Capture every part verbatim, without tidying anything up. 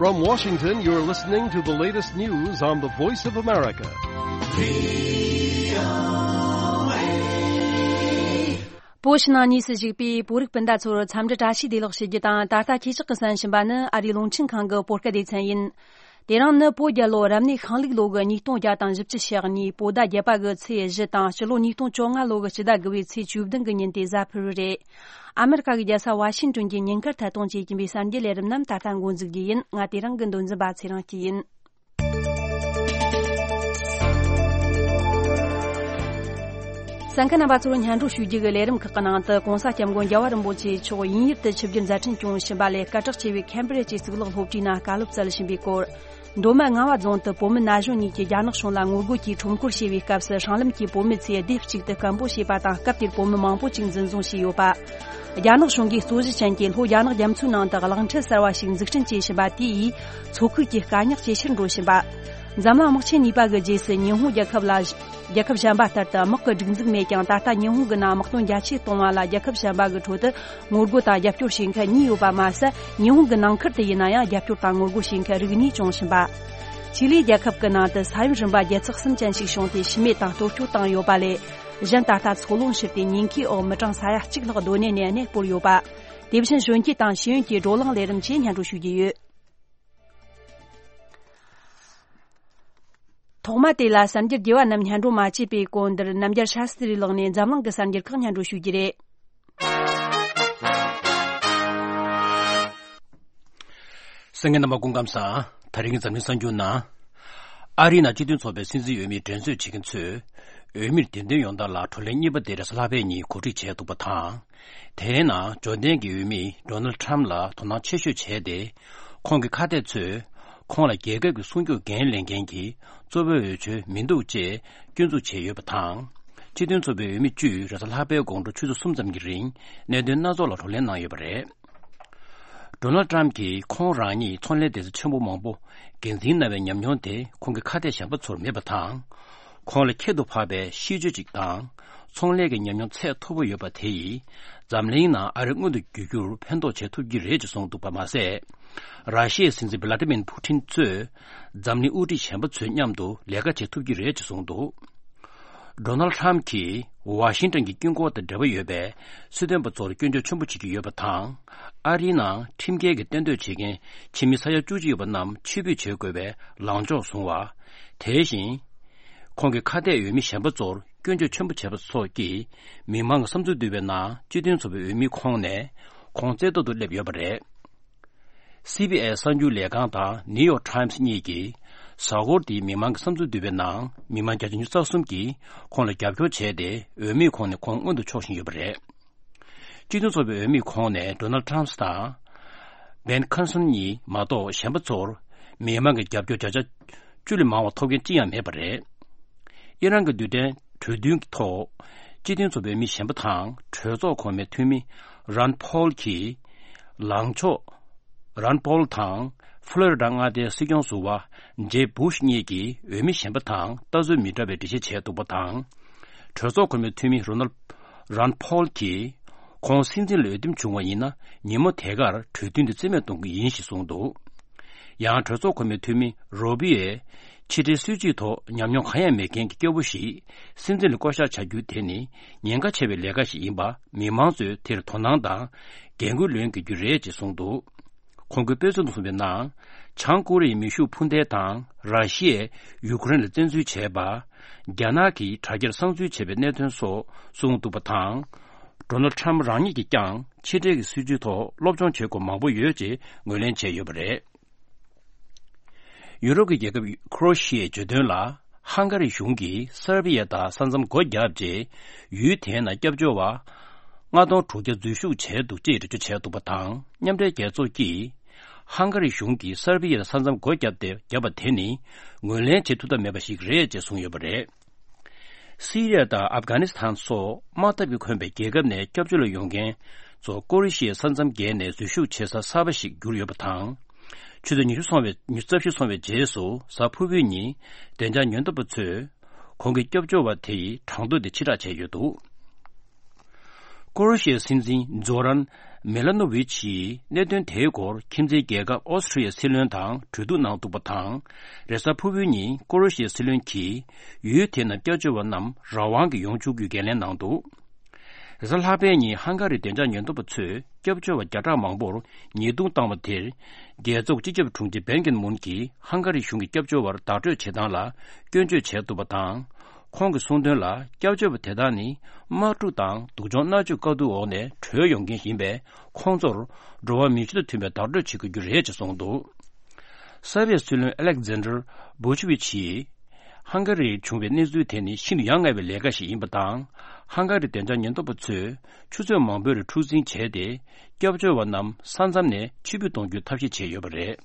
From Washington, you're listening to the latest news on the Voice of America. བོད་ཕྱི་ནང་གཉིས་སུ་བཞུགས་པའི་བོད་རིགས་སྤུན་ཟླ་ཚོར་འཚམས་འདྲི་བཀྲ་ཤིས་བདེ་ལེགས་ཞུ་རྒྱུ་དང་། ད་ལྟ་ཁྱེད་ཅག་གིས་གསན་བཞིན་པ་ནི་ཨ་རིའི་རླུང་འཕྲིན་ཁང་གི་བོད་སྐད་སྡེ་ཚན་ཡིན། དེ་རིང་ནི་བོད་རྒྱལ་ལོ་རབ་གནས་ཤིང་ལུག་ལོ་གི་ཉིས་སྟོང་བརྒྱ་དང་བཞི་བཅུ་ཞེ་གཉིས་བོད་ཟླ་བརྒྱད་པ་གི་ཚེས་བཞི་དང་། སྤྱི་ལོ་ཉིས་སྟོང་བཅོ་ལྔ་ལོ་གི་སྤྱི་ཟླ་དགུ་པའི་ཚེས་བཅུ་བདུན་གི་ཉིན་དེ་གཟའ་ཕུར་བུ་རེད། ཨ་མེ་རི་ཀ་གི་རྒྱལ་ས་ཝ་ཤིང་ཏོན་གྱི་ཉིན་དཀར་ཐད་གཏོང་བྱེད་ཀྱིན་པའི་གསར་འགྱུར་ལས་རིམ་རྣམས་ད་ལྟ་འགོ་འཛུགས་རྒྱུ་ཡིན། ང་དེ་རིང་གི་མདོ་འཛིན་པ་ཚེ་རིང་སྐྱིད་ཡིན། གསན་མཁན་རྣམ་པ་ཚོར་སྙན་སྒྲོན་ཞུ་རྒྱུ་གི་ལས་རིམ་ཁག་གི་ནང་དུ། ྋགོང་ས་ྋསྐྱབས་མགོན་རྒྱལ་བ་རིན་པོ་ཆེ་མཆོག་དབྱིན་ཡུལ་དུ་ཆིབས་བསྒྱུར་མཛད་འཕྲིན་སྐྱོང་བཞིན་པ་ལས། སྐད་གྲགས་ཆེ་བའི་ཁེམ་བྷི་རི་ཇི་གཙུག་ལག་སློབ་གྲྭའི་ནང་བཀའ་སློབ་སྩལ་བཞིན་པའི་སྐོར། མདོ་སྨད་ངང་པ་རྫོང་དུ་བོད་མི་ན་གཞོན་གཉིས་ཀྱིས་རྒྱ་ནག་གཞུང་ལ་ངོ་རྒོལ་གྱིས་ཁྲོམ་སྐོར་བྱས་པའི་སྐབས་སུ། སྲང་ལམ་གྱི་བོད་མི་ཚོས་སྡེབ་གཅིག་ཏུ་སྐད་འབོད་བྱས་པ་དང་། སྐབས་དེར་བོད་མི་མང་པོ་ཅིག་འཛིན་བཟུང་བྱས་ཡོད་པ། རྒྱ་ནག་གཞུང་གིས་རྩོད་གཞི་ཅན་གྱི་ལྷོ་རྒྱ་ནག་རྒྱ་མཚོའི་ནང་དུ་གློག་འཕྲུལ་གསར་བ་ཞིག་འཛུགས་སྐྲུན་བྱས་བཞིན་པ་དེ་ཡིས་མཚོ་ཁུལ་གྱི་དཀའ་རྙོག་ཇེ་ཆེར་འགྲོ་བཞིན་པ། འཛམ་གླིང་དམག་ཆེན་གཉིས་པ་གི་རྗེས་སུ་ཉི་ཧོང་རྒྱལ་ཁབ་ལ། རྒྱལ་ཁབ་གཞན་པ་ལྟར་དུ་དམག་གི་སྒྲིག་འཛུགས་མེད་ཀྱང་། ད་ལྟ་ཉི་ཧོང་གི་ནང་དམག་དོན་རྒྱ་ཆེ་གཏོང་བ་ལ་རྒྱལ་ཁབ་གཞན་པ་གི་ཁྲོད་དུ་ངོ་རྒོལ་དང་རྒྱབ་སྐྱོར་བྱེད་མཁན་གཉིས་ཡོད་པ་མ་ཟད། ཉི་ཧོང་གི་ནང་ཁུལ་དུ་ཡིན་ན་ཡང་རྒྱབ་སྐྱོར་དང་ངོ་རྒོལ་བྱེད་མཁན་རིགས་གཉིས་བྱུང་བཞིན་པ། ཆི་ལི་རྒྱལ་ཁབ་ཀྱི་ནང་དུ་ས་ཡོམ་རིམ་པ་བརྒྱད་ཚེག་གསུམ་ཅན་ཞིག་བྱུང་སྟེ་ཤི་རྨས་དང་གཏོར་སྐྱོན་བཏང་ཡོད་པ་ལས། གཞན་ད་ལྟ་འཚོ་རླུང་ཤུར་ཏེ་ཉེན་ཁའི་འོག་མི་གྲངས་ས་ཡ་གཅིག་ལྷག་སྡོད་གནས་ནས་གནས་སྤོར་ཡོད་པ། དེ་བཞིན་གཞོན་སྐྱེས་དང་ཤེས་ཡོན་གྱི་བགྲོ་གླེང་ལས་རིམ་བཅས་སྙན་སྒྲོན་ཞུ་རྒྱུ་ཡོད། ཐོག་མ་དེ་ལ་གསར་འགྱུར་རྒྱས་པ་རྣམས་སྙན་སྒྲོན་མ་བྱས་པའི་གོང་དུ། རྣམ་རྒྱལ་ཤཱ་སྟྲི་ལགས་ནས་འཛམ་གླིང་གི་གསར་འགྱུར་ཁག་སྙན་སྒྲོན་ཞུ་རྒྱུ་རེད། གསན་མཁན་རྣམ་པ་སྐུ་ཁམས་བཟང་། དེ་རིང་གི་འཛམ་གླིང་གསར་འགྱུར་ནང་། ཨ་རིའི་ནང་སྤྱི་མཐུན་ཚོགས་པའི་སྲིད་འཛིན་འོས་མིའི་འགྲན་རྩོད་བྱེད་མཁན་ཚོས། འོས་མིར་གདན་འདྲེན་ཡོང་སྟངས་ལ་བགྲོ་གླེང་གཉིས་པ་དེ་རེས་གཟའ་ལྷག་པའི་ཉིན་གོ་སྒྲིག་བྱས་འདུག་པ་དང་། དེའི་ནང་འབྱོར་ལྡན་གྱི་འོས་མི་ཌོ་ནལ་ཁྲམ་ལ་དོ་སྣང་ཆེ་ཤོས་བྱས་ཏེ། ཁོང་གི་ཁ་གཏད་ཚོས། ཁོང་ལ་རྒྱལ་ཁབ་ཀྱི་སྲུང་སྐྱོབ་འགན་ལེན་མཁན་གྱི་གཙོ་བོའི་འོས་ཆོས་མི་འདུག་ཅེས་སྐྱོན་འཛུགས་བྱས་ཡོད་པ་དང་། སྤྱི་མཐུན་ཚོགས་པའི་འོས་མི་བཅུས་རེས་གཟའ་ལྷག་པའི་དགོང་དྲོ་ཆུ་ཚོད་གསུམ་ཙམ་གྱི་རིང་གནད་དོན་སྣ་ཚོགས་ལ་བགྲོ་གླེང་གནང་ཡོད་པ་རེད། ཌོ་ནལ་ཊམ་གྱིས་ཁོང་རང་ཉིད་ཚོང་ལས་སྡེ་ཚན་ཆེན་པོ་མང་པོ་འགན་འཛིན་གནང་བའི་ཉམས་མྱོང་དེ་ཁོང་གི་ཁ་གཏད་གཞན་པ་ཚོར་མེད་པ་དང་། ཁོང་ལ་ཁྱད་དུ་འཕགས་པའི་གཤིས་སྤྱོད་ཅིག་དང་། ཚོང་ལས་ཀྱི་ཉམས་མྱོང་ཚད་མཐོ་པོ་ཡོད་པ་དེ་ཡིས། འཛམ་གླིང་ནང་ཨ་རི་མངོན་དུ་འགྱུར་རྒྱུར་ཕན་ཐོགས་བྱེད་ཐུབ་ཀྱི་རེད་ཅེས་གསུངས་འདུག་པ་མ་ཟད། ར་ཤི་ཡའི་སྲིད་འཛིན་བྷི་ལ་ཏི་མིར་ཕུ་ཐིན་གཙོས། འཛམ་གླིང་དབུ་ཁྲིད་གཞན་པ་ཚོའི་མཉམ་དུ་ལས་ཀ་བྱེད་ཐུབ་ཀྱི་རེད་ཅེས་གསུངས་འདུག་ཌོ་ནལ་ཁྲམ་གྱིས་ཝ་ཤིང་ཊོན་གྱི་དཀྱིལ་འཁོར་དང་འབྲེལ་བ་ཡོད་པའི་སྲིད་དོན་པ་ཚོར་སྐྱོན་བརྗོད་ཆེན་པོ་བྱེད་ཀྱི་ཡོད་པ་དང་། ཨ་རིའི་ནང་ཁྲིམས་འགལ་གྱི་གཏན་སྡོད་བྱེད་མཁན་ཕྱི་མི་ས་ཡ་བཅུ་གཅིག་ཡོད་པ་རྣམས་ཕྱིར་འབུད་བྱེད་དགོས་པའི་ལངས་ཕྱོགས་བཟུང་བ། དེ་བཞིན། ཁོང་གི་ཁ་གཏད་འོས་མི་གཞན་པ་ཚོར་སྐྱོན་བརྗོད་ཆེན་པོ་བྱས་པ་སོགས་ཀྱིས་མི་མང་གི་བསམ་ཚུལ་བསྡུས་པའི་ནང་སྤྱི་མཐུན་ཚོགས་པའི་འོས་མི་ཁོང་ནས་ཁོང་རྩེ་ཐོག་ཏུ་སླེབས་ཡོད་པ་རེད། སི་བི་ཨེས་གསར་འགྱུར་ལས་ཁང་དང་ནིའུ་ཡོག་ཊའིམ་སི་གཉིས་ཀྱིས་གཟའ་འཁོར་འདིའི་མི་མང་གི་བསམ་ཚུལ་བསྡུས་པའི་ནང་མི་མང་བརྒྱ་ཆ་ཉི་ཤུ་རྩ་གསུམ་གྱིས་ཁོང་ལ་རྒྱབ་སྐྱོར་བྱས་ཏེ། འོས་མིས་ཁོང་ནས་ཁོང་མངོན་དུ་ཕྱོགས་བཞིན་ཡོད་པ་རེད། སྤྱི་མཐུན་ཚོགས་པའི་འོས་མིས་ཁོང་ནས་ཌོ་ནལ་ཊམ་དང་། བེན་ཁར་སོན་གཉིས་མ་གཏོགས་གཞན་པ་ཚོར་མི་མང་གི་རྒྱབ་སྐྱོར་བརྒྱ་ཆ་བཅུ་ལས་མང་བ་ཐོབ་མཁན་ཅི་ཡང་མེད་པ་རེད། ཨི་རན་གྱི་རྡུལ་ཕྲན་གྲོས་མཐུན་གྱི་ཐོག་སྤྱི་མཐུན་ཚོགས་པའི་མི་གཞན་པ་དང་གྲོས་ཚོགས་གོང་མའི་འཐུས་མི་རན་ཕོལ་གྱིས། ལངས་ཕྱོགས་རན་ཕོལ་དང་ཕློ་རི་ཌ་མངའ་སྡེའི་སྲིད་སྐྱོང་ཟུར་པ་ཇེབ་བྷུ་ཤ་གཉིས་ཀྱིས་འོས་མི་གཞན་པ་དང་ལྟ་ཚུལ་མི་འདྲ་བའི་འགྲེལ་བཤད་བྱས་འདུག་པ་དང་། གྲོས་ཚོགས་གོང་མའི་འཐུས་མི་རོ་ནལ་རན་ཕོལ་གྱིས། ཁོང་སྲིད་འཛིན་ལ་འོས་འདེམས་བྱུང་བ་ཡིན་ན། ཉིན་མོ་དེ་གར་གྲོས་མཐུན་དེ་རྩིས་མེད་གཏོང་གི་ཡིན་ཞེས་གསུངས་འདུག་ཡང་གྲོས་ཚོགས་གོང་མའི་འཐུས་མི་རོ་བྷི་ཡས། ཕྱི་འབྲེལ་སྲིད་ཇུས་ཐོག་ཉམས་མྱོང་གང་ཡང་མེད་མཁན་གྱི་སྐྱོ་པོ་ཞིག་སྲིད་འཛིན་ལ་བསྐོ་གཞག་བྱ་རྒྱུ་དེ་ནི་ཉེན་ཁ་ཆེ་བའི་ལས་ཀ་ཞིག་ཡིན་པ། མི་མང་ཚོས་དེར་དོ་སྣང་དང་འགན་ཁུར་ལེན་དགོས་རྒྱུ་རེད་ཅེས་གསུངས་འདུག་ཁོང་གིས་དཔེ་མཚོན་དུ་གསུངས་པའི་ནང་། བྱང་ཀོ་རི་ཡའི་མེ་ཤུགས་འཕུར་མདེལ་དང་། ར་ཤི་ཡས་ཡུ་ཀེ་རེན་ལ་བཙན་འཛུལ་བྱས་པ། རྒྱ་ནག་གིས་དྲ་རྒྱར་གསང་འཛུལ་བྱས་པའི་གནད་དོན་སོགས་གསུངས་འདུག་པ་དང་། ཌོ་ནལ་ཁྲམ་རང་ཉིད་ཀྱིས་ཀྱང་ཕྱི་འབྲེལ་གྱི་སྲིད་ཇུས་ཐོག་སློབ་སྦྱོང་བྱེད་དགོས་མང་པོ་ཡོད་ཅེས་ངོས་ལེན་བྱས་ཡོད་པ་རེད། ཡུ་རོབ་ཀྱི་རྒྱལ་ཁབ་ཁོ་རོ་ཤི་ཡའི་བརྗོད་དོན་ལ། ཧང་ག་རི་གཞུང་གིས་སར་བི་ཡ་དང་ས་མཚམས་སྒོ་བརྒྱབ་རྗེས། ཡུལ་དེའི་ནང་སྐྱབས་བཅོལ་བ་ལྔ་སྟོང་དྲུག་བརྒྱ་འཛུལ་ཞུགས་བྱས་འདུག་ཅེས་འགྲེལ་བརྗོད་བྱས་འདུག་པ་དང་། མཉམ་འབྲེལ་རྒྱལ་ཚོགས་ཀྱིས་ཧང་ག་རི་གཞུང་གིས་སར་བི་ཡ་ལ་ས་མཚམས་སྒོ་བརྒྱབ་སྟེ། བརྒྱབ་པ་དེ་ནི་ངོས་ལེན་བྱེད་ཐུབ་ཐབས་མེད་པ་ཞིག་རེད་ཅེས་གསུངས་ཡོད་པ་རེད། སི་རི་ཡ་དང་ཨབ་གྷ་ནི་སི་ཐན་སོགས་དམག་འཐབ་ཀྱིས་ཁོངས་པའི་རྒྱལ་ཁབ་ནས་སྐྱབས་བཅོལ་ལ་ཡོང་མཁན་ཚོ་ཀོ་རི་ཤི་ཡའི་ས་མཚམས་བརྒལ་ནས་འཛུལ་ཞུགས་བྱེད་ས་གསར་པ་ཞིག་གྱུར་ཡོད་པ་དང་། ཆུ་ཚོད་ཉི་ཤུ་སོང་བའི། ཉི་ཤུ་རྩ་བཞི་སོང་བའི་རྗེས་སུ་གཟའ་ཕུར་བུའི་ཉིན་བདེ་འཇགས་ཉེན་རྟོག་པ་ཚོས་ཁོང་གི་སྐྱབས་བཅོལ་བ་དེ་ཡི་གྲངས་ཐོ་དེ་ཕྱིར་བསྒྲགས་བྱས་ཡོད་འདུག་ཀོ་རོ་ཤི་ཡའི་སྲིད་འཛིན་ཛོ་རན་ མེ་ལ་ནོ་ཝིཆ་ཡིས་གནད་དོན་དེའི་སྐོར་ཁྱིམ་མཚེས་རྒྱལ་ཁབ་ཨོ་སི་ཁྲི་ཡའི་སྲིད་བློན་དང་གྲོས་བསྡུར་གནང་འདུག་པ་དང་། རེས་གཟའ་ཕུར་བུའི་ཉིན་ཀོ་རོ་ཤི་ཡའི་སྲིད་བློན་གྱིས་ཡུལ་དེའི་ནང་སྐྱབས་བཅོལ་བ་རྣམས་རང་དབང་གིས་ཡོང་ཆོག་རྒྱུའི་འགན་ལེན་གནང་འདུག་རེས་གཟའ་ལྷག་པའི་ཉིན་ཧང་ག་རིའི་བདེ་འཇགས་ཉེན་རྟོག་པ་ཚོས་སྐྱབས་བཅོལ་བ་བརྒྱ་ཕྲག་མང་པོར་ཉེས་རྡུང་བཏང་བ་དེར། རྒྱལ་ཚོགས་སྤྱི་ཁྱབ་དྲུང་ཆེ་བན་ཀིན་མུན་གྱིས་ཧང་ག་རི་གཞུང་གིས་སྐྱབས་བཅོལ་བར་བདག་སྤྲོད་བྱེད་སྟངས་ལ་སྐྱོན་བརྗོད་བྱས་འདུག་པ་དང་། ཁོང་གིས་གསུངས་དོན་ལ། སྐྱབས་བཅོལ་བ་དེ་དག་ནི་དམག་འཁྲུག་དང་སྡུག་སྦྱོང་མནར་གཅོད་དཀའ་སྡུག་འོག་ནས་བྲོས་ཡོང་མཁན་ཡིན་པས། ཁོང་ཚོར་འགྲོ་བ་མིའི་ཆོས་དང་མཐུན་པའི་བདག་སྤྲོད་བྱེད་དགོས་རྒྱུ་རེད་ཅེས་གསུངས་འདུག་སར་བྷི་ཡའི་སྲིད་བློན་ཨ་ལེག་ཛན་ཌར་བྷུ་ཆི་ཝིཆ་ཡིས། ཧང་ག་རིར་བྱུང་བའི་གནས་ཚུལ་དེ་ནི་ཤིན་ཏུ་ཡ་ང་བའི་ལས་ཀ་ཞིག་ཡིན་པ་དང་། ཧང་ག་རིའི་བདེ་འཇགས་ཉེན་རྟོག་པ་ཚོས་ཆུ་ཚོད་མང་པོའི་རིང་འཁྲུག་འཛིང་བྱས་ཏེ། སྐྱབས་བཅོལ་བ་རྣམས་ས་མཚམས་ནས་ཕྱིར་འབུད་གཏོང་རྒྱུའི་ཐབས་ཤེས་བྱས་ཡོད་པ་རེད།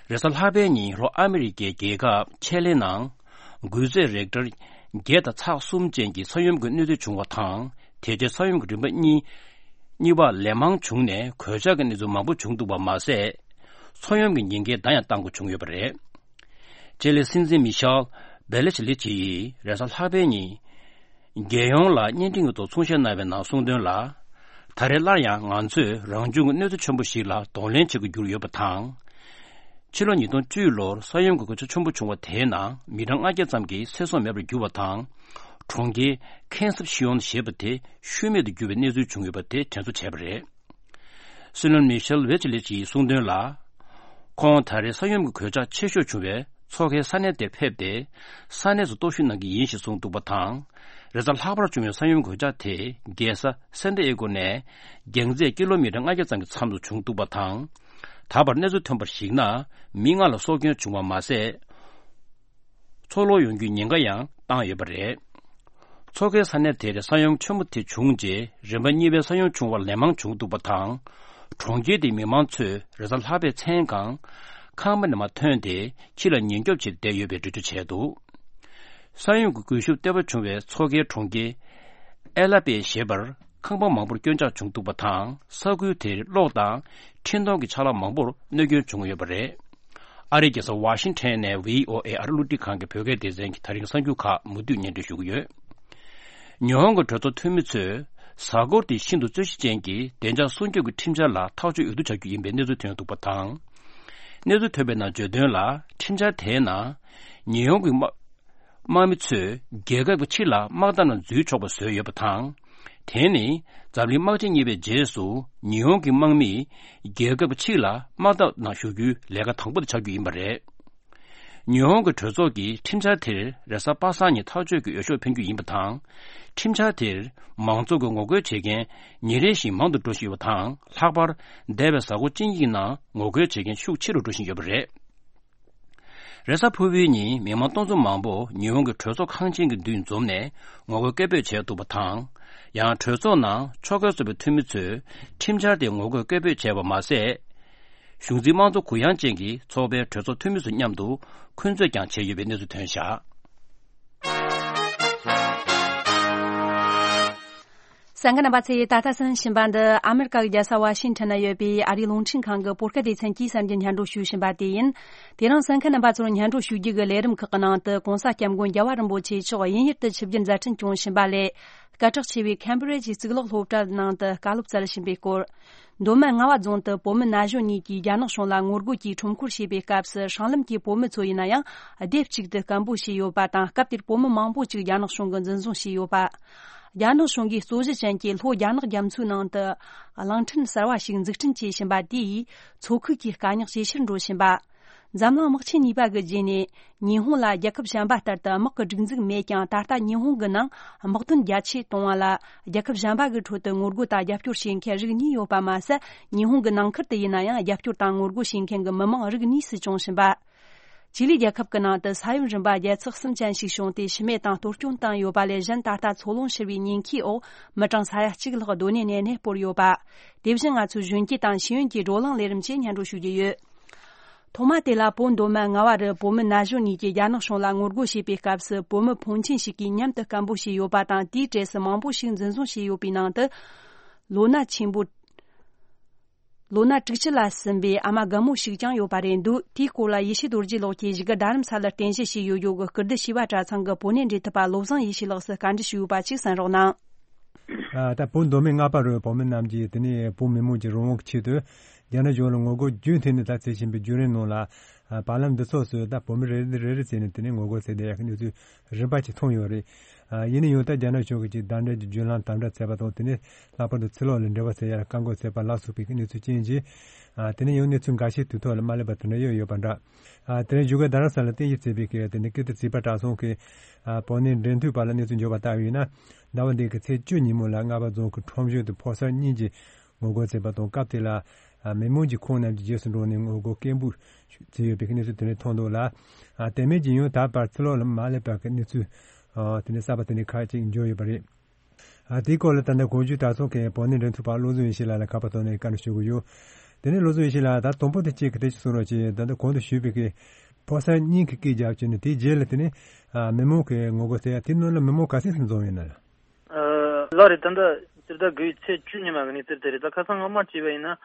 རེས་གཟའ་ལྷག་པའི་ཉིན་ལྷོ་ཨ་མི་རི་ཀའི་རྒྱལ་ཁབ་ཆེ་ལེ་ནང་། འགུལ་ཚད་རེག་ཊར་བརྒྱད་དང་ཚེག་གསུམ་ཅན་གྱི་ས་ཡོམ་གྱི་གནོད་འཚེ་བྱུང་བ་དང་། དེ་རྗེས་ས་ཡོམ་གྱི་རིམ་པ་གཉིས། གཉིས་པ་ལན་མང་བྱུང་ནས་གོད་ཆག་གི་གནས་ཚུལ་མང་པོ་བྱུང་འདུག་པ་མ་ཟད། མཚོ་ཡོམ་གྱི་ཉེན་ཁའི་བརྡ་ཡང་བཏང་དགོས་བྱུང་ཡོད་པ་རེད། ཅེ་ལེ་སྲིད་འཛིན་མི་ཤེལ་བྷེ་ལེ་ཆི་ལེ་ཆི་ཡིས་རེས་གཟའ་ལྷག་པའི་ཉིན། རྒྱལ་ཡོངས་ལ་བརྙན་འཕྲིན་གྱི་ཐོག་གསུང་བཤད་གནང་བའི་ནང་གསུངས་དོན་ལ། ད་རེས་སླར་ཡང་ང་ཚོས་རང་བྱུང་གི་གནོད་འཚེ་ཆེན་པོ་ཞིག་ལ་གདོང་ལེན་བྱེད་དགོས་གྱུར་ཡོད་པ་དང་། ཕྱི་ལོ་ཉིས་སྟོང་བཅུ་ལོར་ས་ཡོམ་གྱི་གོད་ཆག་ཆེན་པོ་བྱུང་བ་དེའི་ནང་མི་གྲངས་ལྔ་བརྒྱ་ཙམ་གྱི་ཚེ་སྲོག་མེད་པར་གྱུར་བ་དང་། གྲོང་ཁྱེར་ཁེན་སབ་ཤི་ཡོན་ཞེས་པ་དེ་ཤུལ་མེད་དུ་གྱུར་བའི་གནས་ཚུལ་བྱུང་ཡོད་པ་དེ་དྲན་གསོ་བྱས་པ་རེད། སྲིད་བློན་མི་ཤེལ་བྷེ་ཆི་ལེ་ཆི་ཡིས་གསུངས་དོན་ལ། ཁོང་ད་རེས་ས་ཡོམ་གྱི་གོད་ཆག་ཆེ་ཤོས་བྱུང་བའི་མཚོ་ཁའི་ས་གནས་དེར་ཕེབས་ཏེ། ས་གནས་སུ་རྟོག་ཞིབ་གནང་གི་ཡིན་ཞེས་གསུངས་འདུག་པ་དང་། རེས་གཟའ་ལྷག་པར་བྱུང་བའི་ས་ཡོམ་གོད་ཆག་དེ་རྒྱལ་ས་སན་ཏི་ཨེ་གོ་ནས་རྒྱང་ཚད་ཀི་ལོ་མི་ཊར་ལྔ་བརྒྱ་ཙམ་གྱི་མཚམས་སུ་བྱུང་འདུག་པ་དང་། ད་བར་གནས་ཚུལ་ཐོན་པར་གཞིགས་ན། མི་ལྔ་ལ་སྲོག་སྐྱོན་བྱུང་བ་མ་ཟད། འཚོ་ལོག་ཡོང་རྒྱུའི་ཉེན་ཁ་ཡང་བཏང་ཡོད་པ་རེད། མཚོ་ཁའི་ས་གནས་དེར་ས་ཡོམ་ཆེན་པོ་དེ་བྱུང་རྗེས་རིམ་པ་གཉིས་པའི་ས་ཡོམ་བྱུང་བ་ལན་མང་བྱུང་འདུག་པ་དང་། གྲོང་ཁྱེར་དེའི་མི་མང་ཚོས་རེས་གཟའ་ལྷག་པའི་མཚན་གང་། ཁང་པ་ནས་མར་ཐོན་ཏེ་ཕྱི་ལ་ཉེན་སྐྱོབ་བྱེད་བསྡད་ཡོད་པའི་འགྲེལ་བརྗོད་བྱས་འདུག་ས་ཡོམ་གྱི་སྒུལ་ཤུགས་ལྟེ་བ་བྱུང་བའི་མཚོ་ཁའི་གྲོང་ཁྱེར་ཨེ་ལ་པེ་ཞེས་པར། ཁང་པ་མང་པོར་སྐྱོན་ཆག་བྱུང་འདུག་པ་དང་། ས་ཁུལ་དེར་གློག་དང་འཕྲིན་གཏོང་གི་ཆ་ལག་མང་པོར་གནོད་སྐྱོན་བྱུང་ཡོད་པ་རེད། ཨ་རིའི་རྒྱལ་ས་ཝ་ཤིང་ཊོན་ནས་བྷི་ཨོ་ཨེ་ཨ་རི་རླུང་འཕྲིན་ཁང་གི་བོད་སྐད་སྡེ་ཚན་གྱི་ད་རིང་གསར་འགྱུར་ཁག་མུ་མཐུད་སྙན་སྒྲོན་ཞུ་གི་ཡོད། ཉི་ཧོང་གི་གྲོས་ཚོགས་འཐུས་མི་ཚོས་གཟའ་འཁོར་དེ་ཤིན་ཏུ་རྩོད་གཞི་ཅན་གྱི་བདེ་འཇགས་སྲུང་སྐྱོབ་ཀྱི་ཁྲིམས་འཆར་ལ་ཐག་གཅོད་འོས་བསྡུ་བྱ་རྒྱུ་ཡིན་པའི་གནས་ཚུལ་ཐོན་འདུག་པ་དང་། གནས་ཚུལ་ཐོན་པའི་ནང་བརྗོད་དོན་ལ། ཁྲིམས་འཆར་དེའི་ནང་ཉི་ཧོང་གི་དམག་དམག་མི་ཚོས་རྒྱལ་ཁབ་ཀྱི་ཕྱི་ལ་དམག་འཐབ་ནང་འཛུལ་ཆོག་པ་བཟོས་ཡོད་པ་དང་། དེ་ནི་འཛམ་གླིང་དམག་ཆེན་གཉིས་པའི་རྗེས་སུ་ཉི་ཧོང་གི་དམག་མིས་རྒྱལ་ཁབ་ཀྱི་ཕྱི་ལ་དམག་འཐབ་ནང་ཞུགས་རྒྱུའི་ལས་ཀ་དང་པོ་དེ་ཆགས་རྒྱུ་ཡིན་པ་རེད། ཉི་ཧོང་གི་གྲོས་ཚོགས་ཀྱིས་ཁྲིམས་འཆར་དེར་རེས་གཟའ་པ་སངས་ཉིན་ཐག་གཅོད་ཀྱི་འོས་ཤོག་འཕེན་རྒྱུ་ཡིན་པ་དང་། ཁྲིམས་འཆར་དེར་མང་ཚོགས་ཀྱིས་ངོ་རྒོལ་བྱེད་མཁན་ཉིན་རེ་བཞིན་མང་དུ་འགྲོ་བཞིན་ཡོད་པ་དང་། ལྷག་པར་འདས་པའི་གཟའ་འཁོར་གཅིག་གཉིས་ཀྱི་ནང་ངོ་རྒོལ་བྱེད་མཁན་ཤུགས་ཆེ་རུ་འགྲོ་བཞིན་ཡོད་པ་རེད། རེས་གཟའ་ཕུར་བུའི་ཉིན་མི་མང་སྟོང་ཚོ་མང་པོ་ཉི་ཧོང་གི་གྲོས་ཚོགས་ཁང་ཆེན་གྱི་མདུན་འཛོམས་ནས་ངོ་རྒོལ་སྐད་འབོད་བྱས་འདུག་པ་དང་། ཡང་གྲོས་ཚོགས་ནང་ཕྱོགས་འགལ་ཚོགས་པའི་འཐུས་མི་ཚོས་ཁྲིམས་འཆར་དེ་ངོ་རྒོལ་སྐད་འབོད་བྱས་པ་མ་ཟད། གཞུང་འཛིན་དམངས་གཙོ་གུ་ཡངས་ཅན་གྱི་ཚོགས་པའི་གྲོས་ཚོགས་འཐུས་མི་ཚོ་མཉམ་དུ་འཁོན་རྩོད་ཀྱང་བྱས་ཡོད་པའི་གནས་ཚུལ་ཐོན་བཞག་གསན་མཁན་རྣམ་པ་ཚོས་ད་ལྟ་གསན་བཞིན་པ་འདི་ཨ་མེ་རི་ཀ་གི་རྒྱལ་ས་ཝ་ཤིང་ཊོན་ན་ཡོད་པའི་ཨ་རིའི་རླུང་འཕྲིན་ཁང་གི་བོད་སྐད་སྡེ་ཚན་གྱིས་གསར་འགྱུར་སྙན་སྒྲོན་ཞུས་བཞིན་པ་དེ་ཡིན། དེ་རིང་གསན་མཁན་རྣམ་པ་ཚོར་སྙན་སྒྲོན་ཞུ་རྒྱུ་གི་ལས་རིམ་ཁག་གི་ནང་དུ་༸གོང་ས་༸སྐྱབས་མགོན་རྒྱལ་བ་རིན་པོ་ཆེ་མཆོག་དབྱིན་ཡུལ་དུ་ཆིབས་བསྒྱུར་མཛད་འཕྲིན་བསྐྱངས་བཞིན་པ་ལས། སྐད་གྲགས་ཆེ་བའི་ཁེམ་བྷི་རི་ཇི་གཙུག་ལག་སློབ་གྲྭ་ནང་དུ་བཀའ་སློབ་སྩལ་བཞིན་པའི་སྐོར། མདོ་སྨད་རྔ་བ་རྫོང་དུ་བོད་མི་ན་གཞོན་གཉིས་ཀྱིས་རྒྱ་ནག་གཞུང་ལ་ངོ་རྒོལ་གྱིས་ཁྲོམ་སྐོར་བྱེད་པའི་སྐབས་སུ་སྲང་ལམ་གྱི་བོད་མི་ཚོ་ཡིན་ན་ཡང་སྡེབ་གཅིག་ཏུ་སྐད་འབོད་བྱས་ཡོད་པ་དང་། སྐབས་དེར་བོད་མི་མང་པོ་ཅིག་རྒྱ་ནག་གཞུང་གིས་འཛིན་བཟུང་བྱས་ཡོད་པ། རྒྱ་ནག་གཞུང་གིས་རྩོད་གཞི་ཅན་གྱི་ལྷོ་རྒྱ་ནག་རྒྱ་མཚོའི་ནང་དུ་གླིང་ཕྲན་གསར་བ་ཞིག་འཛུགས་སྐྲུན་བྱས་བཞིན་པ་དེ་ཡིས་མཚོ་ཁུལ་གྱི་དཀའ་རྙོག་ཇེ་ཆེར་འགྲོ་བཞིན་པ། འཛམ་གླིང་དམག་ཆེན་གཉིས་པ་གི་རྗེས་ནས་ཉི་ཧོང་ལ་རྒྱལ་ཁབ་གཞན་པ་ལྟར་དུ་དམག་གི་སྒྲིག་འཛུགས་མེད་ཀྱང་། ད་ལྟ་ཉི་ཧོང་གི་ནང་དམག་དོན་རྒྱ་ཆེ་གཏོང་བ་ལ་རྒྱལ་ཁབ་གཞན་པ་གི་ཁྲོད་དུ་ངོ་རྒོལ་དང་རྒྱབ་སྐྱོར་བྱེད་མཁན་རིགས་གཉིས་ཡོད་པ་མ་ཟད། ཉི་ཧོང་གི་ནང་ཁུལ་དུ་ཡིན་ན་ཡང་རྒྱབ་སྐྱོར་དང་ངོ་རྒོལ་བྱེད་མཁན་གྱི་མི་མང་རིགས་གཉིས་སུ་བྱུང་བཞིན་པ། ཅི་ལི་རྒྱལ་ཁབ་ཀྱི་ནང་དུ་ས་ཡོམ་རིམ་པ་བརྒྱད་ཚེག་གསུམ་ཅན་ཞིག་བྱུང་སྟེ་ཤི་རྨས་དང་གཏོར་སྐྱོན་བཏང་ཡོད་པ་ལས་གཞན། ད་ལྟ་འཚོ་རླུང་ཤོར་བའི་ཉེན་ཁའི་འོག་མི་གྲངས་ས་ཡ་གཅིག་ལྷག་སྡོད་གནས་ནས་གནས་སྤོར་ཡོད་པ། དེ་བཞིན་ང་ཚོའི་གཞོན་སྐྱེས་དང་ཤེས་ཡོན་གྱི་བགྲོ་གླེང་ལས་རིམ་བཅས་སྙན་སྒྲོན་ཞུ་རྒྱུ་ཡོད། ཐོག་མ་དེ་ལ་བོད་མདོ་སྨད་རྔ་བ་རུ་བོད་མི་ན་གཞོན་གཉིས་ཀྱིས་རྒྱ་ནག་གཞུང་ལ་ངོ་རྒོལ་བྱེད་པའི་སྐབས་སུ། བོད་མི་ཕོན་ཆེན་ཞིག་གིས་མཉམ་དུ་སྐད་འབོད་བྱས་ཡོད་པ་དང་། དེའི་གྲས་སུ་མང་པོ་ཞིག་འཛིན་བཟུང་བྱས་ཡོད་པའི་ནང་དུ། ལོ་ན་ཆེན་པོ། ལོ་ན་དྲུག་ཅུ་ལ་ཟིན་པའི་ཨ་མ་རྒན་མོ་ཞིག་ཀྱང་ཡོད་པ་རེད་འདུག་དེའི་སྐོར་ལ་ཡེ་ཤེས་རྡོ་རྗེ་ལགས་ཀྱིས་བཞུགས་སྒར་རྡ་རམ་ས་ལར་རྟེན་གཞི་བྱས་ཡོད་ཡོད་ཀྱི་སྐུལ་འདེད་བྱིས་པ་གྲྭ་ཚང་གི་བོད་གནས་འབྲེལ་མཐུད་པ་བློ་བཟང་ཡེ་ཤེས་ལགས་སུ་བཀའ་འདྲི་ཞུས་ཡོད་པ་ཅིག་གསན་རོགས་གནང་། ཨ་ད་བོད་མདོ་སྨད་རྔ་པ་རུ་བོད་མི་རྣམས་ཀྱིས་དེ་ནས་བོད་མི་མང་གི་རང་དབང་གི་ཆེད་དུ་རྒྱ་ནག་གཞུང་ལ་ངོ་རྒོལ་རྒྱུན་མཐུད་ནས་ད་བྱེད་བཞིན་པའི་བརྒྱུད་རིམ་ནང་ལ། ཨ་བར་ལམ་འདི་ཚོ་སུ་ད་བོད་མི་རེ་རེ་རེ་རེ་བྱས་ནས་དེ་ནས་ངོ་རྒོལ་བྱས་བསྡད་ཡག་གི་གནས་ཚུལ་རིམ་པ་ཞིག་ཐོན་ཡོད་རེད། ཨ་ཡིན་ན་ཡང་ད་རྒྱ་ནག་གཞུང་གིས་ཀྱི་བདའ་འདེད་ཀྱི་བརྒྱུད་ལམ་དམ་དྲག་བྱས་པ་དང་དེ་ནས་ལྷག་པར་དུ་ཕྱི་ལོགས་ལ་འབྲེལ་བ་བྱེད་ཡག་ལ་བཀག་འགོག་བྱས་པ་ལ་སོགས་པའི་གནས་ཚུལ་རྐྱེན་གྱིས། ཨ་དེ་ནས་ཡང་གནས་ཚུལ་འགའ་ཤས་དུས་ཐོག་ལ་མ་སླེབས་པ་དེ་འདྲ་ཡང་ཡོད་པ་འདྲ། ཨ་དེ་རིང་བཞུགས་སྒར་རྡ་རམ་ས་ལ་རྟེན་གཞི་བྱས་པའི་གི་དེ་ནས་ཀིརྟི་བྱིས་པ་གྲྭ་ཚང་གི་ཨ་བོད་གནས་འབྲེལ་མཐུད་པ་ལ་གནས་ཚུལ་འབྱོར་བ་ལྟར་ཡིན་ན། ཟླ་བ་འདིའི་གི་ཚེས་བཅུ་ཉིན་མོ་ལ་རྔ་པ་རྫོང་གི་ཁྲོམ་གཞུང་དུ་ཕོ་གསར་གཉིས་ཀྱིས་ངོ་རྒོལ་བྱས་པ་དང་། སྐབས་དེ་ལ་ཨ་མི་མང་གིས་ཁོང་རྣམས་ཀྱི་རྗེས་སུ་འབྲངས་ནས་ངོ་རྒོལ་སྐད་འབོད་བྱས་ཡོད་པའི་གནས་ཚུལ་དེ་འདྲ་ཐོན་འདུག་ལ། ཨ་དེ་མིན་གྱི་ཡང་ད་བར་ཕྱི་ལོགས་ལ་མ་སླེབས་པ་གི་གནས་ཚུལ་ཨ་དེ་ནས་གསར་པ་དེ་འདྲ་ཁག་ཅིག་འབྱོར་ཡོད་པ་རེད། ཨ་དེའི་སྐོར་ལ་ད་ལྟ་གོང་ཞུས་གྲྭ་ཚང་གི་བོད་གནས་འབྲེལ་མཐུད་པ་བློ་བཟང་ཡེ་ཤེས་ལགས་ལ་ཁ་པར་ཐོག་ནས་བཀའ་འདྲི་ཞུ་གི་ཡོད། དེ་ནས་བློ་བཟང་ཡེ་ཤེས་ལགས། ད་དང་པོ་དེ་གཅིག་གི་དེ་ཅིག་གསུང་རོགས་གྱིས། ད་ལྟ་གོང་དུ་ཞུས་པའི་གི་ཕོ་གསར་གཉིས་ཀྱིས་སྐད་རྒྱབ་བྱས་ནས་དེའི་རྗེས་ལ་དེ་ནས་ཨ་མི་མང་གིས་ངོ་རྒོལ་བྱས་ཡ་དེའི་ནང་ལ་མི་མང་ག་ཚད་ཙམ་འཛོམས་ཡོད་ན་ལ། ཨ་ལགས་རེད། ད་ལྟ་སྤྱིར་བདག་དགུ་བའི་ཚེས་བཅུ་ཉིན་མ་གི་གནས་ཚུལ་དེ་རེད། ད་ཁ་སང་སྔ་མ་བྱས་པ་ཡིན་ན་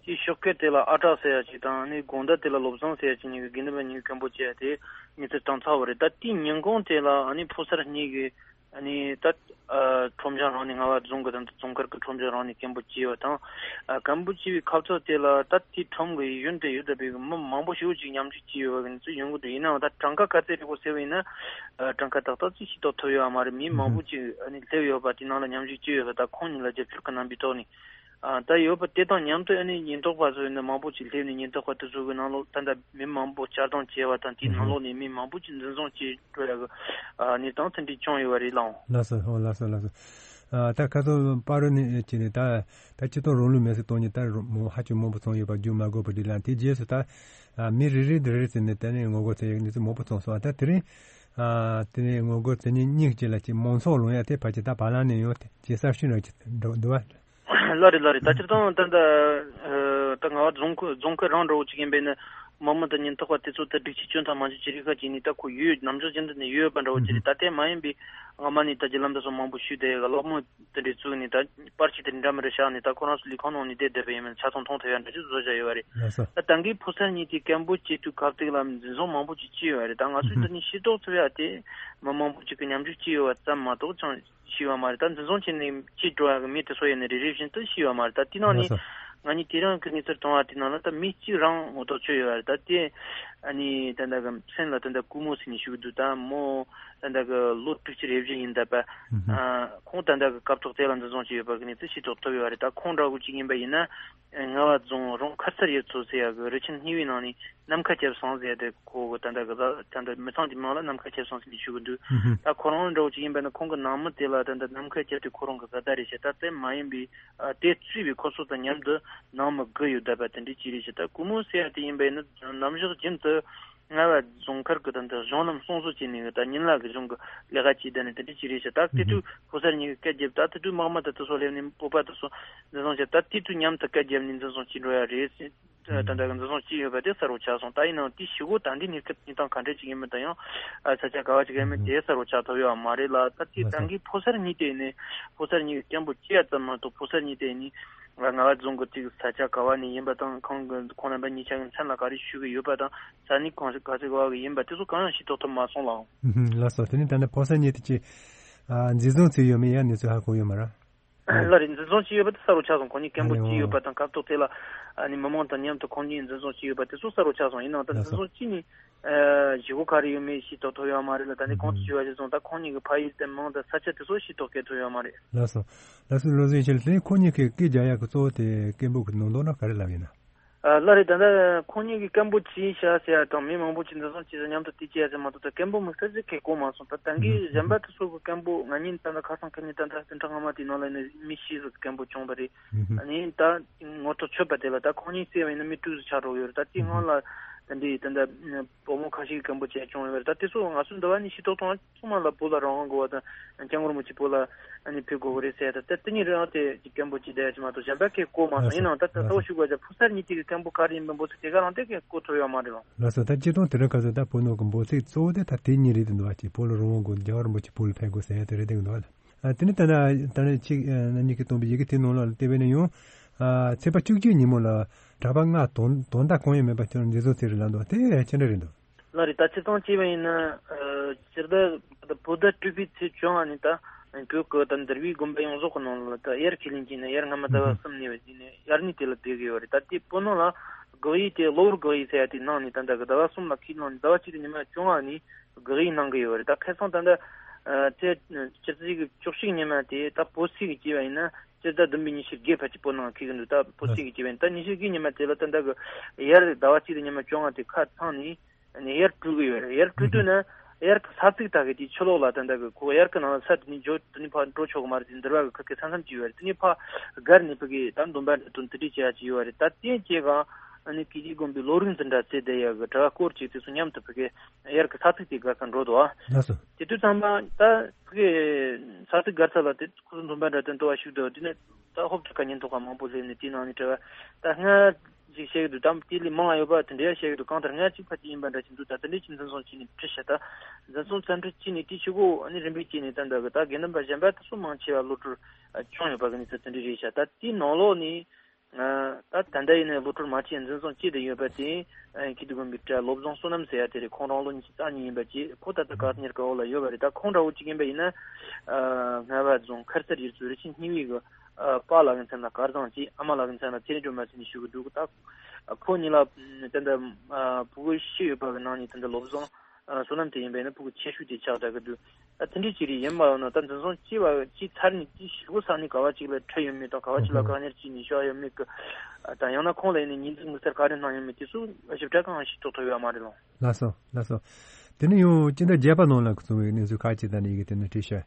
དེའི་ཞོགས་ཀས་དེ་ལ་ཨ་གྲགས་ཟེར་ཡ་ཅིག་དང་ནི་དགོང་དག་དེ་ལ་བློ་བཟང་ཟེར་ཡ་ཅིག་གཉིས་ཀྱིས་དགེ་འདུན་པ་གཉིས་ཀྱིས་སྐད་འབོད་བྱས་ཡ་དེ་གནས་ཚུལ་བཏང་ཚར་བ་རེད། ད་དེའི་ཉིན་གུང་དེ་ལ་ཨ་ནི་ཕོ་གསར་གཉིས་ཀྱིས་ཨ་ནི་ད་ཨ་ཁྲོམ་གཞུང་རང་ནས་རྔ་པ་རྫོང་གི་ད་རྫོང་མཁར་གྱི་ཁྲོམ་གཞུང་རང་ནས་སྐད་འབོད་བྱས་ཡོད་དང་། ཨ་སྐད་འབོད་བྱས་པའི་ཁ་ཕྱོགས་དེ་ལ་ད་དེའི་ཁྲོམ་གྱི་ཡུན་དུ་ཡོད་བསྡད་པའི་མི་མང་པོ་ཞེ་པོ་ཅིག་མཉམ་ཞུགས་བྱས་ཡོད་པ་གི་གནས་ཚུལ་ཡོང་གི་འདུག་ཡིན་ནའང་ད་གྲངས་ཀ་ག་ཚད་རེད་གོ་ཟེར་བ་ཡིན་ན། ཨ་གྲངས་ཀ་ཏག་ཏག་ཅིག་ཤེས་རྟོགས་ཐུབ་ཡོད་མ་རེད། མི་མང་པོ་ཅིག་ཨ་ནི་སླེབས་ཡོད་པ་དེ་ནང་ལ་མཉམ་ཞུགས་བྱས་ཡོད་པ་དང་ཁོང་གཉིས་ལ་རྒྱབ་སྐྱོར་གྱི་རྣམ་པའི་ཐོག་ནས། ཨ་ད་ཡོད་པ་དེ་དང་མཉམ་དུ་ཨ་ནི་ཉེན་རྟོག་པ་ཚོ་ནི་མང་པོ་ཅིག་སླེབས་ནས་ཉེན་རྟོག་པ་དེ་ཚོ་གི་ནང་ལོགས་ད་ལྟ་མི་མང་པོ་བཅར་སྟངས་བྱས་པ་དང་དེའི་ནང་ལོགས་ནས་མི་མང་པོ་ཅིག་འཛིན་བཟུང་བྱས་འགྲོ་ཡ་གི་ཨ་གནས་སྟངས་དེ་འདྲ་བྱུང་ཡོད་པ་རེད་ལགས། ལགས་སོ། ཨོ་ལགས་སོ་ལགས་སོ། ཨ་ད་ཁ་སང་པ་རུ་ནས་བྱས་ནས་ད་ད་སྤྱི་ཚོགས་རིང་ལུགས་མེད་སའི་སྟེང་ནས་ད་རུ་མོ་ཧ་ཅང་མང་པོ་ཚང་ཡོད་པ་རྒྱུ་མ་དགོས་པ་རེད་ལ། དེའི་རྗེས་སུ་ད་ཨ་མི་རེ་རེ་རེ་རེ་བྱས་ནས་ད་ནས་ངོ་རྒོལ་བྱེད་ཡ་གི་གནས་ཚུལ་མང་པོ་ཚང་སོང་། ཨ་ད་དེ་རིང་ཨ་དེ་ནས་ངོ་རྒོལ་བྱེད་མཁན་གཉིས་ཀྱི་ལ་ཅིག་མང་ཚོགས་ལངས་ཡ་དེ་ཕལ་ཆེར་ད་བར་ལམ་ནས་ཡང་ཇེ་གསར་ཤོས་ནང་ཅིག་འགྲོ་འདུག་བ། ལགས་རེད་ལགས་རེད། ད་སྤྱིར་བཏང་ད་ལྟ་ཨ་ད་རྔ་པ་རྫོང་ཁུལ་རྫོང་ཁུལ་རང་འདྲ་བོ་ཅིག་ཡིན་པས་ན་མི་མང་དང་ཉེན་རྟོག་པ་དེ་ཚོ་ད་སྒྲིག་ཆས་གྱོན་སྟངས་མང་ཆེ་ཅིག་རིགས་ཁ་ཅིག་ནི་ད་ཁོ་ཡོད་ནམ་ཞོགས་རྒྱུན་དུ་ནས་ཡོད་པ་འདྲ་བོ་ཅིག་རེད། ད་ལྟའི་མ་ཡིན་པའི་སྔ་མ་ནས་ད་རྒྱུ་ལམ་དུ་སོང་མང་པོ་ཞུས་བསྡད་ཡོད་ག་སློབ་མ་དེ་འདྲའི་བཙུགས་ནས་ད་པར་ཆས་དེ་འདྲ་མི་འདྲ་བཞག་ནས་ད་ཁོ་རང་ཚོ་ལས་ཁུངས་ནང་ནས་བསྡད་བསྡད་པ་ཡིན་མིན་ཆ་ཚང་མཐོང་ཐུབ་ཡ་འདྲ་ཅིག་བཟོ་བཞག་ཡོད་པ་རེད། ལགས་སོ། ད་ད་གིན་ཕོ་གསར་གཉིས་དེ་སྐད་འབོད་བྱེད་དུས་སྐབས་དེ་ལ་འཛིན་བཟུང་མང་པོ་ཅིག་བྱས་ཡོད་པ་རེད། ད་ང་ཚོས་ཨུ་ཧུ། འདི་ནས་ཤེས་རྟོགས་ཐུབ་ཡ་དེ་མི་མང་པོ་ཅིག་གིས་མཉམ་ཞུགས་བྱས་ཡོད་པ་ཙམ་མ་གཏོགས་ཅང་ཤེས་པ་མ་རེད། ད་འཛིན་བཟུང་བྱས་ནས་ཕྱིར་འགྲོ་ཡ་གི་མི་དེ་ཚོ་ཡིན་ན་རེ་རེ་བཞིན་དུ་ཤེས་པ་མ་རེད། ད་དེ་ནང་ནས་ལགས་སོ། ང་གཉིས་དེ་རིང་གི་གནས་ཚུལ་མཐོང་བ་དེ་ནང་ལ་ད་མི་གཅིག་རང་ངོ་ཐོག་ཆོད་ཡོད་པ་རེད། ད་དེ་ཨ་ནི་ད་ལྟ་གི་མཚན་ལ་ད་ལྟ་ཀུ་མུ་ཟེར་ནས་ཞུ་གི་འདུག་ད་མོ་ད་ལྟ་གི་ལོ་དྲུག་ཅུ་རེ་བཞི་ཡིན་ད་པ། ཨུ་ཧུ། ཨ་ཁོང་ད་ལྟ་གི་སྐབས་ཐོག་དེ་ལ་འཛིན་བཟུང་བྱས་ཡོད་པ་གི་གནས་ཚུལ་ཤེས་རྟོགས་ཐུབ་ཡོད་པ་རེད། ད་ཁོང་འདྲ་བོ་གཅིག་ཡིན་པ་ཡིན་ན། རྔ་པ་རྫོང་རོང་ཁར་སར་ཡོད་ཚོ་ཟེར་ཡ་གི་རི་ཆེན་གཉིས་པའི་ནང་ནས་ནམ་མཁའ་ཁྱབ་སོང་ཟེར་ཏེ་ཁོ་གི་ད་ལྟ་གི་ད་ལྟ་མི་ཚང་གི་མིང་ལ་ནམ་མཁའ་ཁྱབ་སོང་ཟེར་ནས་ཞུ་གི་འདུག་ཨུ་ཧུ། ད་ཁོ་རང་འདྲ་བོ་ཅིག་ཡིན་པ་ན་ཁོང་གི་ནང་མི་དེ་ལ་ད་ལྟ་ནམ་མཁའ་ཁྱབ་དེ་ཁོ་རང་གི་བཟའ་ཟླ་རེད་ཤག་ད་དེ་མ་ཡིན་པའི་ཨ་དེ་གཙོས་པའི་ཁོ་ཚོ་དང་མཉམ་དུ་ནང་མི་དགུ་ཡོད་བསྡད་པ་དེ་འདྲའི་ཅིག་རེད་ཤག་ད་ཀུ་མུ་ཟེར་ཡ་དེ་ཡིན་པ་ཡིན་ན་ནམ་ཞག་རྒྱུན་དུ་རྔ་པ་རྫོང་མཁར་གི་ད་ལྟ་གཞུང་ལམ་སྲུང་བཟོ་བྱས་ནས་ད་ཉིན་ལ་གི་གཞུང་གི་ལས་ཀ་བྱས་བསྡད་ནས་དེ་འདྲའི་ཅིག་རེད་ཤག་ད་དེ་དུས་ཕོ་གསར་གཉིས་ཀྱི་སྐད་རྒྱབ། ད་དེ་དུས་དམག་མི་དེ་ཚོ་སླེབས་ནས་སྤོབས་པ་དེ་ཚོ་འཛིན་བཟུང་བྱས། ད་དེ་དུས་མཉམ་དུ་སྐད་རྒྱབ་ནས་འཛིན་བཟུང་བྱས་འགྲོ་ཡ་རེད། ད་ལྟ་གི་འཛིན་བཟུང་བྱས་ཡོད་པ་དེ་གསལ་པོ་ཆགས་སོང་། ད་ཡིན་ནའང་དེའི་གཞུག་གུ་ད་ལྟའི་གནས་སྐབས་གནས་སྟངས་ག་འདྲ་ཅིག་ཡིན་མིན་དང་ཡང་ཨ་ས་ཆ་ག་བ་ཅིག་ཡིན་མིན་དེ་གསལ་པོ་ཆགས་ཐུབ་ཡོད་མ་རེད་ལ། ད་དེ་ད་གིན་ཕོ་གསར་གཉིས་དེ་ནས་ཕོ་གསར་གཉིས་ཀྱི་སྐད་འབོད་བྱས་ཡ་ཙམ་མ་གཏོགས་ཕོ་གསར་གཉིས་དེ་ནས་རྔ་པ་རྫོང་གི་ཅིག་ས་ཆ་ག་བ་ནས་ཡིན་པ་དང་ཁོང་གི་ཁོང་རྣམ་པ་གཉིས་ཆ་གི་མཚན་ལ་ག་རེ་ཞུ་གི་ཡོད་པ་དང་ས་གནས་གང་ཞིག་ག་ཚོད་ག་བ་གི་ཡིན་པ་དེ་ཚོ་གང་ཡང་ཤེས་རྟོགས་ཐུབ་མ་སོང་ལགས། ལགས་སོ། དེ་ནས་ད་ནི་ཕོ་གསར་གཉིས་དེ་ཅིག་ཨ་འཛིན་བཟུང་བྱས་ཡོད་མེད་ཡང་གནས་ཚུལ་ཧ་གོ་ཡོད་མ་རེད། ལགས་རེད། འཛིན་བཟུང་བྱས་ཡོད་པ་དེ་གསལ་པོ་ཆགས་སོང་། ཁོང་གཉིས་སྐད་འབོད་བྱས་ཡོད་པ་དང་སྐབས་ཐོག་དེ་ལ་ཨ་ནི་མི་མང་དང་མཉམ་དུ་ཁོང་གཉིས་འཛིན་བཟུང་བྱས་ཡོད་པ་དེ་ཚོ་གསལ་པོ་ཆགས་སོང་། ཡིན་ནའང་ད་འཛིན་བཟུང་བྱས་ནས་ཨ་གཞུག་གུ་ག་རེ་ཡོད་མེད་ཤེས་རྟོགས་ཐུབ་ཡོད་མ་རེད་ལ། ད་ནི་གོང་དུ་ཞུས་པ་བཞིན་སོང་ད་ཁོང་གཉིས་ཀྱི་ཕ་ཡུལ་དེ་མིང་དང་ས་ཆ་དེ་ཚོ་ཤེས་རྟོགས་སྐད་ཐུབ་ཡོད་མ་རེད། ལགས་སོ། ལགས་སོ། བློ་བཟང་ཡེ་ཤེས་ལགས། དེ་ཁོང་གཉིས་ཀྱིས་སྐད་རྒྱག་ཡག་གི་གཙོ་བོ་དེ་སྐད་འབོད་ཀྱི་ནང་དོན་ན་ག་རེ་ལབ་ཡིན་ན། ཨ་ལགས་རེད། ད་ལྟ་ཁོང་གཉིས་ཀྱིས་སྐད་འབོད་བྱས་ཤག་ཟེར་ཡ་དང་མི་མང་པོ་ཅིག་འཛིན་བཟུང་བྱས་ཟེར་མཉམ་དུ་དེ་བྱས་ཡ་ཟེར་མ་གཏོགས་ད་སྐད་འབོད་མི་སེར་ཟིག་གིས་གོ་མ་སོང་། ད་ད་གིན་གཞན་པ་དེ་ཚོ་གི་སྐད་འབོད་ང་གཉིས་ད་ལྟ་ཁ་སང་ཁ་ཉིན་ད་ལྟ་བདུན་ཕྲག་སྔ་མ་དེའི་ནང་ལ་ནི་མི་བཞི་ཟིག་གི་སྐད་འབོད་བྱུང་བ་རེད། ཨ་ནི་ད་ངོ་ཐོག་ཆོད་པ་དེ་ལ་ད་ཁོང་གཉིས་བསད་པ་ཡིན་ན་མི་དྲུག་ཟིག་ཆགས་འགྲོ་གི་ཡོད་རེད། ད་དེའི་སྔོན་ལ་ད་འདི་ད་ལྟ་བུ་མོ་ཁ་ཤས་ཀྱིས་སྐད་འབོད་བྱས་བྱུང་ཡོད་རེད། ད་དེ་ཚོ་ང་ཚོ་འདི་བ་ནི་ཤེས་རྟོགས་གཏོང་ཚང་མ་ལ་བོད་ལ་རང་དབང་དགོས་པ་དང་སྐྱབས་མགོན་རིན་པོ་ཆེ་བོད་ལ་ཨ་ནི་ཕེབས་དགོས་པ་རེད་ཟེར་ཡ་ད་ལྟ་དེ་གཉིས་རང་དེ་ཅིག་སྐད་འབོད་ཅིག་བསྡད་ཡ་ཅིག་མ་གཏོགས་གཞན་པ་གས་གོ་མ་སོང་། ཡིན་ནའང་ད་ད་ལྟ་བ་ཞུ་དགོས་ཀྱང་ཕོ་གསར་གཉིས་དེ་གི་སྐད་འབོད་ག་རེ་ཡིན་པའི་འབོད་ཚིག་དེ་ག་རང་དེ་གས་གོ་ཐུབ་ཡོད་མ་རེད་ལགས། ལགས་སོ། ད་སྤྱིར་བཏང་དེ་རིང་ཁ་སང་ད་བོད་ནང་གི་འབོད་ཚིག་གཙོ་བོ་དེ་ད་དེ་གཉིས་རེད་འདུག་བ། ཅིག་བོད་ལ་རང་དབང་དགོས། རྒྱལ་བ་རིན་པོ་ཆེ་བོད་ལ་ཕེབས་དགོས་ཟེར་ཡ་དེ་རེད་འདུག་ལགས། ཨ་དེ་ནས་ད་ནི་ད་ནི་ཁྱེད་རྣམ་གཉིས་ཀྱིས་བཏོན་པའི་ཡི་གེ་དེའི་ནང་ལ་དེ་བས་ན་ཡང་ཨ་ཚེས་པ་བཅུ་གཅིག་ཉིན་མོ་ལ་གྲྭ་པ་ལྔ་དོན་དོན་དག་གང་ཡང་མེད་པར་ཁྱོད་འཛིན་བཟུང་བྱས་རེད་ལབ་འདུག་དེ་ཅི་འདྲ་རེད་འདུག་ལགས་རེད། ད་སྤྱིར་བཏང་བྱས་པ་ཡིན་ན་ཨ་སྤྱིར་བཏང་བོད་ཟླ་དྲུག་པའི་ཚེས་བཅོ་ལྔ་ནས་ད་ བོད་ཀྱི་ད་འདུལ་བའི་དགོན་པ་ཡོངས་རྫོགས་ཀྱི་ནང་ལ་ད་དབྱར་ཁས་ལེན་བྱས་ནས་དབྱར་སྔ་མ་ཟླ་བ་གསུམ་ནས་བྱས་ནས་དབྱར་གནས་དེ་ལ་བསྡད་ཀྱི་ཡོད་རེད། ད་དེ་བོད་ནང་ལ་དགག་དབྱེ་དེ་གློ་བུར་དགག་དབྱེ་ཟེར་ཡ་དེ་གནང་ནས་ད་ལྟ་གི་ཟླ་བ་གསུམ་ལ་ཁས་བླངས་ནས་ཟླ་བ་གཅིག་དང་ཉི་མ་བཅོ་ལྔ་ནས་དགག་དབྱེ་གནང་གི་ཡོད་རེད། ད་ཁ་སང་ད་ལྟ་ཨ་ཚེས་ཕྱི་ཚེས་ཀྱི་བཅུ་གཅིག་ཉི་མ་དེ་ད་བོད་ཚེས་ཀྱི་བྱས་པ་ཡིན་ན་སྤྱི་ཟླ་བདུན་པའི་ཉི་ཤུ་བརྒྱད་བར་གྱི་བོད་ནང་འཁེལ་གྱི་འདུག་ད་བོད་ཚེས་ཀྱི་བྱས་པ་ཡིན་ད་ཉི་ཤུ་བརྒྱད་ཉི་མ་དེ་ལ་ད་ལྟ་གི་དབྱར་ཟླ་བ་གཅིག་དང་ཉི་མ་བཅོ་ལྔ་དེ་ཁ་ཚང་ནས། ནས་དབྱར་དྲུད་ཀྱི་ཡོད་རེད། དབྱར་དྲུད་དུས་ན་དབྱར་གྱི་ས་ཚིགས་དག་གི་དེའི་ཕྱི་ལོགས་ལ་ད་ལྟ་གི་ཁོ་དབྱར་གྱི་ནང་ལ་ས་དེ་ནས་འཇོག་དེ་ནས་ཕར་འགྲོ་ཆོག་གི་མ་རེད་དེ་འདུལ་བ་གི་ཁུར་གི་ས་མཚམས་ཅིག་ཡོད་རེད། དེ་ནས་ཕར་སྒར་ནས་ཕ་གི་ད་འདོན་པ་འདྲ་དང་དེ་འདྲས་བྱེད་ཡ་ཅིག་ཡོད་རེད། ད་དེ་སྐྱེ་གང་ཨ་ནི་སྐྱེ་རྒྱུའི་དགོན་པའི་བློ་རིག་འཛིན་གྲྭ་ཟེར་བསྡད་ཡ་གི་གྲྭ་བ་སྐོར་གཅིག་དེ་ཚོ་མཉམ་དུ་ཕ་གི་དབྱར་གྱི་ས་ཚིགས་དེ་སྒར་ཁ་འགྲོ་འདུག་ཨ། ལགས་སོ། དེ་དུས་ཙམ་པ་ད་ཕ་གི་ས་ཚིགས་སྒར་ས་ལ་དེ་ཁོ་ཚོ་འདོན་པ་འདྲ་དང་འདུལ་བ་ཞུགས་འདུག་དེ་ནས་ད་ཧོབ་ཁྲ་ཁ་ཉིན་ཐོག་ཁ་མང་པོ་སླེབས་ནས་དེའི་ནང་ནས་གྲྭ་བ་ད་སྔར་ཅིག་བཤད་ཀྱི་འདུག་དམ་དེ་ལས་མང་བ་ཡོད་པ་དེ་འདྲ་བཤད་ཀྱི་འདུག་གང་ལྟར་ལྔ་གཅིག་ཕལ་ཆེར་ཡིན་པ་འདྲ་ཞིག་འདུག་ད་དེ་འདྲ་ཅིག་འཛིན་བཟུང་བྱས་ནས་ཁྲིད་ཤག་ད་འཛིན་བཟུང་བཙན་ཁྲིད་བྱས་ནས་དེའི་ཤུལ་གོ་ཨ་ནི་རིམ་པས་བྱས་ནས་ད་འདྲ་གི་ད་དགེ་འདུན་པ་གཞན་པ་དེ་ཚོ་མང་ཆེ་བ་གློད་བཀྲོལ་བྱུང་ཡོད་པ་གི་གནས་ཚུལ་དེ་འདྲ་རེད་ཤག་ད་དེའི་ནང་ལོགས་ནས་ད་ད་ལྟ་ཡིན་ནའི་གློད་བཀྲོལ་མ་བྱས་འཛིན་བཟུང་བྱས་བསྡད་ཡོད་པ་དེ་ཁྱེད་དུ་དགོན་པའི་གྲྭ་བློ་བཟང་བསོད་ནམས་ཟེར་ཡ་དེ་རེད། ཁོང་རང་ལོ་ཉི་ཤུ་རྩ་གཉིས་ཡིན་པ་བཅས་ཁོ་ད་ལྟ་བཀག་ཉར་གི་འོག་ལ་ཡོད་པ་རེད། ད་ཁོང་འདྲ་བོ་གཅིག་ཡིན་པ་ཡིན་ན་རྔ་བ་རྫོང་མཁར་གསར་ཡུལ་ཚོའི་རི་ཆེན་སྙི་བའི་གི་ཨ་པ་ལགས་ཀྱི་མཚན་ལ་དཀར་བཟང་བྱས། ཨ་མ་ལགས་ཀྱི་མཚན་ལ་ཚེ་རིང་སྒྲོལ་མ་ཟེར་ནས་ཞུ་གི་འདུག་ད་ཁོ་གཉིས་ལ་ད་ལྟ་ཕྲུ་གུ་བཞི་ཡོད་པ་གི་ནང་ནས་ད་ལྟ་བློ་བཟང་བསོད་ནམས་དེ་ཡིན་པས་ན་ཕྲུ་གུ་ཆེ་ཤོས་དེ་ཆགས་བསྡད་ཀྱི་འདུག་ད་དེ་འདྲའི་ཅིག་རེད། ཡིན་པ་ཡང་ན་ད་འཛིན་བཟུང་བྱས་པ་བྱས་ཚར་ནས་དེ་ཞེ་པོ་ས་ནས་ག་བ་ཅིག་ལ་ཁྲིད་ཡོད་མེད་དང་ག་བ་ཅིག་ལ་བཀག་ཉར་བྱས་ནས་བཞག་ཡོད་མེད་ཀྱི་དང་ཡང་ན་ཁོང་ལ་ཡིན་ནས་ཉེས་འཛུགས་དམིགས་བསལ་ག་རེ་གནང་ཡོད་མེད་དེ་ཚོ་ཞིབ་ཕྲ་གང་ཞིག་རྟོགས་ཐུབ་ཡོད་མ་རེད་ལགས། ལགས་སོ་ལགས་སོ། དེ་ནས་ཡང་སྤྱི་ཟླ་བརྒྱད་པ་ནང་ལ་བྱུང་བའི་གནས་ཚུལ་ཁག་ཅིག་ད་ནི་ཡི་གེ་དེ་ནས་བྲིས་ཤག་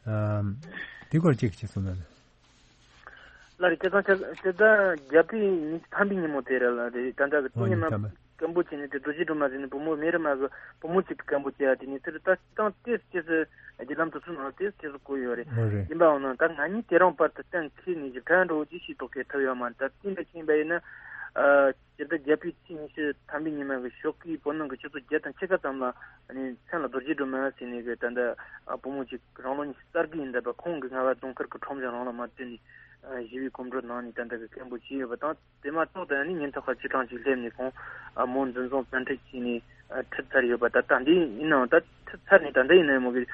ཨམ། དེ་སྐོར་ཅིག་ཅིག་གསུངས་ན། ལགས་རེད། སྤྱིར་བཏང་སྤྱི་ཟླ་བརྒྱད་པའི་ཉི་ཤུ་ཐམ་པའི་ཉིན་མོ་དེ་རེད་ལ་རེད། ད་ལྟ་གི་ཨོ་དེ་ཉིན་ཉི་མ་ཐམ་པ། སྐད་འབོད་བྱས་ནས་དེ་རྡོ་རྗེ་སྒྲོལ་མ་ཟེར་ནས་བུ་མོ་མེ་རི་མ་གི་བུ་མོ་གཅིག་གི་སྐད་འབོད་བྱས་ཡ་དེ་ཉིན་དེར་ད་སྤྱིར་བཏང་ཏོག་ཙམ་ཅིག་རྒྱུ་ལམ་དུ་སོང་ནང་ཏོག་ཙམ་གོ་ཡོད་རེད། ཨོ་རེད། ཡིན་པའང་ན་ད་ང་གཉིས་དེ་རིང་བར་དུ་གཏན་འཁེལ་ནས་ཞིབ་ཕྲ་འདྲ་བོ་ཅིག་ཤེས་རྟོགས་གི་ཐུབ་ཡོད་མ་རེད། ད་དེ་འདྲ་ཅིག་ཡིན་པ་ཡིན་ན་ཨ། སྤྱི་ཟླ་བརྒྱད་པའི་ཚེས་ཉི་ཤུ་ཐམ་པའི་ཉི་མ་གི་ཞོགས་ཀའི་བོད་ནང་གི་ཆུ་ཚོད་བརྒྱད་དང་ཕྱེད་ཀ་ཙམ་ལ་ནི་མཚན་ལ་རྡོ་རྗེ་སྒྲོལ་མ་ཟེར་ནས་གི་ད་ལྟ་བུ་མོ་ཅིག་རང་ལོ་ཉི་ཤུ་རྩ་དགུ་ཡིན་ད་པ་ཁོང་གི་རྔ་བ་རྫོང་མཁར་གི་ཁྲོམ་གཞུང་རང་ལ་མར་བྲོས་ནས་ཞི་བའི་གོམ་བགྲོད་གནང་ནས་ད་ལྟ་གི་སྐད་འབོད་བྱས་ཡོད་པ་དང་དེ་མ་གཏོགས་ད་ནི་ཉིན་ཐོག་ཁ་བཅུ་གྲངས་ཅིག་སླེབས་ནས་ཁོང་མོ་འཛིན་བཟུང་བཙན་ཁྲིད་བྱས་ནས་ཁྲིད་ཚར་ཡོད་པ་ད་ད་འདི་ཡིན་ནའང་ད་ཁྲིད་ཚར་ནས་ད་ལྟ་ཡིན་ནའི་མོ་གི་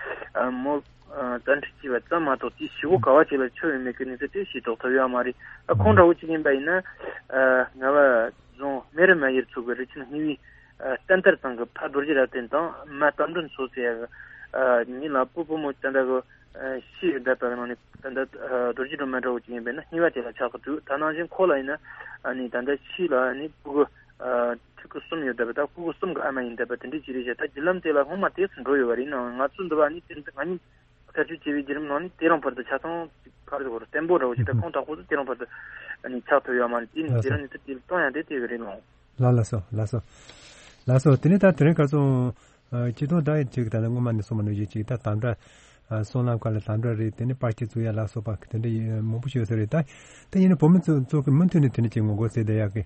མོ་བཙན་ཁྲིད་བྱས་པ་ཙམ་མ་གཏོགས་དེའི་ཞེ་པོ་ག་བ་ཅིག་ལ་ཆོད་ཡོད་མེད་ཀྱི་གནས་ཚུལ་དེ་ཤེས་རྟོགས་ཐུབ་ཡོད་མ་རེད། ཨ་ཁོང་འདྲ་བོ་ཅིག་ཡིན་པ་ཡིན་ན་ཨ་རྔ་བ་རྫོང་མེ་རི་མ་ཡུལ་ཚོ་གི་རི་ཆེན་སྙི་བའི་ཨ་བསྟན་དར་ཚང་གི་ཕ་རྡོ་རྗེ་རབ་བརྟན་དང་མ་རྟ་མགྲིན་མཚོ་ཟེར་ཡ་གི་ཨ་ཉིན་ལ་སྤོ་བུ་མོ་ད་ལྟ་གི་ཨ་ཤི་ཡོད་བསྡད་པ་གི་ནང་ནས་ད་ལྟ་ཨ་རྡོ་རྗེ་སྒྲོལ་མ་འདྲ་བོ་ཅིག་ཡིན་པས་ན་སྙི་བ་དེ་ལ་ཆགས་ཀྱི་འདུག་ད་ནང་བཞིན་ཁོ་ལ་ཡིན་ན་ཨ་ནི་ད་ལྟ་ཤི་ལ་ཨ་ནི་སྤུ་གུ་ཨ་ཕྲུ་གུ་གསུམ་ཡོད་བསྡད་པ་ད་སྤུ་གུ་གསུམ་གི་ཨ་མ་ཡིན་བསྡད་པ་དེ་འདྲའི་ཅིག་རེད་ཤག་ད་བརྒྱུད་ལམ་དེ་ལ་སྔོན་མ་དེ་ཚོ་འགྲོ་ཡོད་པ་རེད་ནའང་ང་ཚོ་འདི་བ་ནི་དེ་ང་གཉིས། བཀའ་ཆོས་བྱེད་པའི་བརྒྱུད་རིམ་ནང་ནས་དེ་རིང་བར་དུ་ཆ་ཚང་ག་རེ་ཟེར་དགོས་རེད། བརྟན་པོ་འདྲ་བོ་ཞིག་དང་ཁོང་དྲག་པོ་ཚོ་དེ་རིང་བར་དུ་ནི་ཆགས་ཐུབ་ཡོད་མ་རེད། དེ་ནི་དེ་རིང་ནི་དེ་གཏོང་ཡང་དེ་དེ་གི་རེད་ལོ། ལ་ལ་སོ་ལ་སོ་ལ་སོ། དེ་ནི་ད་དེ་རིང་ཁ་སང་སྤྱི་དོན་ད་ཅིག་ད་ལྟ་སྔོན་མ་ནས་གསུངས་པ་ནང་བཞིན་ཅིག་ད་དམ་དྲག་སྲང་ལམ་ཁག་ལ་དམ་དྲག་རེད། དེ་ནི་པར་ཆས་བཙུགས་ཡ་ལ་སོགས་པ་དེ་འདྲ་མང་པོ་ཞིག་ཡོད་ས་རེད། ད་དེ་ཡིན་ན་བོད་མི་ཚོ་ཚོ་གི་མུ་མཐུད་ནས་དེ་འདྲ་ཅིག་ངོ་རྒོལ་བྱས་བསྡད་ཡག་གི་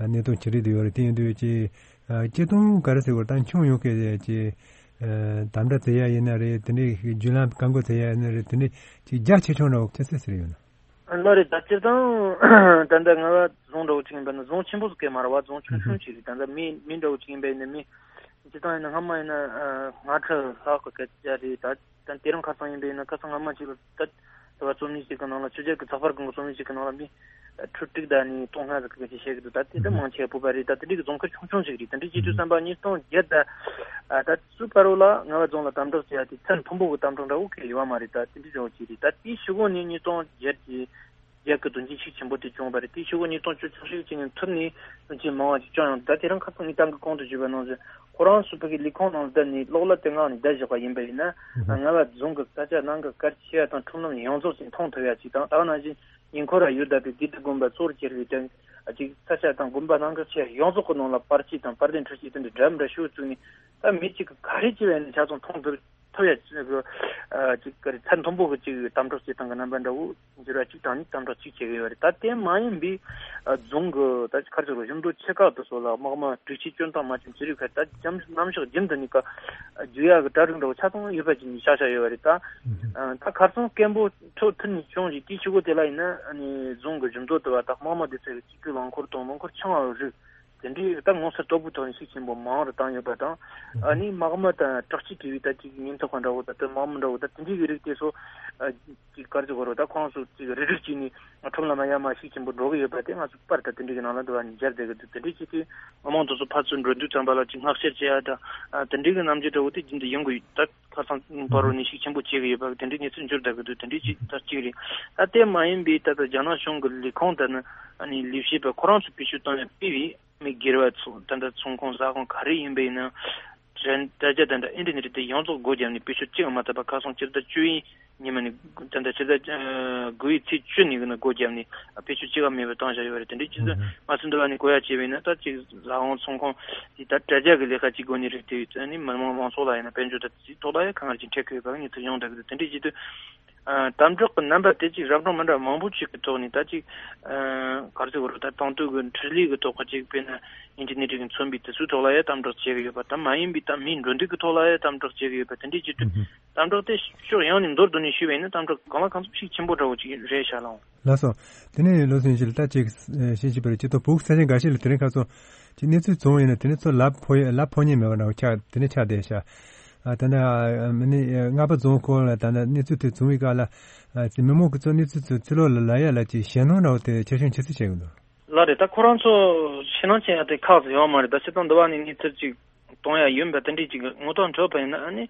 གནས་སྟངས་ཅིག་རེད་འདུག་ཡོད་རེད། དེ་ཡིན་དུས་ཅིག་སྤྱི་དོན་ག་རེ་ཟེར་དགོས་རེད། ད་ཁྱོན་ཡོངས་ཀྱི་ཅིག་ཨ་དམ་དྲག་བྱེད་ཡ་ཡིན་ན་རེད། དེ་འདྲའི་བརྒྱུད་ལམ་བཀག་འགོག་བྱེད་ཡ་ཡིན་ན་རེད། དེ་འདྲའི་ཅིག་རྒྱ་ཆེ་ཆུང་འདྲ་བོ་ཅི་ཟེར་ཟེར་ཡོད་ན། ལགས་རེད། ད་སྤྱིར་བཏང་ད་ལྟ་རྔ་བ་རྫོང་འདྲ་བོ་ཅིག་ཡིན་པ་ན་རྫོང་ཆེན་པོ་ཟིག་གི་མ་རེད་བ། རྫོང་ཆུང་ཆུང་ཅིག་རེད། ད་ལྟ་མི་མི་འདྲ་བོ་ཅིག་ཡིན་པ་ཡིན་ན་མི་སྤྱིར་བཏང་ཡིན་ན་སྔ་མ་ཡིན་ན་ཨ་ལྔ་ཁྲི་ལྷག་གི་སྐད་ཆ་རེད། ད་ད་དེ་རིང་ཁ་སང་ཡིན་པ་ཡིན་ན་ཁ་སང་སྔ་མ་ཅིག་ལ་ད་དེ་བ་རྩོམ་ཡིག་ཅིག་གི་ནང་ལ་ཆོས་རྒྱལ་གྱི་ཚགས་པར་གང་གི་རྩོམ་ཡིག་ཅིག་གི་ནང་ལ་མི། ཁྲི་དྲུག་དང་ནི་སྟོང་ལྔ་ཟིག་གི་སྐད་ཆ་བཤད་གི་འདུག་ད་དེ་ད་མང་ཆེ་བ་བོད་པ་རེད། ད་དེ་འདྲའི་གི་རྫོང་ཁུལ་ཆུང་ཆུང་ཞིག་རེད། དེ་འདྲའི་བྱེད་དུས་ཙམ་པ་ཉིས་སྟོང་བརྒྱད་ད་ད་ཚུར་བར་བ་ལ་རྔ་བ་རྫོང་ལ་དམ་དྲག་བྱས་ཡ་དེ་ཚད་མཐོན་པོ་གི་དམ་དྲག་འདྲ་བོ་གི་ཡོད་མ་རེད། ད་དེ་འདྲའི་འདྲ་བོ་ཅིག་རེད། ད་དེའི་ཞུ་སྒོ་ནས་ཉིས་སྟོང་བརྒྱད་ཀྱི་རྒྱལ་ཁབ་དོན་རྐྱེན་ཤུགས་ཆེན་པོ་དེ་བྱུང་བ་རེད། དེའི་ཞུ་སྒོ་ཉིས་སྟོང་བཅུ་གཅིག་ཅིག་ནས་ཐུར་ནས་དོན་རྐྱེན་མང་བ་ཅིག་བྱུང་ཡོང་། ད་དེ་རིང་ཁ་སང་ངས་ཏང་གི་གོང་དུ་ཞུས་པ་ནང་བཞིན་ཁོ་རང་ཚོ་བོད་ཀྱི་ལས་ཁུངས་ནང་ལ་བསྡད་ནས་གློག་ཀླད་དེ་ངང་ནས་བསྡད་བཞག་པ་ཡིན་པ་ཡིན་ན་རྔ་བ་རྫོང་གི་ས་ཆ་ནང་གི་གལ་ཆེ་བ་དང་ཁྲོམ་ལམ་ཡོངས་རྫོགས་ཅིག་མཐོང་ཐུབ་ཡ་ཅིག་དང་། ད་ག་ནང་བཞིན། ཉེ་འཁོར་ལ་ཡོད་བསྡད་པའི་དགེ་ལྡན་དགོན་པ་གཙོ་བོར་གྱུར་པའི་དོན་ཅིག་ས་ཆ་དང་དགོན་པ་ནང་གི་ཆེ་ཡོངས་རྫོགས་ཀྱི་ནང་ལ་པར་ཆས་དང་པར་དེབ་འཕྲུལ་ཆས་དེ་འདྲ་འདྲ་མི་འདྲ་ཤོག་བཙུགས་ནས་ད་མི་གཅིག་གི་ག་རེ་བྱས་པ་ཡིན་ན་ཆ་ཚང་མཐོང་ཐུབ་ཐུབ་ཡ་ཅིག་གི་ཨ་ཅིག་ག་རེ་ཚད་མཐོན་པོ་གི་ཅིག་དམ་དྲག་བྱེད་སྟངས་ཀྱི་རྣམ་པ་འདྲ་བོ་འགྱུར་བ་གཅིག་དང་ནི་དམ་དྲག་གཅིག་བྱེད་ཀྱི་ཡོད་རེད། ད་དེ་མ་ཡིན་པའི་ཨ་རྫོང་གི་ད་ཅིག་ག་རེ་ཟེར་རོ་ཞིང་འབྲོག་ཆེ་ཁག་དེ་ཚོ་ལ་དམག་མི་སྒྲིག་ཆས་སྐྱོན་སྟངས་མ་བྱུང་ཅི་རིགས་ཁ་ད་རྒྱམ་གནམ་ཕྱོགས་རྒྱུན་དུ་ནི་ཀ་རྒྱུག་ཡ་གི་གྲ་སྒྲིག་འདྲ་བོ་ཆ་ཚང་ཡོད་པ་ཅིག་ནི་ཤག་ཤག་ཡོད་པ་རེད། ད་ཨ་ད་ཁ་སང་སྐད་འབོད་ཐོག་ཐུར་ནས་བྱུང་ཞིག་དེའི་ཤུ་གུ་དེ་ལ་ཡིན་ན་ཨ་ནི་རྫོང་གི་ཞིང་འབྲོག་དེ་བ་དང་དམག་མི་དེ་ཚོ་གི་གཅིག་གི་རླངས་འཁོར་དང་རླངས་འཁོར་ཆུང་བ་རིགས་ དེ་འདྲའི་ད་ངོ་མཚར་དོད་པོའི་ཐོག་ནས་ཤུགས་ཆེན་པོ་མང་རུ་བཏང་ཡོད་པ་དང་། ཨ་ནི་དམག་མི་དང་དྲག་སྤྱོད་བྱས་པའི་ད་ཅིག་ཉེན་རྟོག་པ་འདྲ་བོ་ད་ལྟ་དམག་མི་འདྲ་བོ་ད་དེ་འདྲའི་གི་རིགས་དེ་ཚོ་ཨ་ཅིག་ག་རེ་ཟེར་དགོས་རེད། ད་ཁོང་ཚོ་ཅིག་རིག་རིག་བྱས་ནས་ཁྲོམ་ལ་མ་ཡར་མར་ཤུགས་ཆེན་པོ་འགྲོ་གི་ཡོད་པ་དེ་ང་ཚོ་པར་ད་དེ་འདྲའི་གི་ནང་ལ་འདུ་བ་ནས་མཇལ་བསྡད་གི་འདུག་དེ་འདྲའི་ཅིག་དེ་མི་མང་དེ་ཚོ་ཕར་ཚུར་འགྲོ་དུས་ཙམ་པ་ལ་ཅིག་བསྔགས་བཤེར་བྱེད་ཡ་ད་ཨ་དེ་འདྲའི་གི་རྣམ་འགྱུར་འདྲ་བོ་དེ་རྒྱུན་དུ་ཡོང་གི་ཡོད། ད་ཁ་སང་བར་དུ་ནས་ཤུགས་ཆེན་པོ་བྱེད་ཀྱི་ཡོད་པ་དེ་འདྲའི་གནས་ཚུལ་འབྱོར་བསྡད་ཀྱི་འདུག་དེ་འདྲའི་ཅིག་ད་གཅིག་རེད། ད་དེ་མ་ཡིན་པའི་ད་ལྟ་རྒྱ་ནག་གཞུང་གི་ལས་ཁུངས་དང་ནི་ཨ་ནི་ལས་བྱེད་པ་ཁོ་རང་ཚོ་བེད་སྤྱོད་བཏང་ནས་སྤེལ་བའི་མི་སྒེར་བ་ཚོ་ད་ལྟ་ཚོང་ཁང་ཟ་ཁང་ག་རེ་ཡིན་པ་ཡིན་ན་དྲ་དྲ་རྒྱ་དང་འདྲ་ཨིན་ཊར་ནེཊ་དེ་ཡོངས་རྫོགས་སྒོ་བརྒྱབ་ནས་བེད་སྤྱོད་གཅིག་མ་ཐུབ་པ་ཁ་སང་སྤྱི་ཟླ་བཅུ་ཡི་ཉི་མ་ནས་ད་ལྟ་སྤྱི་ཟླ་དགུ་ཡི་ཚེས་བཅུ་ནས་གི་ནི་སྒོ་བརྒྱབ་ནས་བེད་སྤྱོད་གཅིག་མེད་པར་བཏང་བཞག་ཡོད་རེད། དེ་འདྲའི་ཆུ་ཚོད་ང་ཚོ་འདི་བ་ནས་གོ་ཡ་བྱས་པ་ཡིན་ན་ད་ཅིག་ཟ་ཁང་ཚོང་ཁང་དེ་ད་དྲ་རྒྱ་གི་ལས་ཀ་གཅིག་སྒོ་ནས་རེད། དེ་ཡིན་ཙང་ནི་མི་དམངས་མང་ཚོགས་ལ་ཡིན་ན་དཔལ་འབྱོར་ད་དེ་ཐོག་ལ་ཡ་གང་ལ་ཅིག་འཕྲད་ཀྱི་ཡོད་པ་གི་གནས་ཚུལ་ཡོང་བསྡད་ཀྱི་འདུག་དེ་འདྲའི་ཆེད་དུ་ཨ་དམ་དྲག་གི་རྣམ་པ་དེ་ཅིག་རབ་གྲངས་མི་འདྲ་མང་པོ་ཅིག་གི་ཐོག་ནས་ད་ཅིག་ཨ་ག་རེ་ཟེར་དགོས་རེད། ད་དང་དོད་གི་འཕྲུལ་ལས་གི་ཐོག་གི་ཅིག་དཔེར་ན་ཨིན་ཊར་ནེཊ་གི་མཚོན་པའི་དེ་ཚོའི་ཐོག་ལ་ཡ་དམ་དྲག་བྱེད་ཀྱི་ཡོད་པ། ད་མ་ཡིན་པའི་ད་མིའི་འགྲོ་འདུག་གི་ཐོག་ལ་ཡ་དམ་དྲག་བྱེད་ཀྱི་ཡོད་པ། དེ་འདྲའི་ཆེད་དུ་དམ་དྲག་དེ་ཕྱོགས་ཡོངས་ནས་མདོར་བསྡུས་ནས་ཞུས་པ་ཡིན་ན་དམ་དྲག་གང་ལ་གང་འཚམ་ཤུགས་ཆེན་པོ་འདྲ་བོ་ཅིག་རེད་ཤག་ལགས། ལགས་སོ། དེ་ནས་བློ་སེང་ཞིག་ལ་ད་ཅིག་ཤེས་ཅིག་པར་སྤྱི་ཚོགས་བོད་ས་ཆ་འགའ་ཞིག་ལ་དེ་རིང་ཁ་སང་ཅིག་གནས་ཚུལ་བྱུང་བ་ཡིན་ན་དེ་ནས་ཚོ་ལབ་ཕོ་ཡ་ལབ་ཕོ་ཉན་མེད་པ་འདྲ་བོ་ཆགས་དེ་ནས་ཆགས་བསྡད་ཤག་ཨ་ད་ནི་མི་ནི་རྔ་པ་རྫོང་སྐོར་ལ་ད་ནི་གནས་ཚུལ་དེ་བྱུང་བའི་སྐབས་ལ་ཨ་ཅིག་མི་མང་གི་ཚོ་གནས་ཚུལ་ཚོ་ཕྱི་ལོགས་ལ་ལབ་ཡ་ལ་ཅིག་ཞེད་སྣང་འདྲ་བོ་དེ་ཆེ་ཆུང་ཇི་སྲིད་བྱེད་ཀྱི་འདུག་ལགས་རེད། ད་ཁོ་རང་ཚོ་ཞེད་སྣང་བྱེད་ཡ་དེ་ཁག་ཅིག་ཡོད་མ་རེད། ད་སྤྱིར་བཏང་འདི་བ་ནས་གནས་ཚུལ་ཅིག་གཏོང་ཡ་ཡོད་པ་དེ་འདྲས་ཅིག་ངོ་ཐོག་འཕྲོད་པ་ཡིན་ན་ཨ་ནི་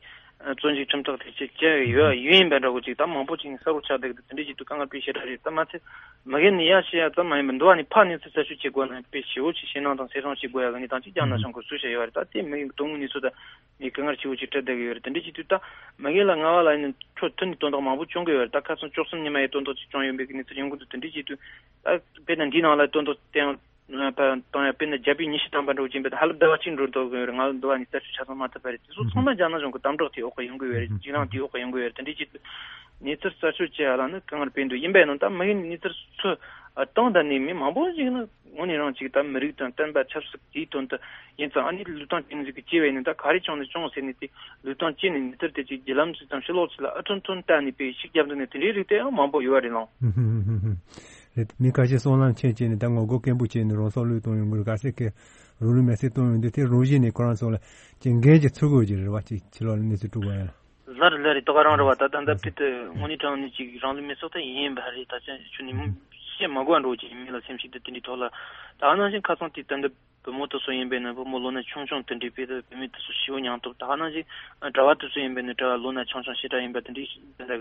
ཨ་བཙོན་འཇུག་ཁྲིམས་ཐག་དེ་ཅིག་བཅད་ཡོད་ཡོད་ཡིན་པ་འདྲ་བོ་ཅིག་ད་མང་པོ་ཅིག་ནས་གསལ་པོ་ཆགས་བསྡད་ཀྱི་འདུག་དེ་འདྲས་ཅིག་ཏུ་དཀའ་ངལ་དཔེ་ཞེ་དྲག་རེད། ད་མ་ཚད་མ་གི་ནི་ཡ་བཤད་ཡ་ཙམ་མ་ཡིན་པར་འདི་བ་ནས་ཕར་གནས་ཚུལ་རྩད་གཅོད་བྱེད་དགོས་ན་དཔེ་ཞེ་བོ་ཅིག་ཞེད་སྣང་དང་སེམས་ཤུགས་བྱེད་དགོས་ཡ་གི་གནས་སྟངས་ཅིག་རྒྱ་ནག་གཞུང་གིས་བཟོས་བཞག་ཡོད་རེད། ད་དེ་མི་དོན་དངོས་གནས་ཚུལ་ད་ངས་དཀའ་ངལ་ཆེ་བོ་ཅིག་འཕྲད་བསྡད་ཀྱི་ཡོད་རེད། དེ་འདྲས་ཅིག་དུས་ད་མ་གི་ལ་ང་བ་ལ་ཡིན་ན་ཁྲོ་ཐུན་ནས་དོན་དག་མང་པོ་བྱུང་གི་ཡོད་རེད། ད་ཁ་སང་བཅུ་གསུམ་ཉི་མ་ཡི་དོན་དག་ཅིག་བྱུང་ཡོད་པའི་གི་གནས་ཚུལ་ཡོང་གི་འདུག་དེ་འདྲས་ཅིག་དུས་ད་དཔེར་ན་འདིའི་ནང་ལ་དོན་དག་བསྟན་པ་དང་ཡང་དཔེར་ན་རྒྱ་བོད་གཉིས་ཤི་དམ་པ་འདྲ་བོ་ཅིག་ཡིན་པ་དང་ཧ་ལམ་ཟླ་བ་གཅིག་འགྲོ་འདུག་གི་ཡོད་རེད། ང་ལ་འདི་བ་ནས་རྩད་གཅོད་ཆ་ཚང་མ་ཐུབ་པ་རེད། དེ་ཚོ་ཚང་མ་རྒྱ་ནག་གཞུང་གི་དམ་དྲག་དེའི་འོག་གི་ཡོང་གི་ཡོད་རེད། རྗེས་ལང་དེའི་འོག་གི་ཡོང་གི་ཡོད་རེད། དེ་འདྲས་ཅིག་དུས་གནས་ཚུལ་རྩད་གཅོད་བྱེད་ཡ་ལ་ནི་དཀའ་ངལ་དཔེ་འདུག་ཡིན་པས་ན་ད་མ་གི་ནས་གནས་ཚུལ་ཚོ་བཏང་ད་ནས་མི་མང་པོ་ཞིག་ནི་དངོས་གནས་རང་ཅིག་ད་མི་རིགས་དང་བསྟན་པ་ཆབ་སྲིད་དེའི་དོན་དུ་ཡིན་ཙང་ཨ་ནི་ལུས་སྟེང་ཅན་ཟིག་གི་སྐྱེས་པ་ཡིན་ན་ད་ག་རེ་བྱུང་ན་བྱུང་ཟེར་ནས་དེ་ལུས་སྟེང་ཅན་ནས་མི་ཚེ་དེ་ཅིག་བརྒྱུད་ལམ་ཅིག་དང་ཕྱི་ལོགས་ཅིག་ལ་ཨ་ཐུན་ཐུན་བལྟས་ནས་དཔེ་ཤིག་རྒྱབ་འདུག་ནས་དེ་འདྲའི་རིགས་དེ་ཡང་མང་པོ་ཡོད་རེད་ལགས། ཧུམ་ཧུམ་ཧུམ་ཧུམ། རེད། མི་ཁ་ཤས་སྲོག་ལམ་ཆད་བྱས་ནས་ད་ངོ་རྒོལ་སྐད་འབོད་བྱས་ནས་རང་སྲོག་བློས་གཏོང་ཡོང་གི་རེད། ག་ཚད་ཀྱི་རང་ལུས་མེར་སྲེག་གཏོང་ཡོང་དུས་དེ་རང་བཞིན་ནས་ཁོ་རང་ཚོ་ལ་ཅིག་འགན་ཅིག་ཚུད་དགོས་ཀྱི་རེད་བ། ཅིག་ཕྱི་ལོགས་ལ་གནས་ཚུལ་དཀྲུག་པ་ཡིན་ལ། ལར་ལར་རེད། ད་ག་རང་རེད་བ། ད་ད་ལྟ་ཕུལ་དུ་དངོས་གནས་དྲང་གནས་ཅིག་རང་ལུས་མེར་སྲེག་ད་ཡིན་པ་རེད། ད་ཅང་ཆུ་ནས་བཤད་མ་དགོས་འགྲོ་ཅིག་མི་ལ་སེམས་ཤིག་ད་དེ་འདྲའི་ཐོག་ལ་ད་ག་ནང་བཞིན་ཁ་སང་དེ་ད་ལྟ་བུ་མོ་དེ་ཚོ་ཡིན་པས་ན་བུ་མོ་ལོ་ན་ཆུང་ཆུང་དེ་འདྲའི་དཔེ་ད་བུད་མེད་དེ་ཚོ་ཞེ་བོ་མྱངས་ཐུབ། ད་ག་ནང་བཞིན་གྲྭ་བ་དེ་ཚོ་ཡིན་པས་ན་གྲྭ་བ་ལོ་ན་ཆུང་ཆུང་ཞེ་དྲག་ཡིན་པ་དེ་འདྲའི་ད་ལྟ་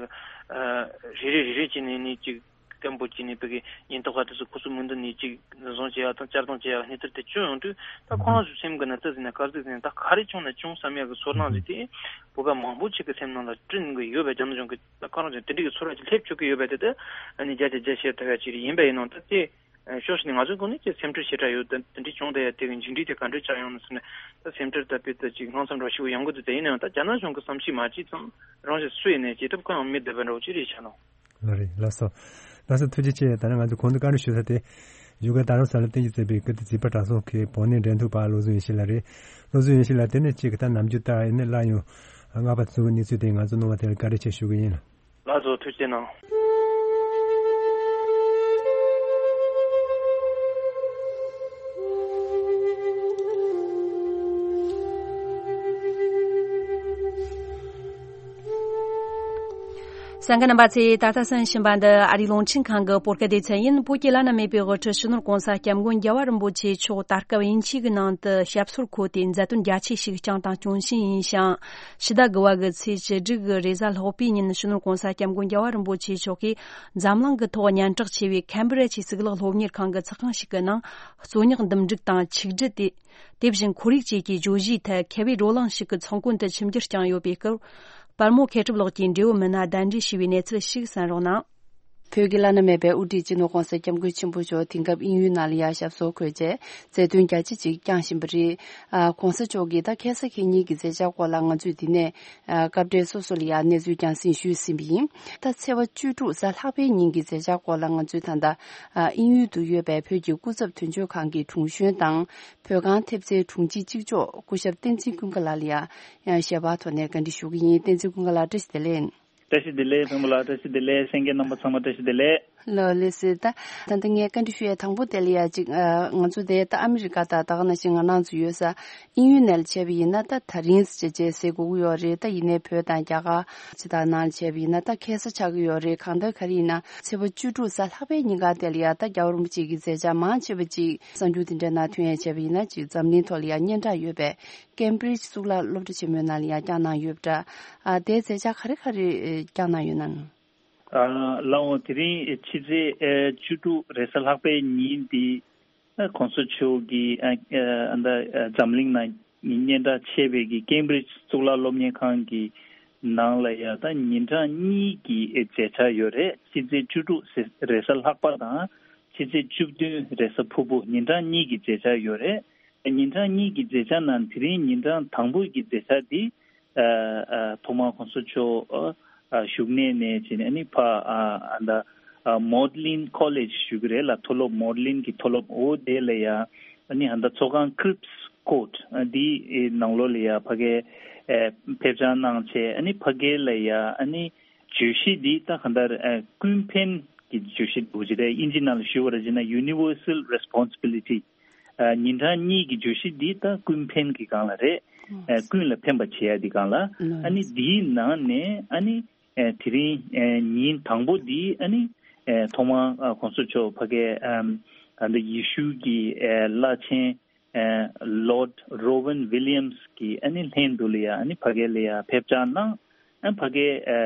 གི་རེ་རེ་རེ་རེ་བྱས་ནས་ནི་ཅིག་སྐད་འབོད་བྱས་ནས་བོད་ཀྱི་ཉེན་རྟོག་པ་དེ་ཚོ་ཁོ་ཚོ་མུ་མཐུད་ནས་ཅིག་འཛིན་བཟུང་བྱེད་ཡག་དང་བཅར་གཏོང་བྱེད་ཡག་གནས་ཚུལ་དེ་བྱུང་ཡོང་དུས་ད་ཁོ་རང་ཚོའི་སེམས་ཀྱི་ནང་ཙི་ཟིན་ན་དཀར་ཟིག་ཟིན་ན་ད་ག་རེ་བྱུང་ན་བྱུང་བསམ་ཡག་གི་ཚོར་སྣང་ཟིག་དེ་བོད་པ་མང་པོ་ཅིག་གི་སེམས་ནང་ལ་བསྐྲུན་གི་ཡོད་པའི་རྒྱ་ནག་གཞུང་གི་ད་ཁོ་རང་ཚོ་དེ་འདྲ་གི་ཚོར་བ་ཅིག་སླེབས་བཅུག་གི་ཡོད་པ་དེ་ད་ཨ་ནི་བརྒྱ་ཆ་བརྒྱ་བཤད་ཐུབ་ཡག་ཅིག་རེད། ཡིན་པ་ཡིན་ནའང་ད་དེ་ཕྱོགས་ཞིག་ནས་ང་ཚོའི་སྒོ་ནས་ཅིག་སེམས་ཁྲལ་ཞེ་དྲག་ཡོད། ད་དེ་འདྲའི་བྱུང་བསྡད་ཡག་དེ་གི་མཇུག་འབྲས་དེ་ག་འདྲས་ཆགས་ཡོང་ན་ཟེར་ནས་ད་སེམས་ཁྲལ་ད་དཔེ་ད་ཅིག་དངངས་འཚབ་འདྲ་ཞིག་ཡོང་གི་འདུག་དེ་ཡིན་ནའང་ད་རྒྱ་ནག་གཞུང་གི་བསམ་ཤེས་མ་བྱས་ཙང་རང་ཞིག་སུ་ཡིན་ནའི་བྱེད་ཐབས་གང་ཡང་མེད་བསྡད་པ་འདྲ་བོ་ཅིག་རེད་ཤག་ལགས། ལགས་རེད། ལགས་སོ། ལགས་སོ། ཐུགས་རྗེ་ཆེ། ད་ནི་ང་ཚོ་གོང་དུ་བཀའ་འདྲི་ཞུ་ས་དེ་བཞུགས་སྒར་རྡ་རམ་ས་ལ་རྟེན་གཞི་བྱས་པའི་ཀིརྟི་བྱིས་པ་གྲྭ་ཚང་གི་བོད་གནས་འབྲེལ་མཐུད་པ་བློ་བཟང་ཡེ་ཤེས་ལགས་རེད། བློ་བཟང་ཡེ་ཤེས་ལགས་དེ་ནས་གཅིག་གི་ད་ནམ་རྒྱུན་ལྟར་ཡིན་ནའི་སླར་ཡང་རྔ་པ་བཙོན་གནས་ཚུལ་དེ་ང་ཚོ་གནང་བ་དེ་ལ་བཀའ་དྲིན་ཆེ་ཞུ་གི་ཡིན། ལགས་སོ། ཐུགས་རྗེ་གནང་། གསན་མཁན་རྣམ་པ་ཚོས་ད་ལྟ་གསན་བཞིན་པ་འདི་ཨ་རིའི་རླུང་འཕྲིན་ཁང་གི་བོད་སྐད་སྡེ་ཚན་ཡིན། བོད་ཀྱི་བླ་ན་མེད་པའི་དབུ་ཁྲིད་སྤྱི་ནོར་༸གོང་ས་༸སྐྱབས་མགོན་རྒྱལ་བ་རིན་པོ་ཆེ་མཆོག་ད་སྐབས་དབྱིན་ཇི་གི་ནང་དུ་ཞབས་སོར་འཁོད་དེ་མཛད་དོན་རྒྱ་ཆེ་ཞིག་བསྐྱངས་དང་སྐྱོང་བཞིན་ཡིན་ཞིང་། ཕྱི་ཟླ་དགུ་བ་གི་ཚེས་བཅུ་དྲུག་གི་རེས་གཟའ་ལྷག་པའི་ཉིན་སྤྱི་ནོར་༸གོང་ས་༸སྐྱབས་མགོན་རྒྱལ་བ་རིན་པོ་ཆེ་མཆོག་གིས་འཛམ་གླིང་གི་ཐོག་སྙན་གྲགས་ཆེ་བའི་ཁེམ་བྷི་རི་ཇི་གཙུག་ལག་སློབ་གཉེར་ཁང་གི་ཚོགས་ཁང་ཞིག་གི་ནང་རྩོད་རྙོག་འདུམ་འགྲིག་དང་ཆིག་སྒྲིལ་དེ། དེ་བཞིན་ཁོར་ཡུག་བཅས་ཀྱི་བརྗོད་གཞིའི་ཐད་མཁས་པའི་བགྲོ་གླེང་ཞིག་གི་ཚོགས་མགོན་དུ་ཆིབས་བསྒྱུར་བསྐྱངས་ཡོད་པའི་སྐོར། པར་མོ་མཁས་གྲུབ་ལགས་ཀྱིས་འབྲས་བུ་མི་སྣ་གདན་འདྲེན་ཞུས་པའི་གནས་ཚུལ་ཞིག་གསན་རོགས་གནང་། བོད་ཀྱི་བླ་ན་མེད་པའི་དབུ་ཁྲིད་སྤྱི་ནོར་༸གོང་ས་༸སྐྱབས་མགོན་ཆེན་པོ་མཆོག་དེང་སྐབས་དབྱིན་ཡུལ་ནང་ལ་ཡ་ཞབས་སོར་འཁོད་རྗེས་མཛད་དོན་རྒྱ་ཆེ་ཅིག་བསྐྱངས་བཞིན་པ་རེད། ཨ། ༸གོང་ས་མཆོག་གིས་ད་ཁ་སང་ཁེ་ཉིན་གྱི་མཛད་འཆར་སྐོར་ལ་ང་ཚོས་འདི་ནས་ཨ། སྐབས་འབྲེལ་སོ་སོ་ལ་ཡ་གནས་ཚུལ་རྒྱང་སྲིང་ཞུས་ཟིན་པ་ཡིན། ད་ཚེས་པ་བཅུ་དྲུག་གཟའ་ལྷག་པའི་ཉིན་གྱི་མཛད་འཆར་སྐོར་ལ་ང་ཚོས་ད་ལྟ་ཨ། དབྱིན་ཡུལ་དུ་ཡོད་པའི་བོད་ཀྱི་སྐུ་ཚབ་དོན་གཅོད་ཁང་གི་དྲུང་གཞོན་དང་། བོད་ཁང་ཐེབས་རྩའི་དྲུང་ཆེ་གཅིག་ལྕོགས་སྐུ་ཞབས་བསྟན་འཛིན་ཀུན་དགའ་ལགས་ལ་ཡང་ཞལ་པར་ཐོག་ནས་བཀའ་འདྲི་ཞུ་གི་ཡིན། བསྟན་འཛིན་ཀུན་དགའ་ལགས་བཀྲ་ཤིས་བདེ་ལེགས། བཀྲ་ཤིས་བདེ་ལེགས། བོན་པོ་ལགས་བཀྲ་ཤིས་བདེ་ལེགས། གསན་མཁན་རྣམ་པ་ཚང་མ་བཀྲ་ཤིས་བདེ་ལེགས། ལགས་ལགས་སོ། ད་ད་ལྟ་ངས་བཀའ་འདྲི་ཞུ་ཡས་དང་པོ་དེ་ལ་ཡ་ཅིག་ཨ། ང་ཚོ་དེ་ད་ཨ་མི་རི་ཀ་དང་ད་ག་ནང་བཞིན་ང་རང་ཚོ་ཡོད་ས་དབྱིན་ཡུལ་ནས་བྱས་པ་ཡིན་ན་ད་ད་རིང་ཟེར་བྱས་ཟེར་དགོས་ཀྱི་ཡོད་རེད། ད་ཡིན་ནའི་བོད་དང་རྒྱ་གར་ཅི་ད་ནང་ལ་བྱས་པ་ཡིན་ན་ད་ཁ་སང་ཆགས་ཀྱི་ཡོད་རེད། གང་ལྟར་ག་རེ་ཡིན་ན་ཚེས་པ་བཅུ་དྲུག་གཟའ་ལྷག་པའི་ཉིན་ག་དེ་ལ་ཡ་ད་རྒྱལ་བ་རིན་པོ་ཆེ་གི་མཛད་འཆར་མང་ཆེ་བ་ཅིག་གསར་འགྱུར་དེ་འདྲའི་ནང་ཐོན་ཡས་བྱས་པ་ཡིན་ན་ཅིག་འཛམ་གླིང་ཐོག་ལ་ཡ་སྙན་གྲགས་ཡོད་པའི་ཀེམ་བྷྲིཇ་གཙུག་ལག་སློབ་གྲྭ་ཆེན་མོའི་ནང་ལ་ཡ་བསྐྱངས་གནང་ཡོད་པ་འདྲ། ཨ། དེའི་མཛད་འཆར་ག་རེ་ག་རེ་བསྐྱངས་གནང་ཡོད་ན། ཨ། ལགས་འོང་། དེ་རིང་ཕྱི་ཚེས་ཨེ་བཅུ་དྲུག་རེས་གཟའ་ལྷག་པའི་ཉིན་འདི་ཨ་གོང་ས་མཆོག་གིས་ཨ་ཨ་ད་ཨ་འཛམ་གླིང་ནང་སྙན་གྲགས་ཆེ་བའི་གི་ཀེམ་བྷྲིཇ་གཙུག་ལག་སློབ་གཉེར་ཁང་གི་ནང་ལ་ཡ་ད་ཉིན་གྲངས་གཉིས་ཀྱི་ཨེ་མཛད་འཆར་ཡོད་རེད། ཕྱི་ཚེས་བཅུ་དྲུག་རེས་གཟའ་ལྷག་པ་དང་ཕྱི་ཚེས་བཅུ་བདུན་རེས་གཟའ་ཕུར་བུ་ཉིན་གྲངས་གཉིས་ཀྱི་མཛད་འཆར་ཡོད་རེད། ཉིན་གྲངས་གཉིས་ཀྱི་མཛད་འཆར་ནང་དེ་རིང་ཉིན་གྲངས་དང་པོ་གི་མཛད་འཆར་འདི་ཨ་ཨ་ཐོག་མར་གོང་ས་མཆོག་ཨ་བཞུགས་གནས་ནས་བྱས་ནས་ཨ་ནི་ཕ་ཨ་ཨ་ད་ཨ་མོ་ཌི་ལིན་ཀོ་ལེཇ་ཞུ་གི་རེད་ལ། མཐོ་སློབ་མོ་ཌི་ལིན་གྱི་མཐོ་སློབ། འོ་དེ་ལ་ཡ་ཨ་ནི་ཨ་ད་ཚོགས་ཁང་ཀྲིབ་སི་ཀོར་ཊི་ཨ་འདི་ནང་ལོགས་ལ་ཡ་ཕ་གིར་ཨ་ཕེབས་བཅར་གནང་བྱས་ཨ་ནི་ཕ་གི་ལ་ཡ་ཨ་ནི་བརྗོད་གཞི་འདི་ད་གང་ལྟར་ཨ་ཀུན་ཕན་གྱི་བརྗོད་གཞི་འདུག་ཅེས་རེད། དབྱིན་ཇི་ནང་ལ་ཞུ་བ་རེད་ཅེ་ན་ཡུ་ནི་ཝར་སལ་རེ་སི་པོན་སི་བི་ལི་ཊི། ཨ་ཉིན་གྲངས་གཉིས་ཀྱི་བརྗོད་གཞི་འདི་ད་ཀུན་ཕན་གྱི་སྒང་ལ་རེད། ཨ་ཀུན་ལ་ཕན་པ་བྱེད་ཡ་འདི་སྒང་ལ། ཨ་ནི་འདིའི་ནང་ནས་ཨ་ནི་ཨ་དེ་རིང་ཨ་ཉིན་དང་པོ་འདི་ཨ་ནི་ཨ་ཐོག་མར་ཨ་གོང་ས་མཆོག་ཕ་གིའི་ཨ་ད་ཡེ་ཤུ་གི་ཨ་བླ་ཆེན་ཨ་ལོར་ཌི་རོ་ཝན་ཝི་ལི་ཡམ་སི་གི་ཨ་ནི་ལྷན་དུ་ལ་ཡ་ཨ་ནི་ཕ་གི་ལ་ཡ་ཕེབས་བཅར་གནང་། ཨ་ཕ་གིར་ཨ་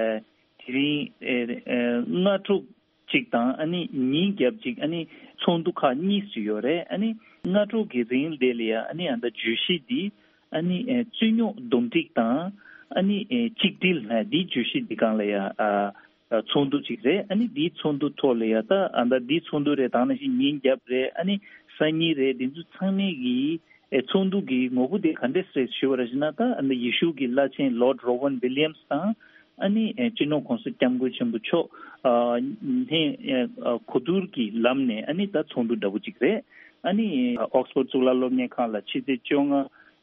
དེ་རིང་ཨ་ཨ་སྔ་དྲོ་གཅིག་དང་ཨ་ནི་ཉིན་རྒྱབ་གཅིག་ཨ་ནི་ཚོགས་འདུ་ཁག་གཉིས་སུ་ཡོད་རེད། ཨ་ནི་སྔ་དྲོ་གི་རིང་དེ་ལ་ཡ་ཨ་ནི་ཨ་ད་བརྗོད་གཞི་འདི་ཨ་ནི་ཨ་རྩོད་རྙོག་འདུམ་འགྲིག་དང་ཨ་ནི་ཨ་གཅིག་སྒྲིལ་ཨ་འདི་བརྗོད་གཞི་འདི་སྒང་ལ་ཡ་ཨ་ཚོགས་འདུ་གཅིག་རེད། ཨ་ནི་འདིའི་ཚོགས་འདུ་ཐོག་ལ་ཡ་ད་ཨ་ད་འདིའི་ཚོགས་འདུ་རེད། ད་ནང་བཞིན་ཉིན་རྒྱབ་རེད། ཨ་ནི་སང་ཉིན་རེད། འདི་ཚོ་ཚང་མའི་གི་ཨེ་ཚོགས་འདུ་གི་ངོ་བོ་དེ་ག་འདྲས་རེད་ཞུ་བ་རེད་ཟེར་ན། ད་ཨ་ནི་ཡེ་ཤུ་གི་བླ་ཆེན་ལོར་ཌི་རོ་ཝན་ཝི་ལི་ཡམ་སི་དང་ཨ་ནི་ཨེ་སྤྱི་ནོར་གོང་ས་སྐྱབས་མགོན་ཆེན་པོ་མཆོག་ཨ་ནི་ཨེ་གོ་བསྡུར་གྱི་ལམ་ནས་ཨ་ནི་ད་ཚོགས་འདུ་འདྲ་པོ་ཅིག་རེད། ཨ་ནི་ཨོག་སི་ཕོར་ཌི་གཙུག་ལག་སློབ་གཉེར་ཁང་ལ་ཕྱི་ཚེས་བཅོ་ལྔ་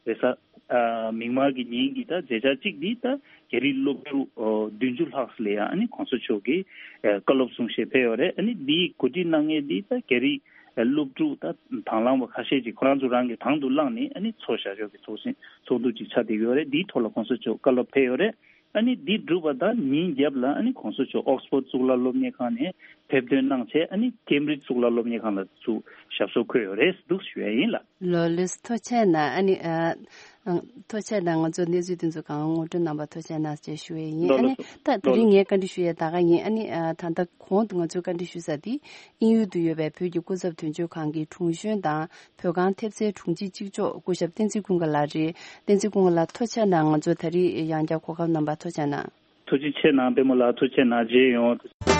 རེས་གཟའ་ཨ་མིག་དམར་གྱི་ཉིན་གྱི་ད་མཛད་འཆར་གཅིག་འདི་ད་རྒྱ་རིགས་སློབ་ཕྲུག་ཨོ་བདུན་ཅུ་ལྷག་ཙམ་ལ་ཡང་ཨ་ནི་གོང་ས་མཆོག་གིས་ཨེ་བཀའ་སློབ་གསུང་བཤད་ཕེབས་ཡོད་རེད། ཨ་ནི་འདིའི་གོ་སྒྲིག་གནང་མཁན་འདི་ད་རྒྱ་རིགས་སློབ་ཕྲུག་ད་དང་བླངས་པ་ཁ་ཤས་ཅིག་ཁོ་རང་ཚོ་རང་གིས་དང་དུ་བླངས་ནས་ཨ་ནི་ཚོགས་བཞག་ཕྱོགས་ཀྱི་ཚོགས་ཆེན་ཚོགས་འདུ་ཅིག་ཆགས་བསྡད་ཡོད་རེད། འདིའི་ཐོག་ལ་གོང་ས་མཆོག་བཀའ་སློབ་ཕེབས་ཡོད་རེད། ཨ་ནི་འདི་གྲུབ་པ་དང་ཉིན་རྒྱབ་ལ་ཨ་ནི་གོང་ས་མཆོག་ཨོག་སི་ཕོར་ཌི་གཙུག་ལག་སློབ་གཉེར་ཁང་ནས་ཕེབས་ཐོན་གནང་བྱས་ཨ་ནི་ཀེམ་བྷྲིཇ་གཙུག་ལག་སློབ་གཉེར་ཁང་ལ་ཚུར་ཞབས་སོར་འཁོད་ཡོད་རེད་འདུག་ཞུ་ཡ་ཡིན་ལགས། ལགས་ལགས་སོ། ཐུགས་རྗེ་གནང་། ཨ་ནི་ཨ་ཐུགས་རྗེ་གནང་། ང་ཚོ་གནས་ཚུལ་དེ་ཚོ་གང་ངོ་སྤྲོད་གནང་བར་ཐུགས་རྗེ་གནང་ཞེས་ཞུ་ཡ་ཡིན། ལགས་ཨ་ནི་ལགས་སོ། ད་དེ་རིང་ངས་བཀའ་འདྲི་ཞུ་ཡ་ད་ག་ཡིན། ཨ་ནི་ཨ་ད་ལྟ་གོང་དུ་ང་ཚོས་བཀའ་འདྲི་ཞུ་ས་དེ་དབྱིན་ཡུལ་དུ་ཡོད་པའི་བོད་ཀྱི་སྐུ་ཚབ་དོན་གཅོད་ཁང་གི་དྲུང་གཞོན་དང་། བོད་ཁང་ཐེབས་རྩའི་དྲུང་ཆེ་གཅིག་ལྕོགས་སྐུ་ཞབས་བསྟན་འཛིན་ཀུན་དགའ་ལགས་རེད། བསྟན་འཛིན་ཀུན་དགའ་ལགས་ཐུགས་རྗེ་གནང་། ང་ཚོ་ད་རེས་ཡང་བསྐྱར་གོ་སྐབས་གནང་བར་ཐུགས་རྗེ་གནང་། ཐུགས་རྗེ་ཆེ་གནང་པད་མ་ལགས། ཐུགས་རྗེ་གནང་། མཇལ་ཡོང་།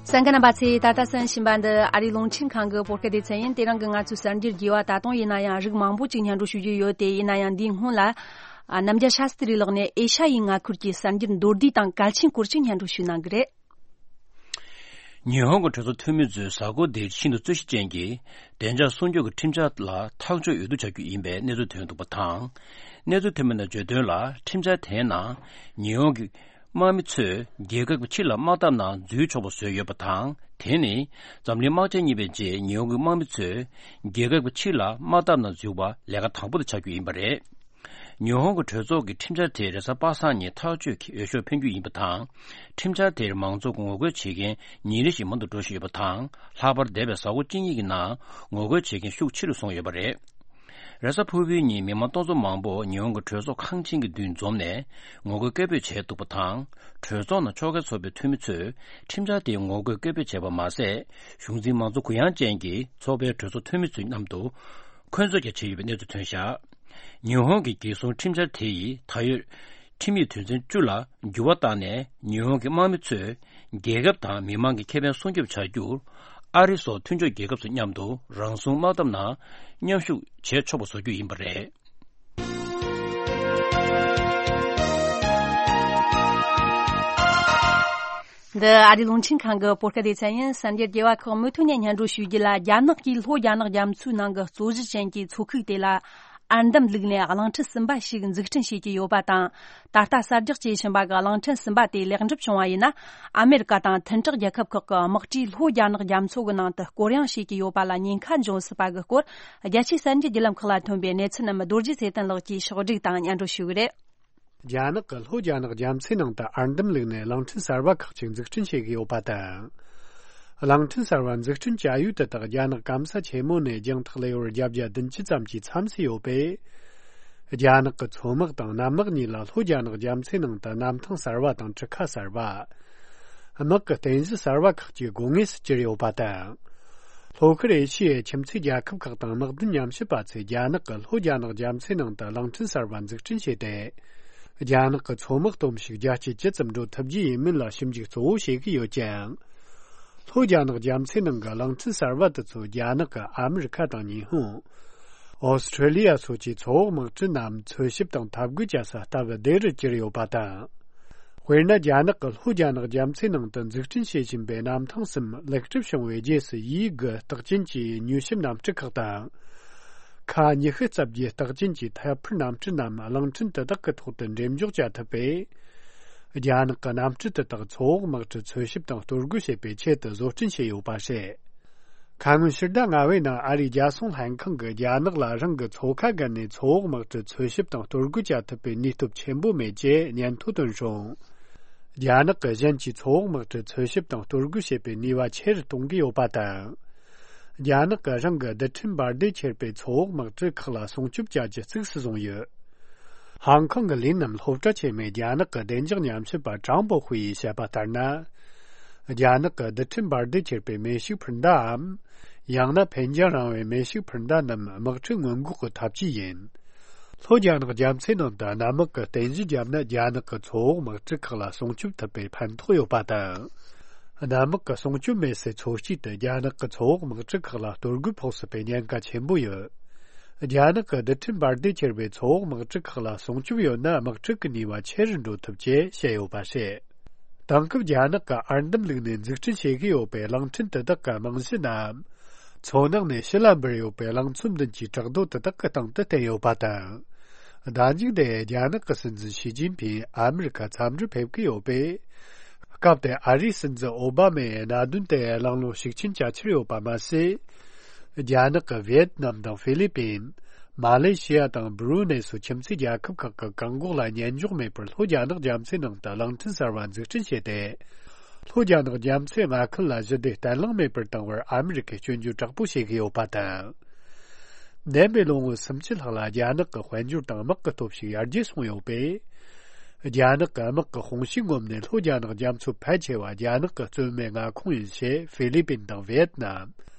གསན་མཁན་རྣམ་པ་ཚོས་ད་ལྟ་གསན་བཞིན་པ་འདི་ཨ་རིའི་རླུང་འཕྲིན་ཁང་གི་བོད་སྐད་སྡེ་ཚན་ཡིན། དེ་རིང་གི་ང་ཚོའི་གསར་འགྱུར་རྒྱས་པ་ད་དུང་ཡིན་ན་ཡང་རིགས་མང་པོ་ཅིག་སྙན་སྒྲོན་ཞུ་རྒྱུ་ཡོད། དེ་ཡིན་ན་ཡང་འདིའི་སྔོན་ལ། ཨ། རྣམ་རྒྱལ་ཤཱ་སྟི་རི་ལགས་ནས་ཨེ་ཤ་ཡའི་མངའ་ཁུལ་གྱི་གསར་འགྱུར་མདོར་བསྡུས་དང་གལ་ཆེན་སྐོར་ཅིག་སྙན་སྒྲོན་ཞུས་གནང་གི་རེད། ཉི་ཧོང་གི་གྲོས་ཚོགས་འཐུས་མི་ཚོས་གཟའ་འཁོར་འདིར་ཤིན་ཏུ་རྩོད་གཞི་ཅན་གྱི་བདེ་འཇགས་སྲུང་སྐྱོབ་ཀྱི་ཁྲིམས་འཆར་ལ་ཐག་གཅོད་འོས་བསྡུ་བྱ་རྒྱུ་ཡིན་པའི་གནས་ཚུལ་ཐོན་འདུག་པ་དང་། གནས་ཚུལ་ཐོན་མི་རྣམས་བརྗོད་དོན་ལ། ཁྲིམས་འཆར་དེའི་ནང་ཉི་ཧོང་གི་དམག་མི་ཚོས་རྒྱལ་ཁབ་ཀྱི་ཕྱི་ལ་དམག་འཐབ་ནང་འཛུལ་ཆོག་པ་བཟོས་ཡོད་པ་དང་། དེ་ནི་འཛམ་གླིང་དམག་ཆེན་གཉིས་པའི་རྗེས་ཉི་ཧོང་གི་དམག་མི་ཚོས་རྒྱལ་ཁབ་ཀྱི་ཕྱི་ལ་དམག་འཐབ་ནང་འཛུལ་བ་ལས་ཀ་དང་པོ་དེ་ཆགས་རྒྱུ་ཡིན་པ་རེད། ཉི་ཧོང་གི་གྲོས་ཚོགས་ཀྱི་ཁྲིམས་འཆར་དེ་རེས་གཟའ་པ་སངས་ཉིན་ཐག་གཅོད་ཀྱིས་འོས་ཤོག་འཕེན་རྒྱུ་ཡིན་པ་དང་། ཁྲིམས་འཆར་དེར་མང་ཚོགས་ཀྱིས་ངོ་རྒོལ་བྱེད་མཁན་ཉིན་རེ་བཞིན་མང་དུ་འགྲོ་བཞིན་ཡོད་པ་དང་། ལྷག་པར་འདས་པའི་གཟའ་འཁོར་གཅིག་གཉིས་ཀྱི་ནང་ངོ་རྒོལ་བྱེད་མཁན་ཤུགས་ཆེ་རུ་སོང་ཡོད་པ་རེད། རེས་གཟའ་ཕུར་བུའི་ཉིན་མི་མང་སྟོང་ཚོ་མང་པོ་ཉི་ཧོང་གི་གྲོས་ཚོགས་ཁང་ཆེན་གྱི་མདུན་འཛོམས་ནས་ངོ་རྒོལ་སྐད་འབོད་བྱས་འདུག་པ་དང་། གྲོས་ཚོགས་ནང་ཕྱོགས་འགལ་ཚོགས་པའི་འཐུས་མི་ཚོས་ཁྲིམས་འཆར་དེའི་ངོ་རྒོལ་སྐད་འབོད་བྱས་པ་མ་ཟད། གཞུང་འཛིན་མང་གཙོ་གུ་ཡངས་ཅན་གྱི་ཚོགས་པའི་གྲོས་ཚོགས་འཐུས་མི་ཚོའི་མཉམ་དུ་འཁོན་རྩོད་ཀྱང་བྱས་ཡོད་པའི་གནས་ཚུལ་ཐོན་བཞག་ཉི་ཧོང་གི་རྒྱལ་སྲུང་ཁྲིམས་འཆར་དེ་ཡིས་ད་ཡོད་ཁྲིམས་ཡིག་དོན་ཚན་བཅུ་ལ་འགྱུར་བ་བཏང་ནས། ཉི་ཧོང་གི་དམག་མི་ཚོས་རྒྱལ་ཁབ་དང་མི་མང་གི་ཁེ་ཕན་སྲུང་སྐྱོབ་བྱ་རྒྱུར། ཨ་རི་སོགས་མཐུན་ཕྱོགས་རྒྱལ་ཁབ་ཚོ་མཉམ་དུ་རང་སྲུང་དམག་འཐབ་ནང་མཉམ་ཞུགས་བྱེད་ཆོག་པ་བཟོ་རྒྱུ་ཡིན་པ་རེད། འདི་ཨ་རིའི་རླུང་འཕྲིན་ཁང་གི་བོད་སྐད་སྡེ་ཚན་ཡིན། གསར་འགྱུར་རྒྱས་པ་ཁག་མུ་མཐུད་ནས་སྙན་སྒྲོན་ཞུ་རྒྱུ་ལ། རྒྱ་ནག་གིས་ལྷོ་རྒྱ་ནག་རྒྱ་མཚོའི་ནང་གི་རྩོད་གཞི་ཅན་གྱི་མཚོ་ཁུག་དེ་ལ་ཨར་འདམ་བླུགས་ནས་གླིང་ཕྲན་གསུམ་པ་ཞིག་འཛུགས་སྐྲུན་བྱེད་ཀྱི་ཡོད་པ་དང་། ད་ལྟ་གསར་རྒྱག་བྱེད་བཞིན་པ་གི་གླིང་ཕྲན་གསུམ་པ་དེ་ལེགས་འགྲུབ་བྱུང་བ་ཡིན་ན། ཨ་མེ་རི་ཀ་དང་མཐུན་གྲོགས་རྒྱལ་ཁབ་ཁག་གི་དམག་གྲས་ལྷོ་རྒྱ་ནག་རྒྱ་མཚོ་གི་ནང་དུ་སྐོར་གཡེང་བྱེད་ཀྱི་ཡོད་པ་ལ་ཉེན་ཁ་འབྱུང་སྲིད་པ་གི་སྐོར། རྒྱལ་སྤྱིའི་གསར་འགྱུར་བརྒྱུད་ལམ་ཁག་ལ་ཐོན་པའི་གནས་ཚུལ་རྣམས་རྡོ་རྗེ་ཚེ་བརྟན་ལགས་ཀྱིས་ཕྱོགས་བསྒྲིགས་དང་སྙན་སྒྲོན་ཞུ་གི་རེད། རྒྱ་ནག་གིས་ལྷོ་རྒྱ་ནག་རྒྱ་མཚོའི་ནང་དུ་ཨར་འདམ་བླུགས་ནས་གླིང་ཕྲན་གསར་པ་ཁག་ཅིག་འཛུགས་སྐྲུན་བྱེད་ཀྱི་ཡོད་པ་དང་། གླིང་ཕྲན་གསར་པ་འཛུགས་སྐྲུན་བྱ་ཡུལ་དེ་དག་རྒྱ་ནག་སྐམ་ས་ཆེན་མོ་ནས་རྒྱང་ཐག་ལེ་ཝར་བརྒྱད་བརྒྱ་བདུན་ཅུ་ཙམ་གྱིས་མཚམས་སུ་ཡོད་པས། རྒྱ་ནག་གི་མཚོ་དམག་དང་གནམ་དམག་གཉིས་ལ་ལྷོ་རྒྱ་ནག་རྒྱ་མཚོའི་ནང་དུ་གནམ་ཐང་གསར་པ་དང་གྲུ་ཁ་གསར་པ། དམག་གི་རྟེན་གཞི་གསར་པ་ཁག་ཅིག་དགོས་ངེས་སུ་གྱུར་ཡོད་པ་དང་། ལྷོ་ཤར་ཨེ་ཤི་ཡའི་ཁྱིམ་མཚེས་རྒྱལ་ཁབ་ཁག་དང་དམག་དོན་ཉམས་ཞིབ་པ་ཚོས་རྒྱ་ནག་གིས་ལྷོ་རྒྱ་ནག་རྒྱ་མཚོའི་ནང་དུ་གླིང་ཕྲན་གསར་པ་འཛུགས་སྐྲུན་བྱས་ཏེ། རྒྱ་ནག་གི་མཚོ་དམག་སྟོབས་ཤུགས་བརྒྱ་ཆ་བཅུ་ཙམ་འགྲོ་ཐུབ་རྒྱུ་ཡིན་མིན་ལ་ཞིབ་འཇུག་གཙོ་བོ་བྱེད་ཀྱི་ཡོད་ཀྱང་། ལྷོ་རྒྱ་ནག་རྒྱ་མཚོའི་ནང་གི་གླིང་ཕྲན་གསར་པ་དེ་ཚོ་རྒྱ་ནག་གིས་ཨ་མི་རི་ཁ་དང་ཉི་ཧོང་། ཨོ་སི་ཁྲེ་ལི་ཡ་སོགས་ཀྱི་མཚོ་འོག་དམག་གྲུ་རྣམས་འཚོལ་ཞིབ་དང་འཐབ་རྒོལ་བྱ་ས་སྟབས་བདེ་རུ་གྱུར་ཡོད་པ་དང་། དཔེར་ན། རྒྱ་ནག་གིས་ལྷོ་རྒྱ་ནག་རྒྱ་མཚོའི་ནང་དུ་འཛུགས་སྐྲུན་བྱེད་བཞིན་པའི་གནམ་ཐང་གསུམ་ལེགས་གྲུབ་བྱུང་བའི་རྗེས་སུ། ཡིའུ་གུའུ་རྟགས་ཅན་གྱི་མྱུལ་ཞིབ་གནམ་གྲུ་ཁག་དང་། ཁ་ཉི་ཤུ་རྩ་བརྒྱད་རྟགས་ཅན་གྱི་ཐད་འཕུར་གནམ་གྲུ་རྣམས་གླིང་ཕྲན་དེ་དག་གི་ཐོག་ཏུ་འགྲེམས་འཇོག་བྱ་ཐུབ་པས། རྒྱ་ནག་གི་གནམ་གྲུ་དེ་དག་མཚོ་འོག་དམག་གྲུ་འཚོལ་ཞིབ་དང་གཏོར་རྒོལ་བྱེད་པའི་ཆེད་དུ་བཟོ་སྐྲུན་བྱས་ཡོད་པ་རེད། ཁ་སྔོན་ཕྱི་ཟླ་ལྔ་པའི་ནང་ཨ་རིའི་རྒྱལ་སྲུང་ལྷན་ཁང་གིས་རྒྱ་ནག་ལ་རང་གི་མཚོ་ཁ་བརྒལ་ནས་མཚོ་འོག་དམག་གྲུ་འཚོལ་ཞིབ་དང་གཏོར་རྒོལ་བྱ་ཐུབ་པའི་ནུས་སྟོབས་ཆེན་པོ་མེད་ཅེས་སྙན་ཐོ་བཏོན་བྱུང་། རྒྱ་ནག་གིས་གཞན་གྱིས་མཚོ་འོག་དམག་གྲུ་འཚོལ་ཞིབ་དང་གཏོར་རྒོལ་བྱེད་པའི་ནུས་པ་ཆེ་རུ་གཏོང་གི་ཡོད་པ་དང་། རྒྱ་ནག་གིས་རང་གི་རྡུལ་ཕྲན་འབར་མདེལ་འཁྱེར་བའི་མཚོ་འོག་དམག་གྲུ་ཁག་ལ་སྲུང་སྐྱོབ་བྱ་རྒྱུ་གཙིགས་སུ་བཟུང་ཡོད། ཧང་ཀོང་གི་ལས་རྣམ་སློབ་གྲྭ་ཆེན་མོའི་རྒྱ་ནག་གི་བདེ་འཇགས་ཉམས་ཞིབ་པ་ཀྲང་པོ་ཧུའེ་ཡིས་བཤད་པ་ལྟར་ན། རྒྱ་ནག་གི་རྡུལ་ཕྲན་འབར་མདེལ་འཁྱེར་བའི་མེ་ཤུགས་འཕུར་མདའམ། ཡང་ན་འཕེན་རྒྱང་རིང་བའི་མེ་ཤུགས་འཕུར་མདའ་རྣམས་དམག་འཁྲུག་སྔོན་འགོག་གི་ཐབས་ཇུས་ཡིན། ལྷོ་རྒྱ་ནག་རྒྱ་མཚོའི་ནང་དུ་གནམ་དམག་གི་རྟེན་གཞི་བརྒྱབ་ན། རྒྱ་ནག་གི་མཚོ་འོག་དམག་གྲུ་ཁག་ལ་སྲུང་སྐྱོབ་ཐུབ་པའི་ཕན་ཐོགས་ཡོད་པ་དང་། གནམ་དམག་གི་སྲུང་སྐྱོབ་མེད་སའི་མཚོ་དཀྱིལ་དུ་རྒྱ་ནག་གི་མཚོ་འོག་དམག་གྲུ་ཁག་ལ་གཏོར་རྒོལ་ཕོག་སྲིད་པའི་ཉེན་ཁ་ཆེན་པོ་ཡོད། རྒྱ་ནག་གི་རྡུལ་ཕྲན་འབར་མདེལ་འཁྱེར་བའི་མཚོ་འོག་དམག་གྲུ་ཁག་ལ་སྲུང་སྐྱོབ་ཡོད་ན། དམག་འཁྲུག་གི་ནུས་པ་ཆེ་རུ་འགྲོ་ཐུབ་ཅེས་བཤད་ཡོད་པ་རེད། དེང་སྐབས་རྒྱ་ནག་གིས་ཨར་འདམ་བླུགས་ནས་འཛུགས་སྐྲུན་བྱེད་ཀྱི་ཡོད་པའི་གླིང་ཕྲན་དེ་དག་གི་རྨང་གཞི་རྣམས། མཚོ་ནང་ནས་ཕྱི་ལ་འབུར་ཡོད་པའི་གླིང་ཚོམ་བདུན་གྱི་བྲག་རྡོ་དེ་དག་གི་སྟེང་དུ་བརྟེན་ཡོད་པ་དང་། ཟླ་མཇུག་འདིར་རྒྱ་ནག་གི་སྲིད་འཛིན་ཞི་ཅིན་ཕིང་ཨ་མི་རི་ཀར་འཚམས་འདྲིར་ཕེབས་ཀྱི་ཡོད་པས། སྐབས་དེར་ཨ་རིའི་སྲིད་འཛིན་ཨོ་བྷ་མས་གནད་དོན་དེ་གླེང་སློང་ཤུགས་ཆེན་བྱ་འཆར་ཡོད་པ་མ་ཟད། རྒྱ་ནག་གིས་ཝི་ཡེད་ནམ་དང་ཧྥི་ལི་པིན། མ་ལེ་ཤི་ཡ་དང་སྦུ་རུ་ནེ་སོགས་ཁྱིམ་མཚེས་རྒྱལ་ཁབ་ཁག་གི་བཀག་འགོག་ལ་ཉན་འཇོག་མེད་པར་ལྷོ་རྒྱ་ནག་རྒྱ་མཚོའི་ནང་དུ་གླིང་ཕྲན་གསར་པ་འཛུགས་སྐྲུན་བྱས་ཏེ། ལྷོ་རྒྱ་ནག་རྒྱ་མཚོའི་མངའ་ཁུལ་ལ་ཞི་བདེ་བརྟན་ལྷིང་མེད་པར་བཏང་བར་ཨ་མི་རི་ཀས་སྐྱོན་བརྗོད་དྲག་པོ་བྱེད་ཀྱི་ཡོད་པ་དང་། འདས་པའི་ལོ་ངོ་སུམ་ཅུ་ལྷག་ལ་རྒྱ་ནག་གི་དཔལ་འབྱོར་དང་དམག་གི་སྟོབས་ཤུགས་ཡར་རྒྱས་སོང་ཡོད་པས། རྒྱ་ནག་གི་དམག་གི་དཔུང་ཤུགས་ངོམ་ནས་ལྷོ་རྒྱ་ནག་རྒྱ་མཚོའི་ཕལ་ཆེ་བ་རྒྱ་ནག་གི་རྩོད་མེད་མངའ་ཁོངས་ཡིན་ཞེས་ཧྥི་ལི་པིན་དང་ཝི་ཡེད་ནམ།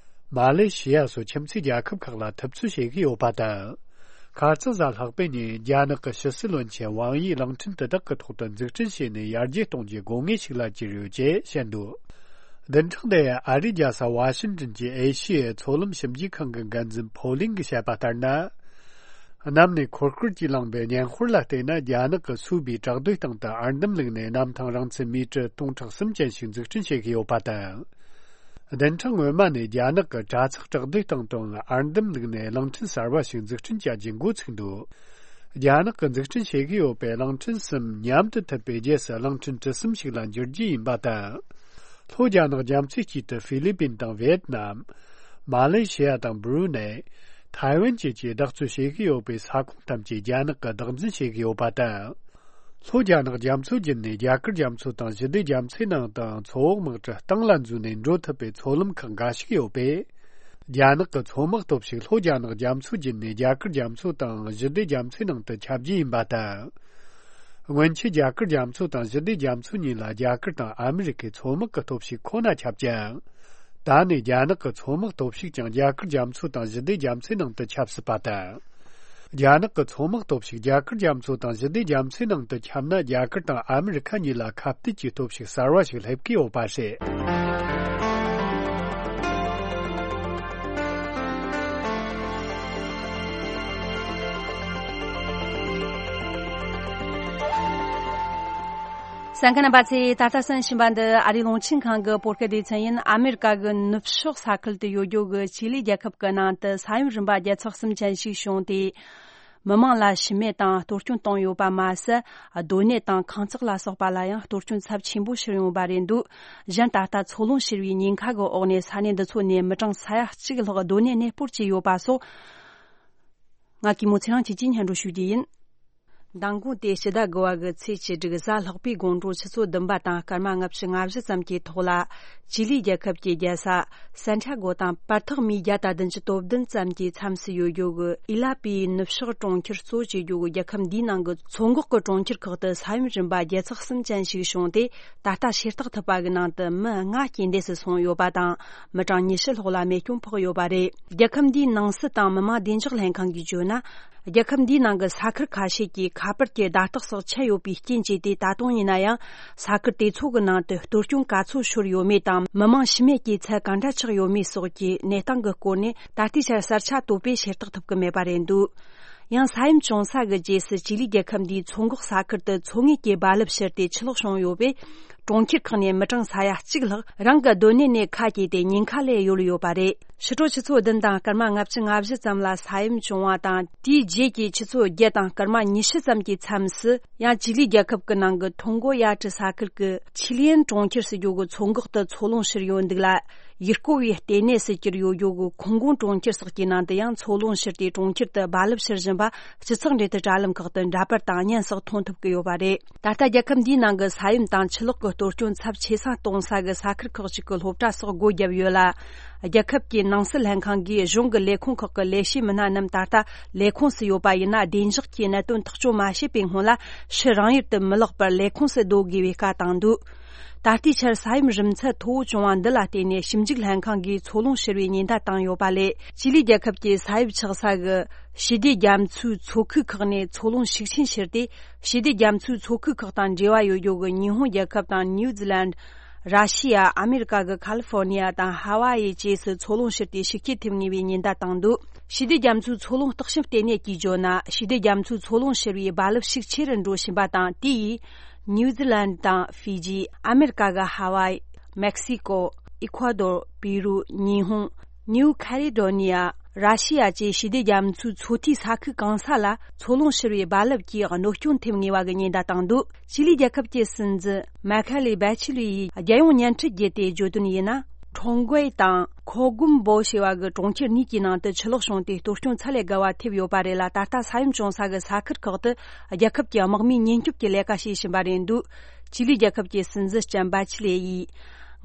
མ་ལེ་ཤི་ཡ་སོགས་ཁྱིམ་མཚེས་རྒྱལ་ཁབ་ཁག་ལ་ཐུབ་ཚོད་བྱེད་ཀྱི་ཡོད་པ་དང་། ཁ་རྩང་གཟའ་ལྷག་པའི་ཉིན་རྒྱ་ནག་གི་ཕྱི་སྲིད་བློན་ཆེན་ཝང་ཡིས་གླིང་ཕྲན་དེ་དག་གི་ཐོག་ཏུ་འཛུགས་སྐྲུན་བྱས་ནས་ཡར་རྒྱས་གཏོང་རྒྱུའི་དགོས་ངེས་ཤིག་ལ་གྱུར་ཡོད་ཅེས་བཤད་འདུག་བདུན་ཕྲག་འདིའི་ཨ་རིའི་རྒྱལ་ས་ཝ་ཤིང་ཏོན་གྱི་ཨེ་ཤི་ཡའི་མཚོ་ལམ་ཞིབ་འཇུག་ཁང་གི་འགན་འཛིན་ཕོ་ལིང་གིས་བཤད་པ་ལྟར་ན། གནམ་ནས་འཁོར་སྐར་གྱིས་བསླངས་པའི་སྙན་དཔར་ལ་བལྟས་ན། རྒྱ་ནག་གིས་སུའུ་བིའི་བྲག་རྡོའི་སྟེང་དུ་ཨར་འདམ་བླུགས་ནས་གནམ་ཐང་རིང་ཚད་མི་ཊར་སྟོང་ཕྲག་གསུམ་ཅན་ཞིག་འཛུགས་སྐྲུན་བྱེད་ཀྱི་ཡོད་པ་དང་། བདུན་ཕྲག་སྔོན་མ་ནས་རྒྱ་ནག་གིས་པྲ་ཚིག་བྲག་རྡོའི་སྟེང་དུའང་ཨར་འདམ་བླུགས་ནས་གླིང་ཕྲན་གསར་པ་ཞིག་འཛུགས་སྐྲུན་བྱ་རྒྱུའི་འགོ་ཚུགས་འདུག་རྒྱ་ནག་གིས་འཛུགས་སྐྲུན་བྱེད་ཀྱི་ཡོད་པའི་གླིང་ཕྲན་གསུམ་མཉམ་དུ་མཐུད་པའི་རྗེས་སུ་གླིང་ཕྲན་གྲུ་གསུམ་ཞིག་ལ་འགྱུར་རྒྱུ་ཡིན་པ་དང་། ལྷོ་རྒྱ་ནག་རྒྱ་མཚོའི་དཀྱིལ་དུ་ཧྥི་ལི་པིན་དང་ཝི་ཡེད་ནམ། མ་ལེ་ཤི་ཡ་དང་སྦུ་རུ་ནེ། ཐའེ་ཝན་བཅས་ཀྱིས་བདག་སྤྱོད་བྱེད་ཀྱི་ཡོད་པའི་ས་ཁོངས་ཐམས་ཅད་རྒྱ་ནག་གིས་བདག་འཛིན་བྱེད་ཀྱི་ཡོད་པ་དང་། ལྷོ་རྒྱ་ནག་རྒྱ་མཚོ་བརྒྱུད་ནས་རྒྱ་གར་རྒྱ་མཚོ་དང་ཞི་བདེ་རྒྱ་མཚོའི་ནང་དང་མཚོ་འོག་དམག་གྲུ་སྟེང་ལ་འཛུལ་ནས་འགྲོ་ཐུབ་པའི་མཚོ་ལམ་ཁག་འགའ་ཞིག་ཡོད་པས། རྒྱ་ནག་གི་མཚོ་དམག་སྟོབས་ཤུགས་ལྷོ་རྒྱ་ནག་རྒྱ་མཚོ་བརྒྱུད་ནས་རྒྱ་གར་རྒྱ་མཚོ་དང་ཞི་བདེ་རྒྱ་མཚོའི་ནང་དུ་ཁྱབ་རྒྱུ་ཡིན་པ་དང་། སྔོན་ཆད་རྒྱ་གར་རྒྱ་མཚོ་དང་ཞི་བདེ་རྒྱ་མཚོ་གཉིས་ལ་རྒྱ་གར་དང་ཨ་མི་རི་ཀའི་མཚོ་དམག་གི་སྟོབས་ཤུགས་ཁོ་ན་ཁྱབ་ཀྱང་། ད་ནི་རྒྱ་ནག་གི་མཚོ་དམག་སྟོབས་ཤུགས་ཀྱང་རྒྱ་གར་རྒྱ་མཚོ་དང་ཞི་བདེ་རྒྱ་མཚོའི་ནང་དུ་ཁྱབ་སྲིད་པ་དང་། རྒྱ་ནག་གི་མཚོ་དམག་སྟོབས་ཤུགས་རྒྱ་གར་རྒྱ་མཚོ་དང་ཞི་བདེ་རྒྱ་མཚོའི་ནང་དུ་ཁྱབ་ན། རྒྱ་གར་དང་ཨ་མི་རི་ཁ་གཉིས་ལ་ཁ་གཏད་ཀྱི་སྟོབས་ཤུགས་གསར་བ་ཞིག་སླེབས་ཀྱི་ཡོད་པ་རེད། གསན་མཁན་རྣམ་པ་ཚོས། ད་ལྟ་གསན་བཞིན་པ་འདི་ཨ་རིའི་རླུང་འཕྲིན་ཁང་གི་བོད་སྐད་སྡེ་ཚན་ཡིན། ཨ་མེ་རི་ཀ་གི་ནུབ་ཕྱོགས་ས་ཁུལ་དུ་ཡོད་རྒྱུ་གི་ཅི་ལི་རྒྱལ་ཁབ་ཀྱི་ནང་དུ་ས་ཡོམ་རིམ་པ་བརྒྱ་ཚེག་གསུམ་ཅན་ཞིག་བྱུང་སྟེ། མི་མང་ལ་ཤི་རྨས་དང་གཏོར་སྐྱོན་བཏང་ཡོད་པ་མ་ཟད། སྡོད་གནས་དང་ཁང་བརྩེགས་ལ་སོགས་པ་ལ་ཡང་གཏོར་སྐྱོན་ཚབས་ཆེན་པོ་ཕྱིར་ཡོང་བ་རེད་འདུག་གཞན་ད་ལྟ་འཚོ་རླུང་ཤོར་བའི་ཉེན་ཁ་གི་འོག་ནས་ས་གནས་འདི་ཚོ་ནས་མི་གྲངས་ས་ཡ་གཅིག་ལྷག་སྡོད་གནས་གནས་སྤོར་བྱས་ཡོད་པ་སོགས། ང་གི་མོ་ཚེ་རིང་སྐྱིད་ཀྱིས་སྙན་སྒྲོན་ཞུ་རྒྱུ་ཡིན། མདང་དགོང་སྟེ་ཕྱི་ཟླ་དགུ་བ་གི་ཚེས་བཅུ་དྲུག་གཟའ་ལྷག་པའི་དགོང་དྲོ་ཆུ་ཚོད་བདུན་པ་དང་སྐར་མ་ལྔ་བཅུ་ང་བཞི་ཙམ་གྱི་ཐོག་ལ། ཅི་ལི་རྒྱལ་ཁབ་ཀྱི་རྒྱལ་ས་སན་ཏྲ་གོ་དང་བར་ཐག་མིལ་བརྒྱ་དང་བདུན་ཅུ་དོན་བདུན་ཙམ་གྱི་མཚམས་སུ་ཡོད་རྒྱུ་གི་ཨི་ལ་པིའི་ནུབ་ཕྱོགས་གྲོང་ཁྱེར་གཙོ་བྱེད་རྒྱུ་གི་རྒྱལ་ཁབ་འདིའི་ནང་གི་མཚོ་འགག་གི་གྲོང་ཁྱེར་ཁག་ཏུ་ས་ཡོམ་རིམ་པ་བརྒྱ་ཚེག་གསུམ་ཅན་ཞིག་བྱུང་སྟེ། ད་ལྟ་ཤེས་རྟོགས་ཐུབ་པ་གི་ནང་དུ་མི་ལྔ་རྐྱེན་འདས་སུ་སོང་ཡོད་པ་དང་། མི་གྲངས་ཉི་ཤུ་ལྷག་ལ་རྨས་སྐྱོན་ཕོག་ཡོད་པ་རེད། རྒྱལ་ཁབ་འདིའི་ནང་སྲིད་དང་མི་དམངས་བདེ་འཇགས་ལྷན་ཁང་གིས་བརྗོད་ན། རྒྱལ་ཁབ་འདིའི་ནང་གི་ས་ཁུལ་ཁ་ཤས་ཀྱི་ཁ་པར་གྱི་བརྡ་རྟགས་སོགས་ཆད་ཡོད་པའི་རྐྱེན་བྱས་ཏེ། ད་དུང་ཡིན་ན་ཡང་ས་ཁུལ་དེ་ཚོ་གི་ནང་དུ་གཏོར་སྐྱོན་ག་ཚོད་ཤོར་ཡོད་མེད་དང་། མི་མང་ཤི་རྨས་ཀྱི་ཚད་ག་འདྲ་ཆགས་ཡོད་མེད་སོགས་ཀྱི་གནས་སྟངས་ཀྱི་སྐོར་ནས་ད་ལྟའི་ཆར་གསལ་ཆ་དོད་པོས་ཤེས་རྟོགས་ཐུབ་ཀྱི་མེད་པ་རེད་འདུག་ཡང་ས་ཡོམ་བྱུང་ས་གི་རྗེས་སུ་ཅི་ལི་རྒྱལ་ཁབ་འདིའི་མཚོ་འགག་ས་ཁུལ་དུ་མཚོ་ངོས་ཀྱི་རྦ་རླབས་ཤར་ཏེ་ཆུ་ལོག་བྱུང་ཡོད་པས། གྲོང་ཁྱེར་ཁག་ནས་མི་གྲངས་ས་ཡ་གཅིག་ལྷག་རང་གི་སྡོད་གནས་ནས་ཁ་གྱེས་ཏེ་ཉེན་ཁ་ལས་གཡོལ་ཡོད་པ་རེད། ཕྱི་དྲོ་ཆུ་ཚོད་བདུན་དང་སྐར་མ་ལྔ་བཅུ་ང་བཞི་ཙམ་ལ་ས་ཡོམ་བྱུང་བ་དང་། དེའི་རྗེས་ཀྱི་ཆུ་ཚོད་བརྒྱད་དང་སྐར་མ་ཉི་ཤུ་ཙམ་གྱི་མཚམས་སུ་ཡང་ཅི་ལི་རྒྱལ་ཁབ་ཀྱི་ནང་གི་ཐོང་གོ་ཡ་ཀྲི་ས་ཁུལ་གྱི་ཆི་ལི་ཡན་གྲོང་ཁྱེར་ཟེར་རྒྱུ་གི་མཚོ་འགག་ཏུ་མཚོ་རླུང་ཤོར་ཡོད་འདུག་ལ། ཡུལ་སྐོར་བའི་ལྟེ་གནས་སུ་གྱུར་ཡོད་རྒྱུ་གི་ཁུང་གུང་གྲོང་ཁྱེར་སོགས་ཀྱི་ནང་དུ་ཡང་མཚོ་རླུང་ཤོར་ཏེ་གྲོང་ཁྱེར་དུ་རྦ་རླབས་ཤར་བཞིན་པ་སྤྱི་ཚོགས་འབྲེལ་མཐུད་དྲ་ལམ་ཁག་ཏུ་འདྲ་པར་དང་བརྙན་སོགས་མཐོང་ཐུབ་ཀྱི་ཡོད་པ་རེད། ད་ལྟ་རྒྱལ་ཁབ་འདིའི་ནང་གི་ས་ཡོམ་དང་ཆུ་ལོག་གི་གཏོར་སྐྱོན་ཚབས་ཆེ་ས་གཏོང་ས་གི་ས་ཁུལ་ཁག་ཅིག་གི་སློབ་གྲྭ་སོགས་སྒོ་བརྒྱབ་ཡོད་ལ། རྒྱལ་ཁབ་ཀྱི་ནང་སྲིད་ལྷན་ཁང་གིས་གཞུང་གི་ལས་ཁུངས་ཁག་གི་ལས་བྱེད་མི་སྣ་རྣམས་ད་ལྟ་ལས་ཁུངས་སུ་ཡོད་པ་ཡིན་ན། བདེ་འཇགས་ཀྱི་གནད་དོན་ཐག་གཅོད་མ་བྱས་པའི་སྔོན་ལ་ཕྱིར་རང་ཡུལ་དུ་མི་ལོག་པར་ལས་ཁུངས་སུ་སྡོད་དགོས་པའི་བཀའ་བཏང་འདུག་ད་ལྟའི་ཆར་ས་ཡོམ་རིམས་ཚད་མཐོ་བོ་བྱུང་བ་འདི་ལ་བརྟེན་ནས། ཞིབ་འཇུག་ལྷན་ཁང་གིས་མཚོ་རླུང་ཤོར་བའི་ཉེན་བརྡ་བཏང་ཡོད་པ་ལས། ཅི་ལི་རྒྱལ་ཁབ་ཀྱི་ས་ཡོམ་ཆགས་ས་གི་ཞི་བདེ་རྒྱ་མཚོའི་མཚོ་ཁུག་ཁག་ནས་མཚོ་རླུང་ཤུགས་ཆེན་ཤོར་ཏེ། ཞི་བདེ་རྒྱ་མཚོའི་མཚོ་ཁུག་ཁག་དང་འབྲེལ་བ་ཡོད་རྒྱུ་གི་ཉི་ཧོང་རྒྱལ་ཁབ་དང་ནིའུ་ཛི་ལན། ར་ཤི་ཡ། ཨ་མེ་རི་ཀ་གི་ཁ་ལི་ཧྥོར་ནི་ཡ་དང་ཧ་ཝ་ཡི་བཅས་སུ་མཚོ་རླུང་ཤོར་ཏེ་ཤུགས་རྐྱེན་ཐེབས་ངེས་པའི་ཉེན་བརྡ་བཏང་འདུག་ཞི་བདེ་རྒྱ་མཚོའི་མཚོ་རླུང་བརྟག་ཞིབ་ལྟེ་གནས་ཀྱིས་བརྗོད་ན། ཞི་བདེ་རྒྱ་མཚོའི་མཚོ་རླུང་ཤོར་བའི་རྦ་རླབས་ཤུགས་ཆེ་རུ་འགྲོ་བཞིན་པ་དང་། དེ་ཡིས་ནིའུ་ཛི་ལན་དང་ཧྥི་ཇི། ཨ་མེ་རི་ཀ་གི་ཧ་ཝའི། མེག་སི་ཀོ། ཨི་ཁ་ཌོར། པི་རུ། ཉི་ཧོང་། ནིའུ་ཁ་ལེ་ཌོ་ནི་ཡ། ར་ཤི་ཡ་བཅས་ཞི་བདེ་རྒྱ་མཚོའི་མཚོ་མཐའི་ས་ཁུལ་གང་ས་ལ་མཚོ་རླུང་ཤོར་བའི་རྦ་རླབས་ཀྱིས་གནོད་སྐྱོན་ཐེབས་ངེས་པ་གི་ཉེན་བརྡ་བཏང་འདུག་ཅི་ལི་རྒྱལ་ཁབ་ཀྱི་སྲིད་འཛིན་མ་ཁ་ལི་བྷ་ཆི་ལི་ཡིས་རྒྱལ་ཡོངས་བརྙན་འཕྲིན་བརྒྱུད་དེ་བརྗོད་དོན་ཡིན་ན། ཁྲོང་གོའི་དང་ཁོ་གུམ་པོ་ཞེས་པ་གི་གྲོང་ཁྱེར་གཉིས་ཀྱི་ནང་དུ་ཆུ་ལོག་བྱུང་སྟེ་གཏོར་སྐྱོན་ཚད་ལས་བརྒལ་བ་ཐེབས་ཡོད་པ་རེད་ལ། ད་ལྟ་ས་ཡོམ་བྱུང་ས་གི་ས་ཁུལ་ཁག་ཏུ་རྒྱལ་ཁབ་ཀྱི་དམག་མིས་ཉེན་སྐྱོབ་ཀྱི་ལས་ཀ་བྱེད་བཞིན་པ་རེད་འདུག་ཅི་ལི་རྒྱལ་ཁབ་ཀྱི་སྲིད་འཛིན་ལྕམ་བྷ་ཆི་ལེ་ཡིས།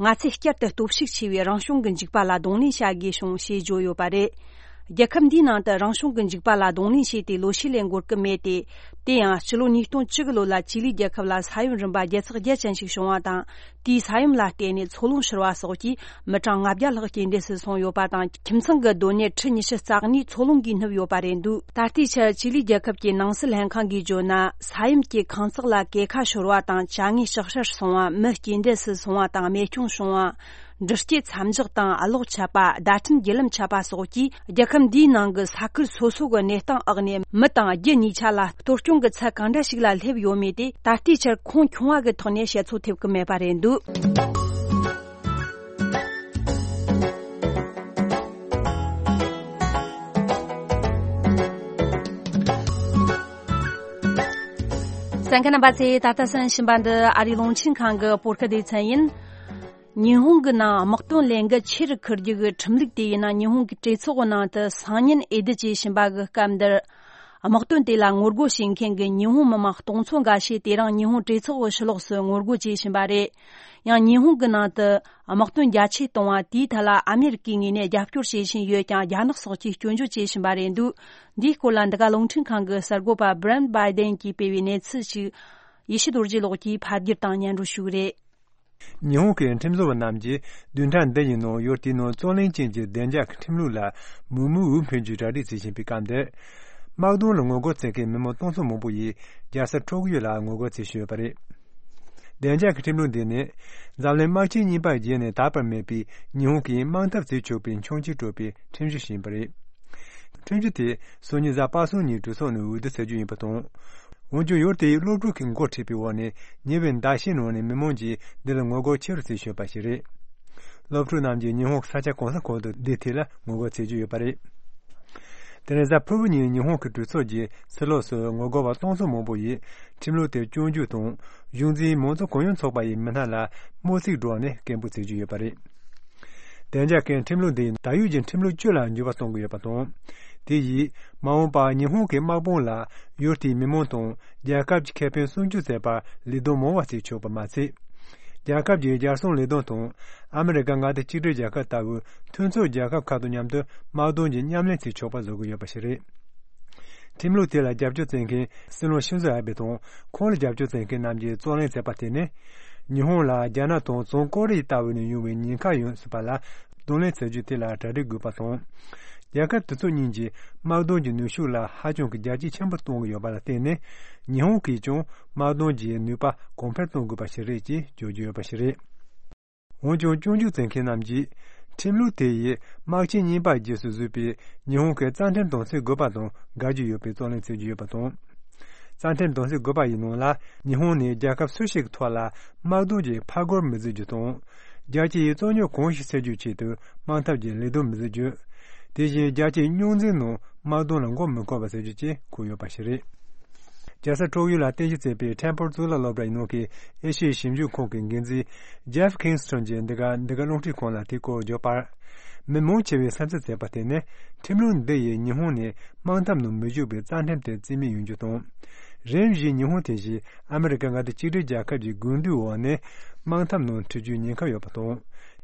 ང་ཚོས་བསྐྱར་དུ་སྟོབས་ཤུགས་ཆེ་བའི་རང་བྱུང་གི་འཇིགས་པ་ལ་གདོང་ལེན་བྱ་དགོས་བྱུང་ཞེས་བརྗོད་ཡོད་པ་རེད། རྒྱལ་ཁབ་འདིའི་ནང་དུ་རང་བྱུང་གི་འཇིགས་པ་ལ་གདོང་ལེན་བྱས་ཏེ་ལོ་ཤས་ལས་འགོར་གྱི་མེད་དེ། དེ་ཡང་སྤྱི་ལོ་ཉིས་སྟོང་བཅུ་གི་ལོ་ལ་ཅི་ལི་རྒྱལ་ཁབ་ལ་ས་ཡོམ་རིམ་པ་བརྒྱ་ཚེག་བརྒྱད་ཅན་ཞིག་བྱུང་བ་དང་། དེའི་ས་ཡོམ་ལ་བརྟེན་ནས་མཚོ་རླུང་ཤོར་བ་སོགས་ཀྱིས་མི་གྲངས་ལྔ་བརྒྱ་ལྷག་རྐྱེན་འདས་སུ་སོང་ཡོད་པ་དང་། ཁྱིམ་ཚང་གི་སྡོད་གནས་ཁྲི་ཉི་ཤུ་རྩ་གཉིས་མཚོ་རླུང་གིས་བསྣུབས་ཡོད་པ་རེད་འདུག་ད་ལྟའི་ཆར་ཅི་ལི་རྒྱལ་ཁབ་ཀྱི་ནང་སྲིད་ལྷན་ཁང་གིས་བརྗོད་ན། ས་ཡོམ་གྱིས་ཁང་བརྩེགས་ལ་གས་ཁ་ཤོར་བ་དང་། བྱ་དངོས་ཤག་ཤག་སོང་བ། མི་རྐྱེན་འདས་སུ་སོང་བ་དང་རྨས་སྐྱོན་བྱུང་བ། འགྲུལ་སྐྱེལ་མཚམས་འཇོག་དང་གློག་ཆད་པ། བརྡ་འཕྲིན་བརྒྱུད་ལམ་ཆད་པ་སོགས་ཀྱིས་རྒྱལ་ཁབ་འདིའི་ནང་གི་ས་ཁུལ་སོ་སོ་གི་གནས་སྟངས་འོག་ནས་མི་དང་རྒྱུ་གཉིས་ཆ་ལ་གཏོར་སྐྱོན་གྱི་ཚད་གང་འདྲ་ཞིག་ལ་སླེབས་ཡོད་མེད་དེ་ད་ལྟའི་ཆར་ཁུངས་ཁྱོང་བ་གི་ཐོག་ནས་བཤད་ཚོད་ཐེབས་ཀྱི་མེད་པ་རེད་འདུག་གསན་མཁན་རྣམ་པ་ཚོས་ད་ལྟ་གསན་བཞིན་པ་འདི་ཨ་རིའི་རླུང་འཕྲིན་ཁང་གི་བོད་སྐད་སྡེ་ཚན་ཡིན། ཉི་ཧོང་གི་ནང་དམག་དོན་ལས་འགུལ་ཆེ་རུ་འཁུར་རྒྱུ་གི་ཁྲིམས་ལུགས་དེ་ཡིན་ན། ཉི་ཧོང་གི་གྲོས་ཚོགས་ཀྱི་ནང་དུ་སང་ཉིན་འོས་བསྡུ་བྱེད་བཞིན་པ་གི་སྐབས་འདིར། དམག་དོན་དེ་ལ་ངོ་རྒོལ་བྱེད་མཁན་གྱི་ཉི་ཧོང་མི་མང་སྟོང་ཚོ་འགའ་ཤས་དེ་རིང་ཉི་ཧོང་གྲོས་ཚོགས་ཀྱི་ཕྱི་ལོགས་སུ་ངོ་རྒོལ་བྱེད་བཞིན་པ་རེད། ཡང་ཉི་ཧོང་གི་ནང་དུ་དམག་དོན་རྒྱ་ཆེ་གཏོང་བ་དེའི་ཐད་ལ་ཨ་མེ་རི་ཀའི་ངོས་ནས་རྒྱབ་སྐྱོར་བྱེད་བཞིན་ཡོད་ཀྱང་། རྒྱ་ནག་སོགས་ཀྱིས་སྐྱོན་བརྗོད་བྱེད་བཞིན་པ་རེད་འདུག་འདིའི་སྐོར་ལ་འདི་ག་རླུང་འཕྲིན་ཁང་གི་གསར་འགོད་པ་Brent Biden་གྱིས་སྤེལ་བའི་གནས་ཚུལ་ཞིག་ཡེ་ཤེས་རྡོ་རྗེ་ལགས་ཀྱིས་ཕབ་བསྒྱུར་དང་སྙན་སྒྲོན་ཞུ་གི་རེད། ཉི་ཧོང་གི་ཁྲིམས་བཟོ་བ་རྣམས་ཀྱིས་བདུན་ཕྲག་འདི་ཡི་ནང་ཡུལ་དེའི་ནང་རྩོད་གླེང་ཅན་གྱི་བདེ་འཇགས་ཀྱི་ཁྲིམས་ལུགས་ལ་མུ་མུ་འུ་འཕེན་རྒྱུའི་གྲ་སྒྲིག་བྱེད་བཞིན་པའི་སྐབས་འདིར། དམག་དོན་ལ་ངོ་རྒོལ་བྱེད་མཁན་མི་མང་སྟོང་ཚོ་མང་པོ་ཡིས་རྒྱལ་ས་ཊོ་ཀི་ཡོ་ལ་ངོ་རྒོལ་བྱེད་བཞིན་ཡོད་པ་རེད། བདེ་འཇགས་ཀྱི་ཁྲིམས་ལུགས་འདི་ནི་འཛམ་གླིང་དམག་ཆེན་གཉིས་པ་རྗེས་ནས་དར་བར་མེད་པའི་ཉི་ཧོང་གིས་དམག་འཐབ་བྱེད་ཆོག་པའི་འཆིང་རྒྱུར་སྤྲོད་པའི་ཁྲིམས་གཞི་ཞིག་ཡིན་པ་རེད། ཁྲིམས་གཞི་དེ་སང་ཉིན་གཟའ་པ་སངས་ཉིན་གྲོས་ཚོགས་ནས་འོས་བསྡུ་བྱ་རྒྱུ་ཡིན་པ་དང་། འོན་ཀྱང་ཡུལ་དེའི་སློབ་ཕྲུག་གིས་འགོ་ཁྲིད་པའི་འོག་ནས་ཉེ་བའི་ཟླ་ཤས་ནང་ནས་མི་མང་གིས་འདི་ལ་ངོ་རྒོལ་ཆེ་རུ་བྱེད་བཞིན་ཡོད་པ་ཞིག་རེད། སློབ་ཕྲུག་རྣམས་ཀྱིས་ཉི་ཧོང་གི་ས་ཆ་གང་ས་གང་དུ་འདིའི་ཐད་ལ་ངོ་རྒོལ་བྱེད་ཀྱི་ཡོད་པ་རེད། དེ་རིང་གཟའ་ཕུར་བུ་ཉིན་ཉི་ཧོང་གི་གྲོས་ཚོགས་ཀྱི་ཕྱི་ལོགས་སུ་ངོ་རྒོལ་བ་སྟོང་ཚོ་མང་པོ་ཡིས་ཁྲིམས་ལུགས་དེ་སྐྱོན་བརྗོད་དང་གཞུང་འཛིན་མང་གཙོ་གུང་ཡངས་ཚོགས་པ་ཡི་མི་སྣ་ལ་དམོད་བསྲེགས་བསྒྲགས་ནས་སྐད་འབོད་བྱེད་ཀྱི་ཡོད་པ་རེད། བདེ་འཇགས་ཀྱི་ཁྲིམས་ལུགས་འདི་ད་ཡོད་ཀྱི་ཁྲིམས་ལུགས་བཅུ་ལ་འགྱུར་བ་གཏོང་གི་ཡོད་པ་དང་། དེ་ཡིས་མ་འོངས་པར་ཉི་ཧོང་གི་དམག་དཔུང་ལ་ཡུལ་དེའི་མི་མང་དང་རྒྱལ་ཁབ་ཀྱི་ཁེ་ཕན་སྲུང་སྐྱོབ་བྱེད་པར་ལས་དོན་མང་བ་བྱེད་ཆོག་པ་མ་ཟད། རྒྱལ་ཁབ་ཀྱི་རྒྱལ་སྲུང་ལས་དོན་དང་ཨ་མི་རི་ཀ་མངའ་སྡེ་གཅིག་སྒྲིལ་རྒྱལ་ཁབ་ལྟ་བུའི་མཐུན་ཕྱོགས་རྒྱལ་ཁབ་ཁག་དང་མཉམ་དུ་དམག་དོན་གྱི་མཉམ་ལས་བྱེད་ཆོག་པ་བཟོ་གི་ཡོད་པ་ཞིག་རེད། ཁྲིམས་ལུགས་དེ་ལ་རྒྱབ་སྐྱོར་བྱེད་མཁན་སྲིད་བློན་ཤིན་ཛོ་ཨ་བྷེ་དང་ཁོང་ལ་རྒྱབ་སྐྱོར་བྱེད་མཁན་རྣམས་ཀྱིས་རྩོད་གླེང་བྱས་པ་དེ་ནི། ཉི་ཧོང་ལ་རྒྱ་ནག་དང་བྱང་ཀོ་རི་ཡ་ལྟ་བུ་ནས་ཡོང་བའི་ཉེན་ཁ་ཡོད་སྲིད་པ་ལ་གདོང་ལེན་བྱེད་རྒྱུ་དེ་ལ་གྲ་སྒྲིག་དགོས་པ་དང་། རྒྱལ་ཁབ་དེ་ཚོ་གཉིས་ཀྱིས་དམག་དོན་གྱི་ནུས་ཤུགས་ལ་ཧ་ཅང་གི་རྒྱ་སྐྱེད་ཆེན་པོ་གཏོང་གི་ཡོད་པ་ལ་བརྟེན་ནས། ཉི་ཧོང་གིས་ཀྱང་དམག་དོན་གྱི་ནུས་པ་གོང་འཕེལ་གཏོང་དགོས་པ་ཞིག་རེད་ཅེས་བརྗོད་ཀྱི་ཡོད་པ་ཞིག་རེད། འོན་ཀྱང་སྐྱོན་བརྗོད་བྱེད་མཁན་རྣམས་ཀྱིས་ཁྲིམས་ལུགས་དེ་ཡིས་དམག་ཆེན་གཉིས་པའི་རྗེས་སུ་བཟོས་པའི་ཉི་ཧོང་གི་རྩ་ཁྲིམས་དམ་སྲིའི་དགོས་པ་དང་འགལ་གྱི་ཡོད་པའི་རྩོད་གླེང་བྱེད་ཀྱི་ཡོད་པ་དང་། རྩ་ཁྲིམས་དམ་སྲིའི་དགོས་པ་ཡི་ནང་ལ་ཉི་ཧོང་ནས་རྒྱལ་ཁབ་སུ་ཞིག་གི་ཐོག་ལ་དམག་དོན་གྱི་ཕར་རྒོལ་མི་བྱེད་རྒྱུ་དང་། རྒྱལ་སྤྱི་ཡི་རྩོད་རྙོག་གང་ཞིག་སེལ་རྒྱུའི་ཆེད་དུ་དམག་འཐབ་ཀྱི་ལས་དོན་མི་བྱེད་རྒྱུ། དེ་བཞིན་རྒྱལ་སྤྱིའི་རྙོག་འཛིང་ནང་དམག་དོན་ལ་མགོ་མི་འཁོར་བ་བྱེད་རྒྱུ་བཅས་འཁོད་ཡོད་པ་ཞིག་རེད། རྒྱལ་ས་ཀྲོག་ཡུལ་ལ་རྟེན་གཞི་བྱས་པའི་ཁྲེན་ཕོར་གཙུག་ལག་སློབ་གྲྭ་ཡི་ནང་གི་ཨེ་ཤི་ཡའི་ཞིབ་འཇུག་ཁང་གི་འགན་འཛིན་ཇེབ་ཁིང་སི་ཊོན་གྱིས་འདི་ག་འདི་ག་རླུང་འཕྲིན་ཁང་ལ་དེའི་སྐོར་བརྗོད་པར། མི་མང་ཆེ་བས་སེམས་འཚབ་བྱས་པ་དེ་ནི་ཁྲིམས་ལུགས་འདི་ཡིས་ཉི་ཧོང་ནས་དམག་འཐབ་ནང་མི་འཇུག་པའི་རྩ་ཁྲིམས་དེ་རྩིས་མེད་ཡོང་རྒྱུ་དང་། རིམ་བཞིན་ཉི་ཧོང་དེ་བཞིན་ཨ་མི་རི་ཀ་མངའ་སྡེ་གཅིག་སྒྲིལ་རྒྱལ་ཁབ་ཀྱི་དགོས་འདུན་འོག་ནས་དམག་འཐབ་ནང་འཁྲིད་རྒྱུའི་ཉེན་ཁ་ཡོད་པ་དང་།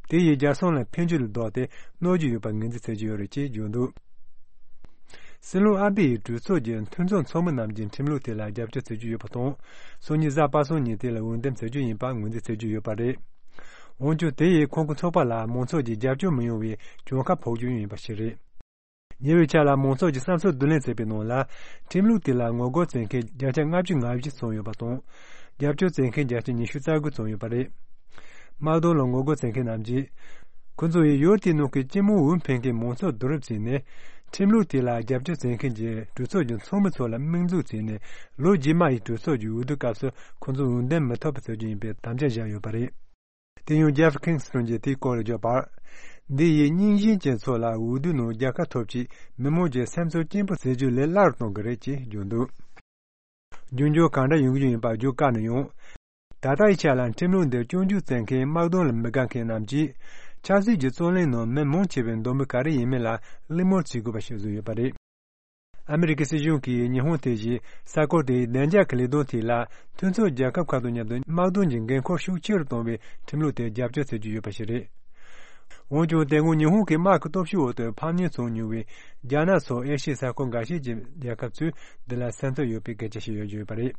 དེ་ཡིས་རྒྱལ་སྲུང་ལ་ཕན་རྒྱུ་ལས་ལྡོག་སྟེ་གནོད་རྒྱུ་ཡོད་པར་ངོས་འཛིན་བྱེད་ཀྱི་ཡོད་རེད་ཅེས་བརྗོད་འདུག་སྲིད་བློན་ཨ་བྷེ་ཡིས་གྲོས་ཚོགས་ཀྱི་མཐུན་ཚོགས་ཚོགས་མི་རྣམས་ཀྱིས་ཁྲིམས་ལུགས་དེ་ལ་རྒྱབ་སྐྱོར་བྱེད་ཀྱི་ཡོད་པ་དང་། སང་ཉིན་གཟའ་པ་སངས་ཉིན་དེ་ལ་འོས་འདེམས་བྱེད་རྒྱུ་ཡིན་པ་ངོས་འཛིན་བྱེད་ཀྱི་ཡོད་པ་རེད། འོན་ཀྱང་དེ་ཡིས་ཁོང་གི་ཚོགས་པ་ལ་མང་ཚོགས་ཀྱི་རྒྱབ་སྐྱོར་མི་ཡོང་བའི་གྱོང་ཁ་ཕོག་རྒྱུ་ཡིན་པ་ཞིག་རེད། ཉེ་བའི་ཆར་ལ་མང་ཚོགས་ཀྱི་བསམ་ཚུལ་བསྡུ་ལེན་བྱས་པའི་ནང་ལ། ཁྲིམས་ལུགས་དེ་ལ་ངོ་རྒོལ་བྱེད་མཁན་བརྒྱ་ཆ་ལྔ་བཅུ་ང་བཞི་ཙམ་ཡོད་པ་དང་། རྒྱབ་སྐྱོར་བྱེད་མཁན་བརྒྱ་ཆ་ཉི་ཤུ་རྩ་དགུ་ཙམ་ཡོད་པ་རེད། དམག་དོན་ལ་ངོ་རྒོལ་བྱེད་མཁན་རྣམས་ཀྱིས། ཁོ་ཚོ་ཡིས་ཡུལ་དེའི་ནང་གི་སྤྱི་དམངས་འོས་འཕེན་མཁན་མང་ཚོགས་བསྡུ་རུབ་བྱས་ནས། ཁྲིམས་ལུགས་དེ་ལ་རྒྱབ་སྐྱོར་བྱེད་མཁན་གྱི་གྲོས་ཚོགས་ཀྱི་ཚོགས་མི་ཚོ་ལ་དམིགས་འཛུགས་བྱས་ནས། ལོ་རྗེས་མ་ཡི་གྲོས་ཚོགས་ཀྱི་འོས་བསྡུ་སྐབས་སུ་ཁོ་ཚོ་འོས་འདེམས་མི་ཐུབ་པ་བྱ་རྒྱུ་ཡིན་པའི་དམ་བཅའ་བཞག་ཡོད་པ་རེད། དེ་ཡང་ཇེབ་ཁིང་སི་ཊོན་གྱིས་དེའི་སྐོར་ལ་བརྗོད་པར། འདི་ཡིས་རྙིང་ཞེན་ཅན་ཚོ་ལ་འོས་བསྡུའི་ནང་རྒྱལ་ཁ་ཐོབ་ཆེད་མི་མང་གི་སེམས་ཚོར་སྐྱེན་པོ་བྱེད་རྒྱུ་ལས་སླ་རུ་གཏོང་གི་རེད་ཅེས་བརྗོད་འདུག་རྒྱུ་འབྱོར་གང་འདྲ་ཡོང་གི་ཡོད་པ་བརྗོད་དཀའ་ན་ཡང་། ད་ལྟའི་ཆ་ལ་ཁྲིམས་ལུགས་འདི་སྐྱོན་བརྗོད་བྱེད་མཁན་དམག་དོན་ལ་མི་དགའ་མཁན་རྣམས་ཀྱིས། ཆབ་སྲིད་ཀྱི་རྩོད་གླེང་ནང་མི་མང་ཆེ་བའི་འདོད་མོས་ག་རེ་ཡིན་མིན་ལ་གླེང་མོལ་བྱེད་དགོས་པ་ཞིག་བཟོས་ཡོད་པ་རེད། ཨ་མི་རི་ཀའི་སྲིད་གཞུང་གིས་ཉི་ཧོང་དེ་བཞིན་ས་ཁུལ་དེའི་བདེ་འཇགས་ཀྱི་ལས་དོན་ཐད་ལ་མཐུན་ཕྱོགས་རྒྱལ་ཁབ་ཁག་དང་མཉམ་དུ་དམག་དོན་གྱི་འགན་འཁུར་ཤུགས་ཆེ་རུ་གཏོང་བའི་ཁྲིམས་ལུགས་དེ་རྒྱབ་སྐྱོར་བྱེད་ཀྱི་ཡོད་པ་ཞིག་རེད། འོན་ཀྱང་དེ་སྔོན་ཉི་ཧོང་གི་དམག་གི་སྟོབས་ཤུགས་འོག་ཏུ་ཕམ་ཉེས་བྱུང་མྱོང་བའི་རྒྱ་ནག་སོགས་ཨེ་ཤི་ཡའི་ས་ཁུལ་འགའ་ཤས་ཀྱི་རྒྱལ་ཁབ་ཚོས་འདི་ལ་སེམས་འཚབ་ཡོད་པའི་སྐད་ཆ་ཞིག་ཡོད་ཡོད་པ་རེད།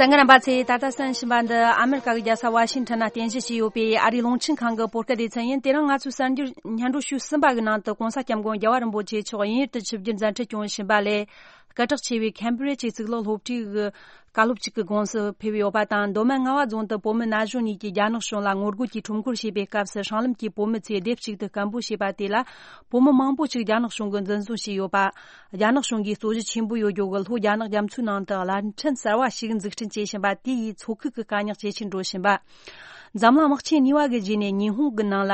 གསན་མཁན་རྣམ་པ་ཚོས། ད་ལྟ་གསན་བཞིན་པ་འདི་ཨ་མེ་རི་ཀ་གི་རྒྱལ་ས་ཝ་ཤིང་ཊོན་ན་རྟེན་གཞི་བྱས་ཡོད་པའི་ཨ་རིའི་རླུང་འཕྲིན་ཁང་གི་བོད་སྐད་སྡེ་ཚན་ཡིན། དེ་རིང་ང་ཚོའི་གསར་འགྱུར་སྙན་སྒྲོན་ཞུ་གསུམ་པ་གི་ནང་དུ་༸གོང་ས་༸སྐྱབས་མགོན་རྒྱལ་བ་རིན་པོ་ཆེ་མཆོག་དབྱིན་ཡུལ་དུ་ཆིབས་བསྒྱུར་མཛད་འཕྲིན་བསྐྱངས་བཞིན་པ་ལས། སྐད་གྲགས་ཆེ་བའི་ཁེམ་བྷི་རི་ཇི་གཙུག་ལག་སློབ་གྲྭའི་བཀའ་སློབ་ཅིག་གི་དགོངས་སུ་ཕེབས་ཡོད་པ་དང་། མདོ་སྨད་རྔ་བ་རྫོང་དུ་བོད་མི་ན་གཞོན་གཉིས་ཀྱིས་རྒྱ་ནག་གཞུང་ལ་ངོ་རྒོལ་གྱིས་ཁྲོམ་སྐོར་བྱས་པའི་སྐབས་སུ། སྲང་ལམ་གྱི་བོད་མི་ཚོས་སྡེབ་གཅིག་ཏུ་སྐད་འབོད་བྱས་པ་དེ་ལ། བོད་མི་མང་པོ་ཞིག་རྒྱ་ནག་གཞུང་གིས་འཛིན་བཟུང་བྱས་ཡོད་པ། རྒྱ་ནག་གཞུང་གིས་རྩོད་གཞི་ཆེན་པོ་ཡོད་རྒྱུ་གི་ལྷོ་རྒྱ་ནག་རྒྱ་མཚོའི་ནང་དུ་བླ་ཕྲན་གསར་བ་ཞིག་འཛུགས་སྐྲུན་བྱེད་བཞིན་པ་དེ་ཡིས་མཚོ་ཁུལ་གྱི་དཀའ་རྙོག་ཇེ་ཆེར་འགྲོ་བཞིན་པ། འཛམ་གླིང་དམག་ཆེན་གཉིས་པ་གི་རྗེས་ནས་ཉི་ཧོང་གི་ནང་ལ།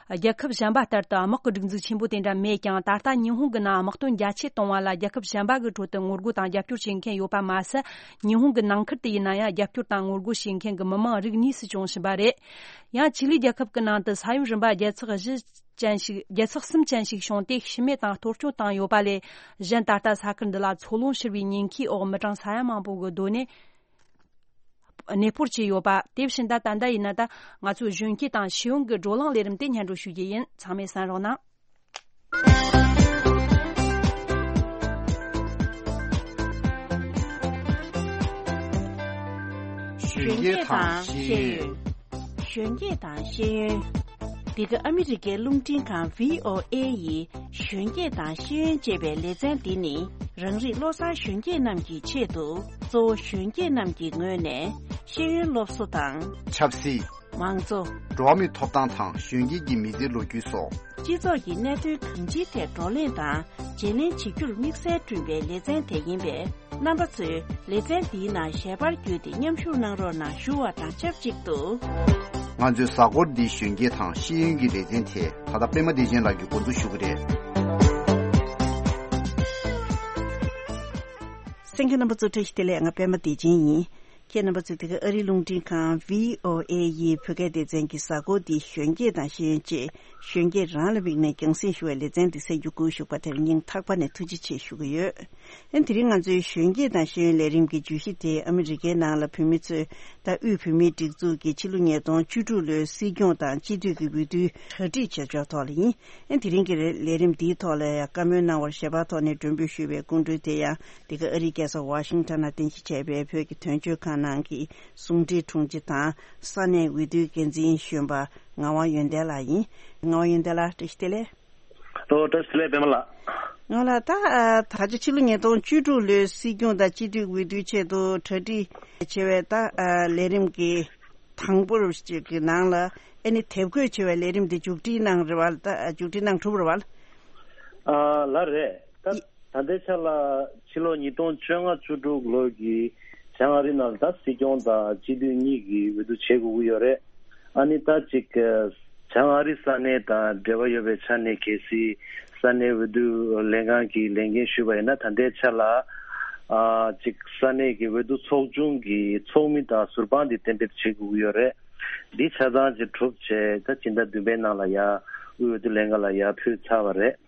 རྒྱལ་ཁབ་གཞན་པ་ལྟར་དུ་དམག་གི་སྒྲིག་འཛུགས་ཆེན་པོ་དེ་འདྲ་མེད་ཀྱང་། ད་ལྟ་ཉི་ཧོང་གི་ནང་དམག་དོན་རྒྱ་ཆེ་གཏོང་བ་ལ་རྒྱལ་ཁབ་གཞན་པ་གི་ཁྲོད་དུ་ངོ་རྒོལ་དང་རྒྱབ་སྐྱོར་བྱེད་མཁན་ཡོད་པ་མ་ཟད། ཉི་ཧོང་གི་ནང་ཁུལ་དུ་ཡིན་ན་ཡང་རྒྱབ་སྐྱོར་དང་ངོ་རྒོལ་བྱེད་མཁན་གྱི་མི་མང་རིགས་གཉིས་སུ་བྱུང་བཞིན་པ་རེད། ཡང་ཆི་ལིའི་རྒྱལ་ཁབ་ཀྱི་ནང་དུ་ས་ཡོམ་རིམ་པ་བརྒྱ་ཚེག་བཞི་ཅན་ཞིག་བརྒྱ་ཚེག་གསུམ་ཅན་ཞིག་བྱུང་སྟེ། ཤི་རྨས་དང་གཏོར་སྐྱོན་བཏང་ཡོད་པ་ལས་གཞན། ད་ལྟ་ས་ཁུལ་འདི་ལ་མཚོ་རླུང་ཤོར་བའི་ཉེན་ཁའི་འོག་མི་གྲངས་ས་ཡ་མང་པོ་གི་སྡོད་གནས། གནས་སྤོར་བྱས་ཡོད་པ། དེ་བཞིན་ད་ད་ལྟ་ཡིན་ན་ད་ང་ཚོའི་གཞོན་སྐྱེས་དང་ཤེས་ཡོན་གྱི་བགྲོ་གླེང་ལས་རིམ་དེ་སྙན་སྒྲོན་ཞུ་རྒྱུ་ཡིན། ཚང་མས་གསན་རོགས་གནང་། གཞོན་སྐྱེས་དང་ཤེས་ཡོན། གཞོན་སྐྱེས་དང་ཤེས་ཡོན། འདི་ག་ཨ་མི་རི་ཀའི་རླུང་འཕྲིན་ཁང་བྷི་ཨོ་ཨེ་ཡི་གཞོན་སྐྱེས་དང་ཤེས་ཡོན་ཅེས་པའི་ལེ་ཚན་འདི་ནི། རང་རིགས་བློ་བཟང་གཞོན་སྐྱེས་རྣམས་ཀྱི་ཆེད་དུ། གཙོ་བོ་གཞོན་སྐྱེས་རྣམས་ཀྱི་ངོས་ནས་ཤེས་ཡོན་སློབ་གསོ་དང་། ཆབ་སྲིད། མང་གཙོ། འགྲོ་བ་མིའི་ཐོབ་ཐང་དང་གཞོན་སྐྱེས་ཀྱི་མི་ཚེའི་ལོ་རྒྱུས་སོགས། སྤྱི་ཚོགས་ཀྱི་གནད་དོན་གང་ཅིའི་ཐད་བགྲོ་གླེང་དང་བརྗེ་ལེན་བྱེད་རྒྱུར་དམིགས་བསལ་བསྐྲུན་པའི་ལེ་ཚན་དེ་ཡིན་པས། རྣམ་པ་ཚོས་ལེ་ཚན་འདིའི་ནང་ཞལ་པར་བརྒྱུད་དེ་མཉམ་ཞུགས་གནང་རོགས་གནང་ཞུ་བ་དང་ཆབས་ཅིག་ཏུ། ང་ཚོའི་གཟའ་འཁོར་འདིའི་གཞོན་སྐྱེས་དང་ཤེས་ཡོན་གྱི་ལེ་ཚན་དེ་ད་ལྟ་པད་མ་བདེ་ཆེན་ལགས་ཀྱིས་འགོ་འཛུགས་ཞུ་གི་རེད། གསན་མཁན་རྣམ་པ་ཚོ་བཀྲ་ཤིས་བདེ་ལེགས། ང་པད་མ་བདེ་ཆེན་ཡིན། ཁྱེད་རྣམ་པ་ཚོས་དེ་ག་ཨ་རིའི་རླུང་འཕྲིན་ཁང་བྷི་ཨོ་ཨེ་ཡི་བོད་སྐད་སྡེ་ཚན་གྱི་གཟའ་འཁོར་འདིའི་གཞོན་སྐྱེས་དང་ཤེས་ཡོན་ཅེས་གཞོན་སྐྱེས་རང་ལ་དམིགས་ནས་རྒྱང་སྲིང་ཞུ་བའི་ལེ་ཚན་འདི་གསན་རྒྱུ་བསྐུལ་ཞུས་པ་དེར་སྙིང་ཐག་པ་ནས་ཐུགས་རྗེ་ཆེ་ཞུ་གི་ཡོད། ཨན་དེ་རིང་ང་ཚོའི་གཞོན་སྐྱེས་དང་ཤེས་ཡོན་ལས་རིམ་གྱི་བརྗོད་གཞི་དེ་ཨ་མི་རི་ཀའི་ནང་ལ་བོད་མི་ཚོས་ད་དབུས་བོད་མིའི་སྒྲིག་འཛུགས་ཀྱི་ཕྱི་ལོ་ཉིས་སྟོང་བཅུ་དྲུག་ལོའི་སྲིད་སྐྱོང་དང་སྤྱི་འཐུས་ཀྱི་འོས་བསྡུའི་གྲ་སྒྲིག་བྱེད་ཕྱོགས་ཐོག་ལ་ཡིན། ཨན་དེ་རིང་གི་ལས་རིམ་འདིའི་ཐོག་ལ་ཡང་བཀའ་མོལ་གནང་བར་ཞལ་པར་ཐོག་ནས་མགྲོན་འབོད་ཞུས་པའི་སྐུ་མགྲོན་དེ་ཡང་འདི་ག་ཨ་རིའི་རྒྱལ་ས་ཝ་ཤིང་ཊོན་ནང་རྟེན་གཞི་བྱས་པའི་བོད་ཀྱི་དོན་གཅོད་ཁང་ནང་གི་ཟུང་འབྲེལ་དྲུང་ཆེ་དང་ས་གནས་འོས་བསྡུའི་འགན་འཛིན་གཞོན་པ་ངག་དབང་ཡོན་ཏན་ལགས་ཡིན། ངག་དབང་ཡོན་ཏན་ལགས་བཀྲ་ཤིས་བདེ་ལེགས། ལོ་བཀྲ་ཤིས་བདེ་ལེགས་པད་མ་ལགས། ང་ལ་ད་ཨ་ད་ཆ་ཕྱི་ལོ་ཉིས་སྟོང་བཅུ་དྲུག་ལོའི་སྲིད་སྐྱོང་དང་སྤྱི་འཐུས་འོས་བསྡུའི་ཆེད་དུ་གྲ་སྒྲིག་བྱེད་པའི་ད་ཨ་ལས་རིམ་གྱི་དང་པོར་ཅིག་གི་ནང་ལ་ཨ་ནི་དེབ་འགོད་བྱེད་པའི་ལས་རིམ་དེ་མཇུག་སྒྲིལ་གནང་རེད་བ། ད་མཇུག་སྒྲིལ་གནང་གྲུབ་རེད་བ། ཨ་ལགས་རེད། ད་ད་ལྟའི་ཆ་ལ་ཕྱི་ལོ་ཉིས་སྟོང་བཅོ་ལྔ་བཅུ་དྲུག་ལོ་གི་བྱང་ཨ་རི་ནང་ལ་ད་སྲིད་སྐྱོང་དང་སྤྱི་འཐུས་གཉིས་ཀྱི་འོས་བསྡུ་བྱེད་དགོས་ཀྱི་ཡོད་རེད། ཨ་ནི་ད་ཅིག་བྱང་ཨ་རི་ས་གནས་དང་འབྲེལ་བ་ཡོད་པའི་ཆ་ནས་གལ་སྲིད་ས་གནས་འོས་བསྡུ་ལྷན་ཁང་གི་ལས་འགན་ཞུས་པ་ཡིན་ན་ད་ལྟའི་ཆ་ལ་ཨ་ཅིག་ས་གནས་ཀྱི་འོས་བསྡུ་ཚོགས་ཆུང་གི་ཚོགས་མི་དང་ཟུར་དཔང་དེ་གཏན་འབེབས་བྱེད་དགོས་ཀྱི་ཡོད་རེད། འདི་ཆ་ཚང་ཅིག་གྲུབ་བྱས་ད་སྤྱི་ཟླ་བདུན་པའི་ནང་ལ་ཡ་དབུས་འོས་བསྡུ་ལྷན་ཁང་ལ་ཡ་ཕུལ་ཚར་བ་རེད།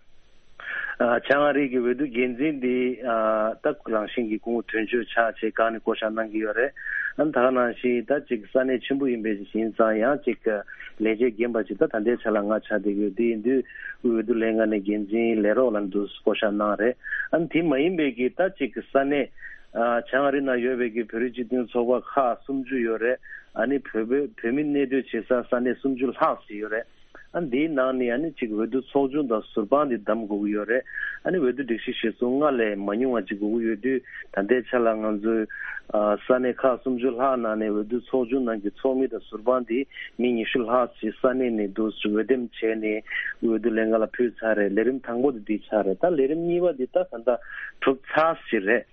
ཨ་བྱང་ཨ་རི་གི་འོས་བསྡུ་འགན་འཛིན་འདི་ཨ་ད་རང་བཞིན་གྱི་སྐུ་ངོ་དོན་གཅོད་ཆགས་བྱས་གང་ནས་བསྐོ་བཞག་གནང་གི་ཡོད་རེད། ཨ་ནི་ད་ག་ནང་བཞིན་ད་ཅིག་ས་གནས་ཆེན་པོ་ཡིན་པའི་ཡིན་ཙང་ཡང་ཅིག་ལས་བྱེད་རྒན་པ་ཅིག་ད་ད་ལྟའི་ཆ་ལ་ང་ཆགས་བསྡད་ཀྱི་ཡོད། དེ་ཡིན་དུས་དབུས་འོས་བསྡུ་ལྷན་ཁང་ནས་འགན་འཛིན་ལས་རོགས་ལ་འདུག་བསྐོ་བཞག་གནང་རེད། ཨ་ནི་དེ་མ་ཡིན་པའི་གི་ད་ཅིག་ས་གནས་ཨ་བྱང་ཨ་རི་ནང་ཡོད་པའི་གི་བོད་རིགས་སྤྱི་མཐུན་ཚོགས་པ་ཁག་སུམ་ཅུ་ཡོད་རེད། ཨ་ནི་བོད་བོད་བོད་མི་གནས་སྡོད་བྱེད་ས་ས་གནས་སུམ་ཅུ་ལྷག་ཙམ་ཡོད་རེད། ཨ་འདིའི་ནང་ནས་ཨ་ནི་གཅིག་འོས་བསྡུ་ཚོགས་ཆུང་དང་ཟུར་དཔང་འདི་བདམས་དགོས་ཀྱི་ཡོད་རེད། ཨ་ནི་འོས་བསྡུ་སྒྲིག་གཞི་གཞིར་བཟུང་སྔར་ལས་མ་ཉུང་བ་ཅིག་དགོས་ཀྱི་ཡོད་དུས་ད་ལྟའི་ཆ་ལ་ང་ཚོའི་ཨ་ས་གནས་ཁག་སུམ་ཅུ་ལྷག་ནང་ནས་འོས་བསྡུ་ཚོགས་ཆུང་ནང་གི་ཚོགས་མི་དང་ཟུར་དཔང་འདི་མི་ཉི་ཤུ་ལྷག་ཅིག་ས་གནས་ནས་འདུག་འོས་འདེམས་བྱས་ནས་འོས་བསྡུ་ལྷན་ཁང་ལ་ཕུལ་ཚར་རེད། ལས་རིམ་དང་པོ་དེ་འདི་ཆགས་རེད། ད་ལས་རིམ་གཉིས་པ་འདི་ད་ད་ལྟ་གྲུབ་ཚར་ཟིན་རེད།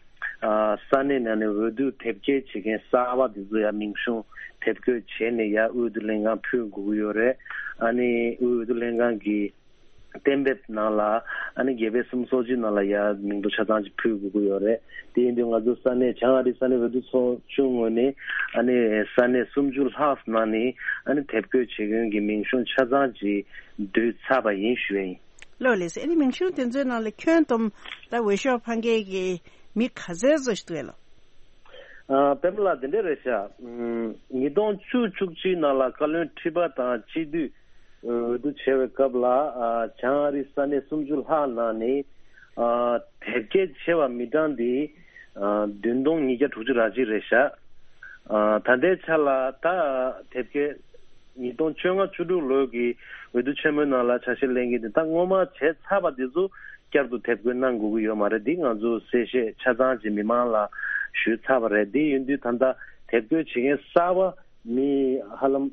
ཨ་ས་གནས་ནང་ནས་འོས་བསྡུ་དེབ་སྐྱེལ་བྱེད་མཁན་གསར་པ་དེ་ཚོ་ཡང་མིང་གཞུང་དེབ་འགོད་བྱས་ནས་ཡར་དབུས་འོས་བསྡུ་ལྷན་ཁང་ཕུལ་དགོས་ཀྱི་ཡོད་རེད། ཨ་ནི་དབུས་འོས་བསྡུ་ལྷན་ཁང་གི་གཏན་འབེབས་ནང་ལ་ཨ་ནི་རྒྱལ་པོའི་གསུམ་སོ་གཅིག་ནང་ལ་ཡར་མིང་ཐོ་ཆ་ཚང་ཅིག་ཕུལ་དགོས་ཀྱི་ཡོད་རེད། དེ་ཡིན་དུས་ང་ཚོ་ས་གནས་བྱང་ཨ་རི་ས་གནས་འོས་བསྡུ་ཚོགས་ཆུང་ངོས་ནས་ཨ་ནི་ས་གནས་སུམ་ཅུ་ལྷག་ནང་ནས་ཨ་ནི་དེབ་འགོད་བྱེད་མཁན་གྱི་མིང་གཞུང་ཆ་ཚང་ཅིག་བསྡུས་ཚར་བ་ཡིན་ཞུ་ཡ་ཡིན། ལགས་ལགས་སོ། ཨ་ནི་མིང་གཞུང་དེ་ཚོའི་ནང་ལ་ཁྱོན་བསྡོམས་ད་འོས་ཤོག་འཕང་མཁན་གྱི་མི་ག་ཚད་ཙམ་ཞིག་འདུག་ཨེ་ལགས། ཨ་པད་མ་ལགས་དེ་འདྲ་རེད་ཤག་ཉིས་སྟོང་བཅུ་བཅུ་གཅིག་ནང་ལ་བཀའ་བློན་ཁྲི་པ་དང་སྤྱི་འཐུས་འོས་བསྡུ་བྱས་པའི་སྐབས་ལ་ཨ་བྱང་ཨ་རིའི་ས་གནས་སུམ་ཅུ་ལྷག་ནང་ནས་ཨ་དེབ་སྐྱེལ་བྱས་པ་མི་གྲངས་འདི་ཨ་བདུན་སྟོང་ཉིས་བརྒྱ་དྲུག་ཅུ་རེ་གཅིག་རེད་ཤག་ཨ་ད་ལྟའི་ཆ་ལ་ད་དེབ་སྐྱེལ་ཉིས་སྟོང་བཅོ་ལྔ་བཅུ་དྲུག་ལོའི་གི་འོས་བསྡུ་ཆེན་མོའི་ནང་ལ་ཆ་ཤས་ལེན་མཁན་དེ་ད་སྔོན་མ་བྱས་ཚར་བ་དེ་ཚོ་བསྐྱར་དུ་དེབ་འགོད་གནང་དགོས་ཀྱི་ཡོད་མ་རེད། འདི་ང་ཚོ་གསལ་བཤད་ཆ་ཚང་ཅིག་མི་མང་ལ་ཞུས་ཚར་བ་རེད། དེ་ཡིན་དུས་ད་ལྟ་དེབ་འགོད་བྱེད་མཁན་གསར་པ་མི་ཧ་ལམ་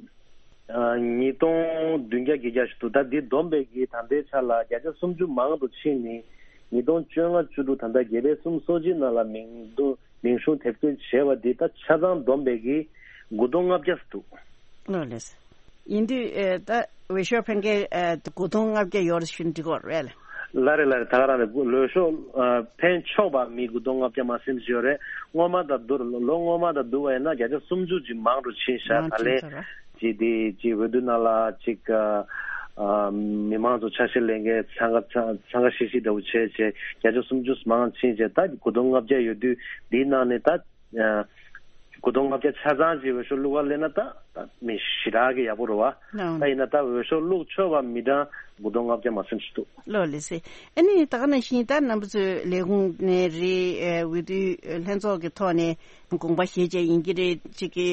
ཨ་ཉིས་སྟོང་བདུན་བརྒྱ་བརྒྱད་བརྒྱ་ཞིག་འདུག་ད་འདི་བསྡོམས་པའི་གི་ད་ལྟའི་ཆ་ལ་བརྒྱ་ཆ་སུམ་ཅུ་མང་དུ་ཕྱིན་ནས་ཉིས་སྟོང་བཅོ་ལྔ་བཅུ་དྲུག་ད་ལྟ་རྒྱལ་པོའི་གསུམ་སོ་གཅིག་ནང་ལ་མིང་འདུག་མིང་གཞུང་དེབ་སྐྱེལ་བྱས་པ་འདི་ད་ཆ་ཚང་བསྡོམས་པའི་གི་དགུ་སྟོང་ལྔ་བརྒྱ་འདུག་ལགས་ལགས། ཡིན་དུས་ཨེ་ད་འོས་ཤོག་འཕེན་མཁན་ཨེ་དགུ་སྟོང་ལྔ་བརྒྱ་ཡོད་རེད་ཞུ་ན་འགྲིག་གི་རེད་ལགས། ལགས་རེད་ལགས་རེད། ད་ག་རང་རེད། འོས་ཤོག་ཨ་འཕེན་ཆོག་པ་མི་དགུ་སྟོང་ལྔ་བརྒྱ་མ་ཟིན་ཅིག་ཡོད་རེད། སྔོན་མ་དང་བསྡུར་ལོ་སྔོན་མ་དང་བསྡུར་བ་ཡིན་ན་བརྒྱ་ཆ་སུམ་ཅུ་ཅིག་མང་དུ་ཕྱིན་ཤག་མང་ད་ལན་ཕྱིན་ཚར་རེད། ཅིག་དེ་ཅིག་འོས་བསྡུ་ནང་ལ་ཅིག་ཨ་མི་མང་ཚོ་ཆ་ཤས་ལེན་མཁན་འཚང་ཁ་འཚང་ཁ་ཤིག་ཤིག་འདྲ་བོ་བྱས་བྱས་བརྒྱ་ཆ་སུམ་ཅུ་མང་ཕྱིན་བྱས་ད་དགུ་སྟོང་ལྔ་བརྒྱ་ཡོད་དུས་འདིའི་ནང་ནས་ད། ཨ་དགུ་སྟོང་ལྔ་བརྒྱ་ཆ་ཚང་ཅིག་འོས་ཤོག་བླུག་ག་སླེབས་ན་ད་ད་མི་ཞེ་དྲག་གི་ཡག་པོ་རེད་བ། ད་ཡིན་ན་ད་འོས་ཤོག་བླུག་ཆོག་པ་མི་གྲངས་དགུ་སྟོང་ལྔ་བརྒྱ་མ་ཟིན་ཞིག་འདུག་ལགས་ལགས་སེ། ཨ་ནི་ད་ག་ནང་བཞིན་ད་རྣམ་པ་ཚོས་ལས་ཁུངས་ནས་རེད། ཨ་འོས་བསྡུ་ལྷན་ཚོགས་ཀྱི་ཐོག་ནས་དགོངས་པ་བཞེས་བྱས་ཡིན་གྱི་རེད། ཅིག་གི་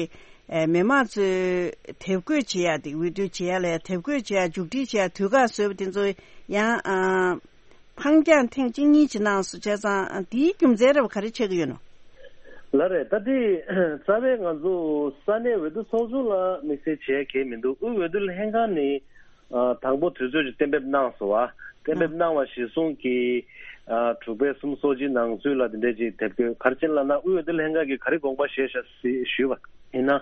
ཨ་མི་མང་ཚོས་དེབ་འགོད་བྱེད་ཡ་དེ་འོས་བསྡུ་བྱེད་ཡ་ལ་དེབ་འགོད་བྱེད་ཡ་མཇུག་སྒྲིལ་བྱེད་ཡ་དུས་བཀག་བཟོས་པ་དེ་ཚོ་ཡང་ཨ། ཁང་བཀྱག་ཐེངས་གཅིག་གཉིས་ཅིག་གནང་སོང་བྱས་ཙང་དེའི་རྒྱུ་མཚན་རེད་བ། ག་རེ་ཆགས་ཀྱི་ཡོད་ནོ། ལགས་རེད། ད་དེ་རྩ་བའི་ང་ཚོ་ས་གནས་འོས་བསྡུ་ཚོགས་ཆུང་ལ་དམིགས་བསལ་བྱས་གལ་མི་འདུག་དབུས་འོས་བསྡུ་ལྷན་ཁང་ནས་ཨ་དང་པོ་དུས་ཚོད་ཅིག་གཏན་འབེབས་གནང་སོང་བ། གཏན་འབེབས་གནང་བ་གཞིར་བཟུང་གིས་ཨ་དྲུག་པའི་གསུམ་སོ་གཅིག་ནང་ཚུད་ལ་དེ་འདྲས་ཅིག་དེབ་སྐྱེལ། ག་རེ་བྱས་ལབ་ན་དབུས་འོས་བསྡུ་ལྷན་ཁང་གིས་ག་རེ་དགོངས་པ་བཞེས་ཤག་ཞུས་པ་ཡིན་ན།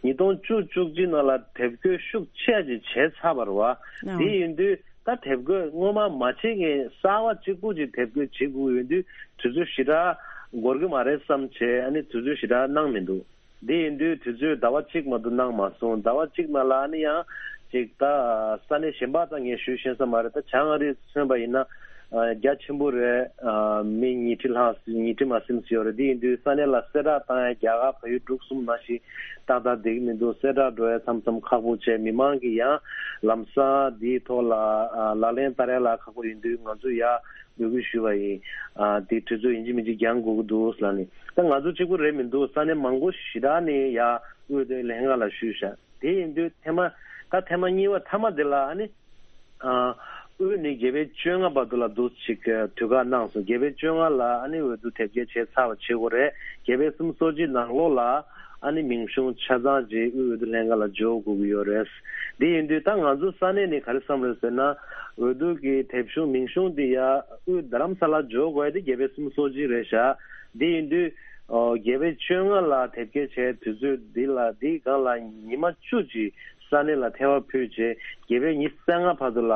ཉིས་སྟོང་བཅུ་བཅུ་གཅིག་ནང་ལ་དེབ་སྐྱེལ་ཤུགས་ཆེ་ཅིག་བྱས་ཚར་བ་རེད་བ། དེ་ཡིན་དུས་ད་དེབ་སྐྱེལ་སྔོན་མ་མ་བྱེད་མཁན་གསར་བ་གཅིག་པུ་ཅིག་དེབ་སྐྱེལ་བྱེད་དགོས་ཡོད་དུས་དུས་ཚོད་ཞེ་དྲག་འགོར་གི་མ་རེད་བསམ་བྱས། ཨ་ནི་དུས་ཚོད་ཞེ་དྲག་གནང་མི་འདུག་དེ་ཡིན་དུས་དུས་ཚོད་ཟླ་བ་གཅིག་མ་གཏོགས་གནང་མ་སོང་། ཟླ་བ་གཅིག་ནང་ལ་ཨ་ནི་ཡང་ཅིག་ད་ས་གནས་གཞན་པ་ད་ངས་ཞུས་ཤེས་ས་མ་རེད། ད་བྱང་ཨ་རི་མཚོན་པ་ཡིན་ན་ཨ་རྒྱ་ཆེན་པོ་རེད། ཨ་མི་ཉིས་ཁྲི་ལྷག་ཉིས་ཁྲི་མ་ཟིན་ཡོད་རེད། དེ་ཡིན་དུས་ས་གནས་ལ་གསལ་བསྒྲགས་བཏང་ཡ་རྒྱ་གར་བལ་ཡུལ་འབྲུག་གསུམ་ནང་བཞིན་ཏག་ཏག་བསྡད་ཀྱི་མི་འདུག་གསལ་བསྒྲགས་འགྲོ་ཡ་མཚམས་མཚམས་ཁག་པོ་བྱས། མི་མང་གིས་ཡང་ལམ་སང་དེའི་ཐོག་ལ་ཨ་ལག་ལེན་བསྟར་ཡ་ལ་ཁག་པོ་ཡིན་དུས་ང་ཚོ་ཡ་འབོད་སྐུལ་ཞུས་པ་ཡིན། ཨ་དེ་དུས་ཚོད་ཡིན་གཅིག་མིན་གཅིག་འགྱངས་དགོས་ཀྱི་འདུག་ལབ་ནས། ད་ང་ཚོ་གཅིག་པུ་རེད་མི་འདུག་ས་གནས་མང་པོ་ཞེ་དྲག་ནས་ཡ་དབུས་འོས་བསྡུ་ལྷན་ཁང་ལ་ཞུས་ཤག་དེ་ཡིན་དུས་ཐེངས་མ་ད་ཐེངས་མ་གཉིས་པ་མཐའ་མ་དེ་ལ་ཨ་ནི་ཨ་དབུས་ནས་བརྒྱད་པའི་བཅོ་ལྔ་བར་དུ་ལ་འདུག་ཅིག་དུས་བཀག་གནང་སོང་། བརྒྱད་པའི་བཅོ་ལྔ་ལ་ཨ་ནི་འོས་བསྡུ་དེབ་སྐྱེལ་བྱས་ཚར་བ་བྱེད་དགོས་རེད། བརྒྱད་པའི་གསུམ་སོ་གཅིག་ནང་ལོགས་ལ་ཨ་ནི་མིང་གཞུང་ཆ་ཚང་ཅིག་དབུས་འོས་བསྡུ་ལྷན་ཁང་ལ་འབྱོར་དགོས་ཀྱི་ཡོད་རེད། དེ་ཡིན་དུས་ད་ང་ཚོ་ས་གནས་ནས་ག་རེ་བསམ་རེད་ཟེར་ན། འོས་བསྡུ་གི་དེབ་གཞུང་མིང་གཞུང་དེ་ཡ་དབུས་རྡ་རམ་ས་ལ་འབྱོར་དགོས་ཡ་དེ་བརྒྱད་པའི་གསུམ་སོ་གཅིག་རེད་ཤག་དེ་ཡིན་དུས་ཨོ་བརྒྱད་པའི་བཅོ་ལྔ་ལ་དེབ་སྐྱེལ་བྱས་དུས་ཚོད་འདི་ལ་འདིའི་སྒང་ལ་ཉི་མ་བཅུ་ཅིག་ས་གནས་ལ་ཐལ་བ་ཕུལ་རྗེས་བརྒྱད་པའི་ཉི་ཤུ་རྩ་ལྔ་བར་དུ་ལ་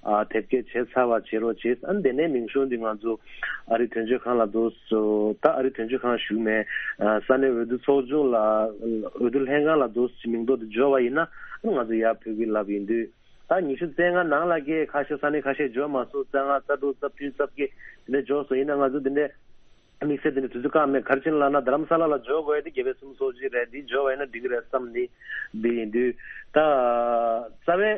ཨ་དེབ་སྐྱེལ་བྱས་ཚར་བ་བྱེད་རོགས་བྱེད། ཨ་ནི་དེ་ནས་མིང་གཞུང་འདི་ང་ཚོ་ཨ་རི་དོན་གཅོད་ཁང་ལ་འདུག་སོ། ད་ཨ་རི་དོན་གཅོད་ཁང་ཞུགས་མེད། ཨ་ས་གནས་འོས་བསྡུ་ཚོགས་ཆུང་ལ་འོས་བསྡུ་ལྷན་ཁང་ལ་འདུག་སེ་མིང་ཐོ་དེ་འབྱོར་བ་ཡིན་ན་ཨ་ནི་ང་ཚོ་ཡར་ཕུལ་གི་ལབ་ཡིན་དུས། ད་ཉི་ཤུ་རྩ་ལྔ་ནང་ལ་གི་ཁ་ཤས་ས་གནས་ཁ་ཤས་འབྱོར་མ་སོང་། རྩ་ལྔ་རྩ་དྲུག་རྩ་བདུན་རྩ་བརྒྱད་དེ་འདྲ་འབྱོར་སོང་། ཡིན་ན་ང་ཚོ་དེ་འདྲ་དམིགས་བསལ་དེ་འདྲ་དུས་ཚོད་བཀག་མེད། ག་རེ་བྱས་ལབ་ན་རྡ་རམ་ས་ལ་ལ་འབྱོར་དགོས་ཡ་དེ་བརྒྱད་པའི་གསུམ་སོ་གཅིག་རེད། འདི་འབྱོར་བ་ཡིན་ན་འགྲིག་གི་རེད་བསམ་ནི་འདི་ཡིན་དུས། ད་རྩ་བའི་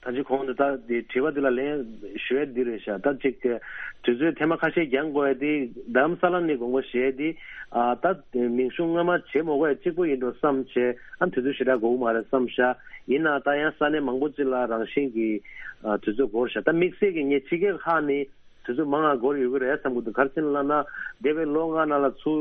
ད་ཅི་གོང་དུ་ད་དེ་དྲི་བ་འདི་ལ་ལན་ཞུ་ཡ་འདི་རེད་ཤག་ད་ཅིག་དུས་ཚོད་ཐེངས་མ་ཁ་ཤས་འགྱངས་དགོས་ཡ་དེ་རྡ་རམ་ས་ལ་ནས་དགོངས་པ་བཞེས་ཏེ། ཨ་ད་མིང་གཞུང་སྔ་མ་བྱེད་མ་དགོས་ཡ་གཅིག་པོ་ཡིན་འགྲོ་བསམ་བྱས། ཨ་དུས་ཚོད་ཞེ་དྲག་འགོར་གི་མ་རེད་བསམ་ཤག་ཡིན་ན་ད་ཡང་ས་གནས་མང་པོ་ཅིག་ལ་རང་བཞིན་གྱི་ཨ་དུས་ཚོད་འགོར་ཤག་ད་དམིགས་བསལ་གྱི་ངས་ཕྱི་རྒྱལ་ཁག་ནས་དུས་ཚོད་མང་ང་འགོར་ཡོད་ཀྱི་རེད་བསམ་གྱི་འདུག་ག་རེ་བྱས་ལབ་ན་འདས་པའི་ལོ་ལྔ་ནང་ལ་ཚུར་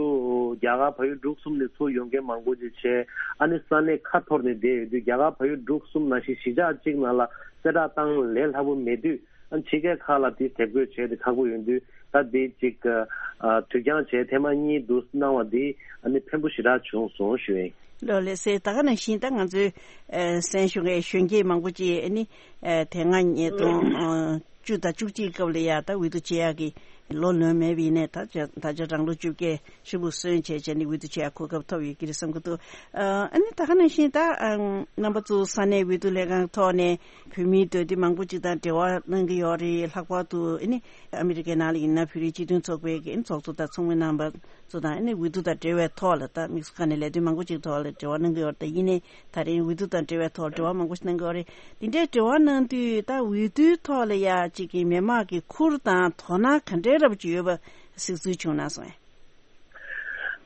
རྒྱ་གར་བལ་ཡུལ་འབྲུག་གསུམ་ནས་ཚུར་ཡོང་མཁན་མང་པོ་ཅིག་བྱས། ཨ་ནི་ས་གནས་ཁ་འཐོར་ནས་བསྡད་ཡོད་དུས་རྒྱ་གར་བལ་ཡུལ་འབྲུག་གསུམ་ནང་བཞིན་གཞིས་ཆགས་གཅིག་ནང་ལ་གསལ་བསྒྲགས་བཏང་ལས་སླ་པོ་མེད་དུས། ཨ་ཕྱི་རྒྱལ་ཁག་ལ་དེ་དེབ་འགོད་བྱས་ཏེ་ཁག་པོ་ཡོང་དུས། ད་དེ་གཅིག་ཨ་དུས་འགྱངས་བྱས་ཐེངས་མ་གཉིས་འདུག་གནང་བ་འདི་ཨ་ནི་ཕན་པོ་ཞེ་དྲག་བྱུང་སོང་ཞུ་ཡིན། ལགས་ལགས་སེ། ད་ག་ནང་བཞིན་ད་ང་ཚོའི་ཨ་གསན་ཞུ་མཁན་གཞོན་སྐྱེས་མང་པོ་ཅིག་ཨ་ནི་ཨ་དེ་སྔ་ཉིས་སྟོང་བཅུ་དང་བཅུ་གཅིག་སྐབས་ལ་ཡ་ད་འོས་བསྡུ་བྱེད་ཡག་གི་ལོ་ལོན་མེད་པ་ཡིན་ནའི་ད་ཆ་ད་ཆ་རང་ལོ་བཅོ་བརྒྱད་ཧྲིལ་པོ་སོན་བྱས་བྱས་ནས་འོས་བསྡུ་བྱེད་ཡག་གོ་སྐབས་ཐོབ་ཡོད་ཀྱི་རེད་བསམ་གྱི་འདུག་ཨ་ནི་ད་ག་ནང་བཞིན་ད་ཨ་རྣམ་པ་ཚོ་ས་གནས་འོས་བསྡུ་ལས་ཁང་ཐོག་ནས་བོད་མིའི་འདོད་འདུན་མང་པོ་ཅིག་དང་འབྲེལ་བ་གནང་གི་ཡོད་རེད། ལྷག་པར་དུ་ཨ་ནི་ཨ་མི་རི་ཀའི་ནང་ལ་ཡིན་ན་བོད་རིགས་སྤྱི་མཐུན་ཚོགས་པའི་གི་ཚོགས་གཙོ་དང་ཚོགས་མི་རྣམ་པ་ཚོ་དང་ཨ་ནི་འོས་བསྡུ་དང་འབྲེལ་བའི་ཐོག་ལ་ད་དམིགས་སུ་བཀར་ནས་ལས་དོན་མང་པོ་ཅིག་ཐོག་ལ་འབྲེལ་བ་གནང་གི་ཡོད་རེད། ད་ཡིན་ནའི་ད་རིང་འོས་བསྡུ་དང་འབྲེལ་བའི་ཐོག་འབྲེལ་བ་མང་པོ་ཞིག་གནང་གི་ཡོད་རེད། དེ་འདྲའི་འབྲེལ་བ་གནང་དུས་ད་འོས་བསྡུའི་ཐོག་ལ་ཡ་གཅིག་གི་མི་མང་གི་ཁུར་དང་དོ་སྣང་ག་འདྲའི་རབ་ཅིག་ཡོད་པ་གཟིགས་ཚུལ་བྱུང་ན་སོང་།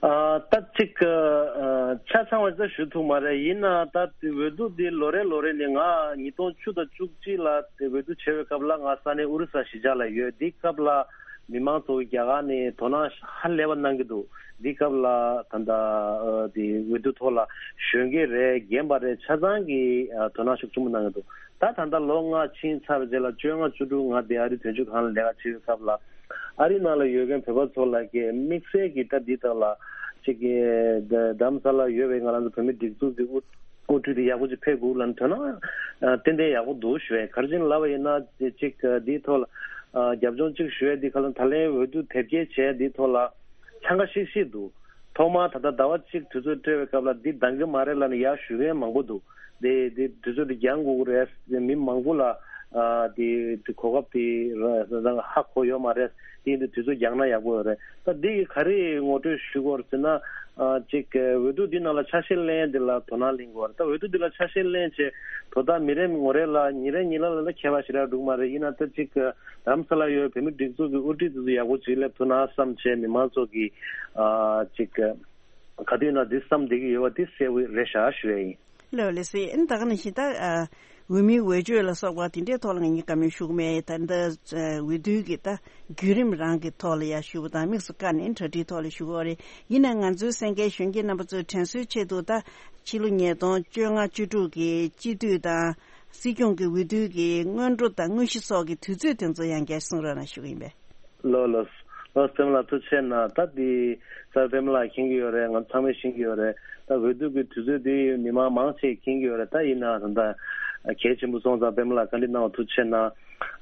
ཨ་ད་གཅིག་ཨ་ཆ་ཚང་བ་ཞིག་ཞུ་ཐུབ་མ་རེད། ཡིན་ན་ད་འོས་བསྡུ་འདི་ལོ་རེ་ལོ་རེ་ནས་ང་ཉིས་སྟོང་བཅུ་དང་བཅུ་གཅིག་ལ་དེ་འོས་བསྡུ་བྱས་པའི་སྐབས་ལ་ང་ས་གནས་ཨོ་རི་ས་གཞིས་ཆགས་ལ་ཡོད། འདི་སྐབས་ལ་མི་མང་ཚོ་གིས་རྒྱ་གར་ནས་དོ་སྣང་ཧ་ལས་པ་གནང་གི་འདུག་འདི་སྐབས་ལ་ད་ལྟ་ཨ་དེ་འོས་བསྡུ་ཐོག་ལ་གཞོན་སྐྱེས་རེད། རྒན་པ་རེད། ཆ་ཚང་གིས་ཨ་དོ་སྣང་ཤུགས་ཆེན་པོ་གནང་གི་འདུག་ད་ད་ལྟ་ལོ་ལྔ་ཕྱིན་ཚར་བའི་རྗེས་ལ་བཅོ་ལྔ་བཅུ་དྲུག་ང་དེ་ཨ་རི་དོན་གཅོད་ཁང་ལ་ལས་ཀ་བྱེད་པའི་སྐབས་ལ་ཨ་རི་ནང་ལ་ཡོད་མཁན་བོད་པ་ཚོ་ལ་གི་དམིགས་བསལ་གྱི་ད་འདི་དག་ལ་ཅིག་གི་རྡ་རམ་ས་ལ་ཡོད་པའི་ང་རང་ཚོ་བོད་མི་སྒྲིག་འཛུགས་ཀྱི་དབུ་དབུ་ཁྲིད་དེ་ཡག་པོ་ཅིག་ཕེབས་དགོས་ལབ་ན་དོ་སྣང་ཏན་ཏན་ཡག་པོ་འདུག་ཞུ་ཡ། ག་རེ་བྱས་ནས་ལབ་པ་ཡིན་ན་ཅིག་འདིའི་ཐོག་ལ་རྒྱབ་ལྗོངས་ཅིག་ཞུ་ཡ་འདི་ག་ལ་ད་ལན་འོས་བསྡུ་དེབ་སྐྱེལ་བྱས་འདིའི་ཐོག་ལ་འཚང་ཁ་ཤིག་ཤིག་འདུག་ཐོག་མར་ད་ལྟ་ཟླ་བ་གཅིག་དུས་ཚོད་སྤྲད་པའི་སྐབས་ལ་འདི་འདང་གི་མ་རེད་ལབ་ནས་ཡར་ཞུ་མཁན་མང་པོ་འདུག་དེ་དེ་དུས་ཚོད་དེ་འགྱངས་དགོས་ཀྱི་རེད། མི་མང་པོ་ལ་ཨ་དེ་དེ་གོ་སྐབས་དེ་ར་ར་ཧ་གོ་ཡོད་མ་རེད། དེ་ཡིན་དུས་དུས་ཚོད་འགྱངས་ན་ཡག་པོ་ཡོད་རེད། ད་འདི་གི་ག་རེ་ངོ་སྤྲོད་ཞུ་དགོས་རེད་ཟེར་ན། ཨ་ཅིག་འོས་བསྡུ་འདི་ནང་ལ་ཆ་ཤས་ལེན་འདི་ལ་དོ་སྣང་ལེན་དགོས་རེད། ད་འོས་བསྡུ་འདི་ལ་ཆ་ཤས་ལེན་བྱས་དོ་བདག་མི་རེ་ངོ་རེ་ལ་ཉིན་རེ་ཉིན་ལ་ལ་ལ་ཁྱད་པར་ཞེ་དྲག་འདུག་མ་རེད། ཡིན་ན་ད་ཅིག་རྡ་རམ་ས་ལ་ཡོད་བོད་མི་སྒྲིག་འཛུགས་ཀྱི་དབུ་ཁྲིད་དེ་ཚོ་ཡག་པོ་ཅིག་སླེབས་ཐུབ་ན་བསམ་བྱས་མི་མང་ཚོ་གི་ཨ་ཅིག་ག་དུས་ན་འདི་བསམ་བསྡད་ཀྱི་ཡོད་པ་འདི་གསལ་པོ་རེད་ཤག་ཞུ་ཡ་ཡིན། ལགས་ལགས་སེ། ཨ་ནི་ད་ག་ནང་བཞིན་ད་ཨ་ འོས་མིའི་འོས་ཆོས་ལ་སོགས་པ་དེ་འདྲའི་ཐོག་ལ་ངས་བཀའ་མོལ་ཞུ་གི་མེད། ད་ལྟ་འོས་བསྡུའི་གི་ད་བརྒྱུད་རིམ་རང་གི་ཐོག་ལ་ཡར་ཞུ་བ་དང་དམིགས་སུ་བཀར་ནས་གྲ་སྒྲིག་ཐོག་ལ་ཞུ་གི་ཡོད་རེད། ཡིན་ནའི་ང་ཚོའི་གསན་མཁན་གཞོན་སྐྱེས་རྣམ་པ་ཚོའི་དྲན་གསོའི་ཆེད་དུ། ད་ཕྱི་ལོ་ཉིས་སྟོང་བཅོ་ལྔ་བཅུ་དྲུག་གི་སྤྱི་འཐུས་དང་སྲིད་སྐྱོང་གི་འོས་བསྡུའི་གི་སྔོན་འགྲོ་དང་དངོས་གཞི་སོགས་ཀྱི་དུས་ཚོད་དེ་ཚོ་ཡང་བསྐྱར་གསུང་རོགས་གནང་ཞུ་གི་ཡིན་པས། ལགས་ལགས། ལགས་སོ། པདྨ་ལགས་ཐུགས་རྗེ་གནང་། ད་འདི་སར་པདྨ་ལགས་མཁྱེན་གྱི་ཡོད་རེད། ང་ཚང་མས་ཤེས་ཀྱི་ཡོད་རེད། ད་འོས་བསྡུ་གི་དུས་ཚོད་འདི་མི་མང་མང་ཆེ་མཁྱེན་གྱི་ཡོད་རེད། ད་ཡིན་ནའང་ད་གལ་ཆེན་པོ་སོང་ཙང་པདྨ་ལགས་བཀའ་འདྲི་གནང་བ་ཐུགས་རྗེ་གནང་།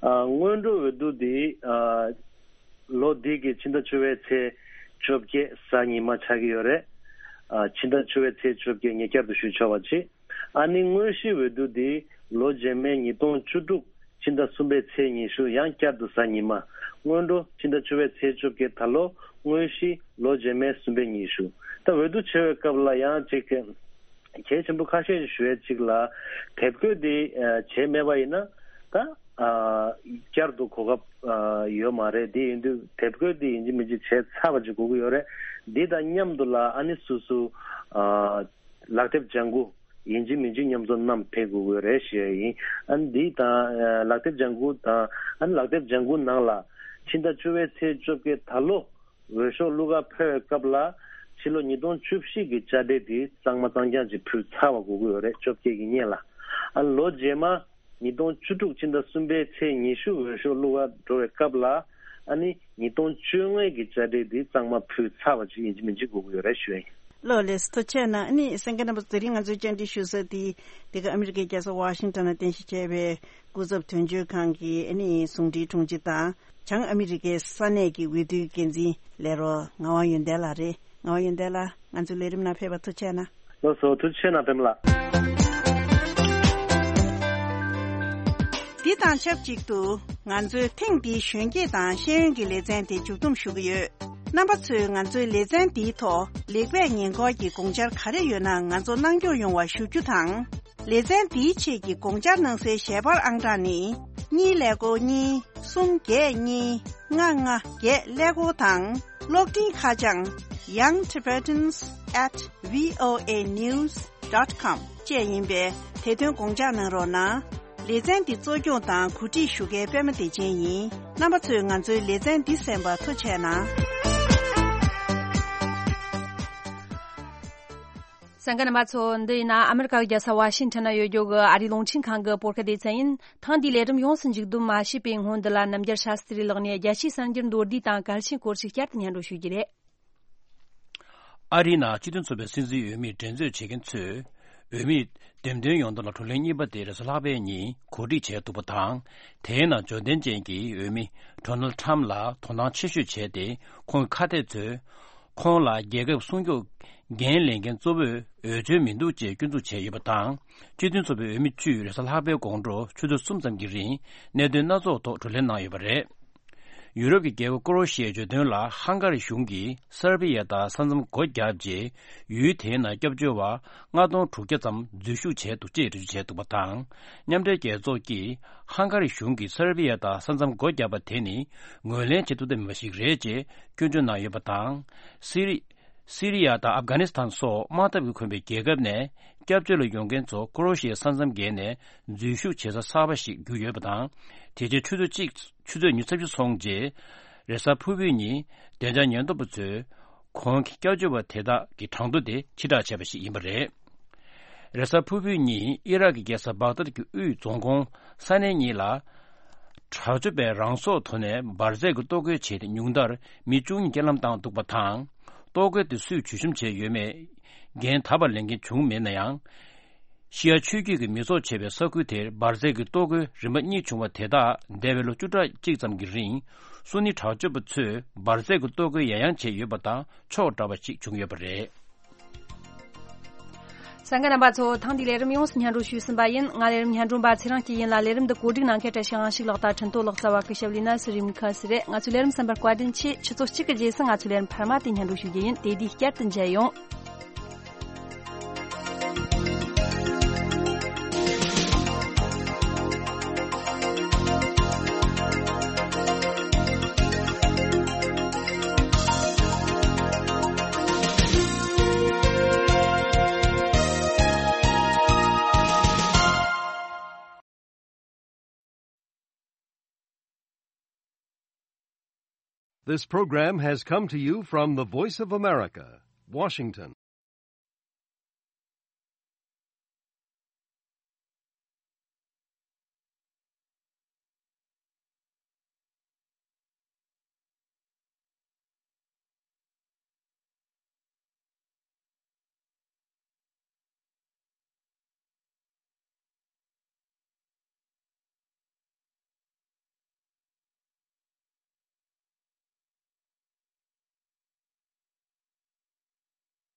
ཨ། སྔོན་འགྲོ་འོས་བསྡུ་འདི། ཨ། ལོ་འདི་གི་ཕྱི་ཟླ་བཅུ་པའི་ཚེས་བཅོ་བརྒྱད་གཟའ་ཉི་མ་ཆགས་ཀྱི་ཡོད་རེད། ཨ། ཕྱི་ཟླ་བཅུ་པའི་ཚེས་བཅོ་བརྒྱད་ཉེ་བསྐྱར་དུ་ཞུ་ཆོག་པ་བྱེད། ཨ་ནི་དངོས་གཞི་འོས་བསྡུ་འདི་ལོ་རྗེས་མའི་ཉིས་སྟོང་བཅུ་དྲུག་ཕྱི་ཟླ་གསུམ་པའི་ཚེས་ཉི་ཤུ་ཡང་བསྐྱར་དུ་གཟའ་ཉི་མ། སྔོན་འགྲོ་ཕྱི་ཟླ་བཅུ་པའི་ཚེས་བཅོ་བརྒྱད། ད་ལོ་དངོས་གཞི་ལོ་རྗེས་མའི་གསུམ་པའི་ཉི་ཤུ། ད་འོས་བསྡུ་བྱེད་པའི་སྐབས་ལ་ཡང་ཅིག་གལ་ཆེན་པོ་ཁ་ཤས་ཤིག་ཞུ་ཡས་ཅིག་ལ། དེབ་འགོད་འདི་བྱས་མེད་པ་ཡིན་ན་ད་བསྐྱར་དུ་གོ་སྐབས་ཡོད་མ་རེད། འདི་ཡིན་དུས་དེབ་འགོད་འདི་ཡིན་གཅིག་མིན་གཅིག་བྱས་ཚར་བ་ཅིག་དགོས་ཀྱི་ཡོད་རེད། འདི་དང་མཉམ་དུ་ལ་ཨ་ནི་སོ་སོ་ལག་དེབ་ལྗང་ཁུ་ཡིན་གཅིག་མིན་གཅིག་མཉམ་དུ་བསྣམས་ཕེབས་དགོས་ཀྱི་ཡོད་རེད་ཞུ་ཡ་ཡིན། ཨ་ནི་འདི་དང་ལག་དེབ་ལྗང་ཁུ་དང་། ཨ་ནི་ལག་དེབ་ལྗང་ཁུ་ནང་ལ་ཕྱི་ཟླ་བཅུ་པའི་ཚེས་བཅོ་བརྒྱད་ད་ལོ་འོས་ཤོག་བླུག་ག་ཕེབས་པའི་སྐབས་ལ་ཕྱི་ལོ་ཉིས་སྟོང་བཅུ་བཞི་གི་དཔྱ་ཁྲལ་དེ་གཙང་མ་གཙང་རྐྱང་ཅིག་ཕུལ་ཚར་བ་དགོས་ཀྱི་ཡོད་རེད། བཅོ་བརྒྱད་ཀྱི་སྔོན་ལ། ཨ་ནི་ལོ་རྗེས་མ་ཉིས་སྟོང་བཅུ་དྲུག་ཕྱི་ཟླ་གསུམ་པའི་ཚེས་ཉི་ཤུ་འོས་ཤོག་བླུག་ག་འགྲོ་བའི་སྐབས་ལ། ཨ་ནི་ཉིས་སྟོང་བཅོ་ལྔ་གི་དཔྱ་ཁྲལ་དེ་གཙང་མ་ཕུལ་ཚར་བ་ཅིག་ཡིན་གཅིག་མིན་གཅིག་དགོས་ཀྱི་ཡོད་རེད་ཞུ་ཡ་ཡིན། ལགས་ལགས་སོ། ཐུགས་རྗེ་གནང་། ཨ་ནི་གསན་མཁན་རྣམ་པ་ཚོ། དེ་རིང་ང་ཚོའི་བཅར་འདྲི་ཞུ་ས་དེ་འདི་ག་ཨ་མི་རི་ཀའི་རྒྱལ་ས་ཝ་ཤིང་ཊོན་ལ་རྟེན་གཞི་བྱས་པའི་སྐུ་ཚབ་དོན་གཅོད་ཁང་གི་ཨ་ནི་ཟུང་འབྲེལ་དྲུང་ཆེ་དང་། བྱང་ཨ་མི་རི་ཀའི་ས་གནས་ཀྱི་འོས་བསྡུའི་འགན་འཛིན་ལས་རོགས་ངག་དབང་ཡོན་ཏན་ལགས་རེད། ངག་དབང་ཡོན་ཏན་ལགས། ང་ཚོའི་ལས་རིམ་ནང་ཕེབས་པར་ཐུགས་རྗེ་གནང་། ལགས་སོ། ཐུགས་རྗེ་གནང་པདྨ་ལགས། འདི་དང་ཆབས་ཅིག་ཏུ་ང་ཚོའི་ཐེངས་འདིའི་གཞོན་སྐྱེས་དང་ཤེས་ཡོན་གྱི་ལེ་ཚན་དེ་མཇུག་བསྡོམས་ཞུ་གི་ཡོད། རྣམ་པ་ཚོས་ང་ཚོའི་ལེ་ཚན་འདིའི་ཐོག་ལེགས་སྤེལ་ཉེས་འཁོར་གྱི་དགོངས་འཆར་ག་རེ་ཡོད་ན་ང་ཚོར་གནང་སྐྱོང་ཡོང་བ་ཞུ་རྒྱུ་དང་། ལེ་ཚན་འདིའི་ཆེད་ཀྱི་དགོངས་འཆར་གནང་སའི་ཞལ་པར་ཨང་གྲངས་ནི། གཉིས་ཀླད་ཀོར་གཉིས། གསུམ་བརྒྱད་གཉིས། ལྔ་ལྔ་བརྒྱད་ཀླད་ཀོར་དང་། གློག་འཕྲིན་ཁ་བྱང་young tibetans at voa news dot com བཅས་ཡིན་པས། དེ་དོན་དགོངས་འཇགས་གནང་རོགས་གནང་། ལེ་ཚན་འདི་གཙོ་སྐྱོང་དང་གོ་སྒྲིག་ཞུ་མཁན་པད་མ་བདེ་ཆེན་ཡིན། རྣམ་པ་ཚོས་ང་ཚོའི་ལེ་ཚན་འདི་གསན་པར་ཐུགས་རྗེ་གནང་། གསན་མཁན་རྣམ་པ་ཚོ། འདི་ཡིན་ན་ཨ་མི་རི་ཀ་གི་རྒྱལ་ས་ཝ་ཤིང་ཊོན་ན་ཡོད་རྒྱུ་གི་ཨ་རིའི་རླུང་འཕྲིན་ཁང་གི་བོད་སྐད་སྡེ་ཚན་ཡིན། ཐེངས་འདིའི་ལས་རིམ་ཡོངས་སུ་མཇུག་བསྡོམས་མ་ཞུས་པའི་སྔོན་འདི་ལ། རྣམ་རྒྱལ་ཤཱ་སྟྲི་ལགས་ནས་རྒྱལ་སྤྱིའི་གསར་འགྱུར་མདོར་བསྡུས་དང་གལ་ཆེན་སྐོར་ཞིག་བསྐྱར་དུ་སྙན་སྒྲོན་ཞུ་རྒྱུ་རེད། ཨ་རིའི་ནང་སྤྱི་མཐུན་ཚོགས་པའི་སྲིད་འཛིན་འོས་མིར་འགྲན་རྩོད་བྱེད་མཁན་ཚོས། འོས་མིའི་འདེམས་ཐོན་ཡོང་དོན་ལ་བགྲོ་གླེང་གཉིས་པ་དེ་རེས་གཟའ་ལྷག་པའི་ཉིན་གོ་སྒྲིག་བྱས་འདུག་པ་དང་། དེའི་ནང་འབྱོར་ལྡན་ཅན་གྱི་འོས་མི་ཌོ་ནལ་ཌི་ཊརམ་ཕ་ལ་དོ་སྣང་ཆེ་ཤོས་བྱས་ཏེ། ཁོང་གི་ཁ་གཏད་ཚོས་ཁོང་ལ་རྒྱལ་ཁབ་སྲུང་སྐྱོབ་འགན་ལེན་མཁན་གཙོ་བོས་འོས་ཆོས་མི་འདུག་ཅེས་སྐྱོན་འཛུགས་བྱས་ཡོད་པ་དང་། སྤྱི་མཐུན་ཚོགས་པའི་འོས་མི་བཅུས་རེས་གཟའ་ལྷག་པའི་དགོང་དྲོ་ཆུ་ཚོད་གསུམ་ཙམ་གྱི་རིང་གནད་དོན་སྣ་ཚོགས་ཐོག་བགྲོ་གླེང་གནང་ཡོད་པ་རེད། ཡུ་རོབ་ཀྱི་རྒྱལ་ཁབ་ཀོ་རོ་ཤི་ཡའི་བརྗོད་དོན་ལ་ཧང་ག་རི་གཞུང་གིས་སར་བྷི་ཡ་དང་ས་མཚམས་སྒོ་བརྒྱབ་རྗེས། ཡུལ་དེའི་ནང་སྐྱབས་བཅོལ་བ་ལྔ་སྟོང་དྲུག་བརྒྱ་ཙམ་འཛུལ་ཞུགས་བྱས་འདུག་ཅེས་འགྲེལ་བརྗོད་བྱས་འདུག་པ་དང་། མཉམ་འབྲེལ་རྒྱལ་ཚོགས་ཀྱིས་ཧང་ག་རི་གཞུང་གིས་སར་བྷི་ཡ་དང་ས་མཚམས་སྒོ་བརྒྱབ་པ་དེ་ནི་ངོས་ལེན་བྱེད་ཐུབ་ཐབས་མེད་པ་ཞིག་རེད་ཅེས་སྐྱོན་བརྗོད་གནང་ཡོད་པ་དང་། སི་རི། སི་རི་ཡ་དང་ཨབ་གྷ་ནི་སི་ཐན་སོགས་དམག་འཐབ་ཀྱིས་གོམས་པའི་རྒྱལ་ཁབ་ནས་སྐྱབས་བཅོལ་ལ་ཡོང་མཁན་ཚོ་ཀོ་རོ་ཤི་ཡའི་ས་མཚམས་བརྒལ་ནས་འཛུལ་ཞུགས་བྱེད་ས་གསར་པ་ཞིག་གྱུར་ཡོད་པ་དང་། དེ་རྗེས་ཆུ་ཚོད་གཅིག་ཆུ་ཚོད་ཉི་ཤུ་རྩ་བཞི་སོང་རྗེས། རེས་གཟའ་ཕུར་བུའི་ཉིན་བདེ་འཇགས་ཉེན་རྟོག་པ་ཚོས་ཁོང་གི་སྐྱབས་བཅོལ་བ་དེ་དག་གི་གྲངས་ཐོ་དེ་ཕྱིར་བསྒྲགས་བྱས་པ་ཞིག་ཡིན་པ་རེད། རེས་གཟའ་ཕུར་བུའི་ཉིན་ཨི་རག་གི་རྒྱལ་ས་བག་དཱད་ཀྱི་དབུས་རྫོང་ཁོངས་ས་གནས་གཉིས་ལ། དྲག་སྤྱོད་པས་རང་སྲོག་དོར་ནས་འབར་རྫས་ཀྱི་ལྟོ་གོས་བྱས་ཏེ་ཉུང་མཐར་མི་བཅུ་གཉིས་རྐྱེན་ལམ་བཏང་འདུག་པ་དང་། ལྟོ་གོས་དེ་སུས་བྲོས་བཤམས་བྱས་ཡོད་མེད་འགན་ད་བར་ལེན་མཁན་བྱུང་མེད་ན་ཡང་། ཤི་ཡ་ཆོས་བརྒྱུད་ཀྱི་མི་ཚོགས་བྱེད་པའི་ས་ཁུལ་དེར་འབར་རྫས་ཀྱི་ལྟོ་གོས་རིམ་པ་གཉིས་བྱུང་བ་དེ་དག་འདས་པའི་ལོ་བཅུ་ཕྲག་གཅིག་ཙམ་གྱི་རིང་སུ་ནི་དྲག་སྤྱོད་པ་ཚོས་འབར་རྫས་ཀྱི་ལྟོ་གོས་ཡང་ཡང་བྱས་ཡོད་པ་དང་ཕྱོགས་འདྲ་བ་ཞིག་བྱུང་ཡོད་པ་རེད། གསན་མཁན་རྣམ་པ་ཚོ། ཐེངས་འདིའི་ལས་རིམ་ཡོངས་སུ་སྙན་སྒྲོན་ཞུས་ཟིན་པ་ཡིན། ང་ལས་རིམ་སྙན་སྒྲོན་པ་ཚེ་རིང་སྐྱིད་ཡིན་ལ། ལས་རིམ་འདི་གོ་སྒྲིག་གནང་མཁན་བཀྲ་ཤིས་དབང་ཕྱུག་ལགས་དང་ཁྲིན་ཏོ་ལགས། རྩ་བ་སྐུ་ཞབས་ལི་ན་སི་རིམ་ཁ་སི་རེད། ང་ཚོའི་ལས་རིམ་གསན་པར་བཀའ་དྲིན་ཆེ། ཆུ་ཚོད་གཅིག་གི་རྗེས་སུ་ང་ཚོའི་ལས་རིམ་འཕར་མ་དེ་སྙན་སྒྲོན་ཞུ་རྒྱུ་ཡིན། དེ་དུས་བསྐྱར་དུ་མཇལ་ཡོང་། This program has come to you from the Voice of America, Washington.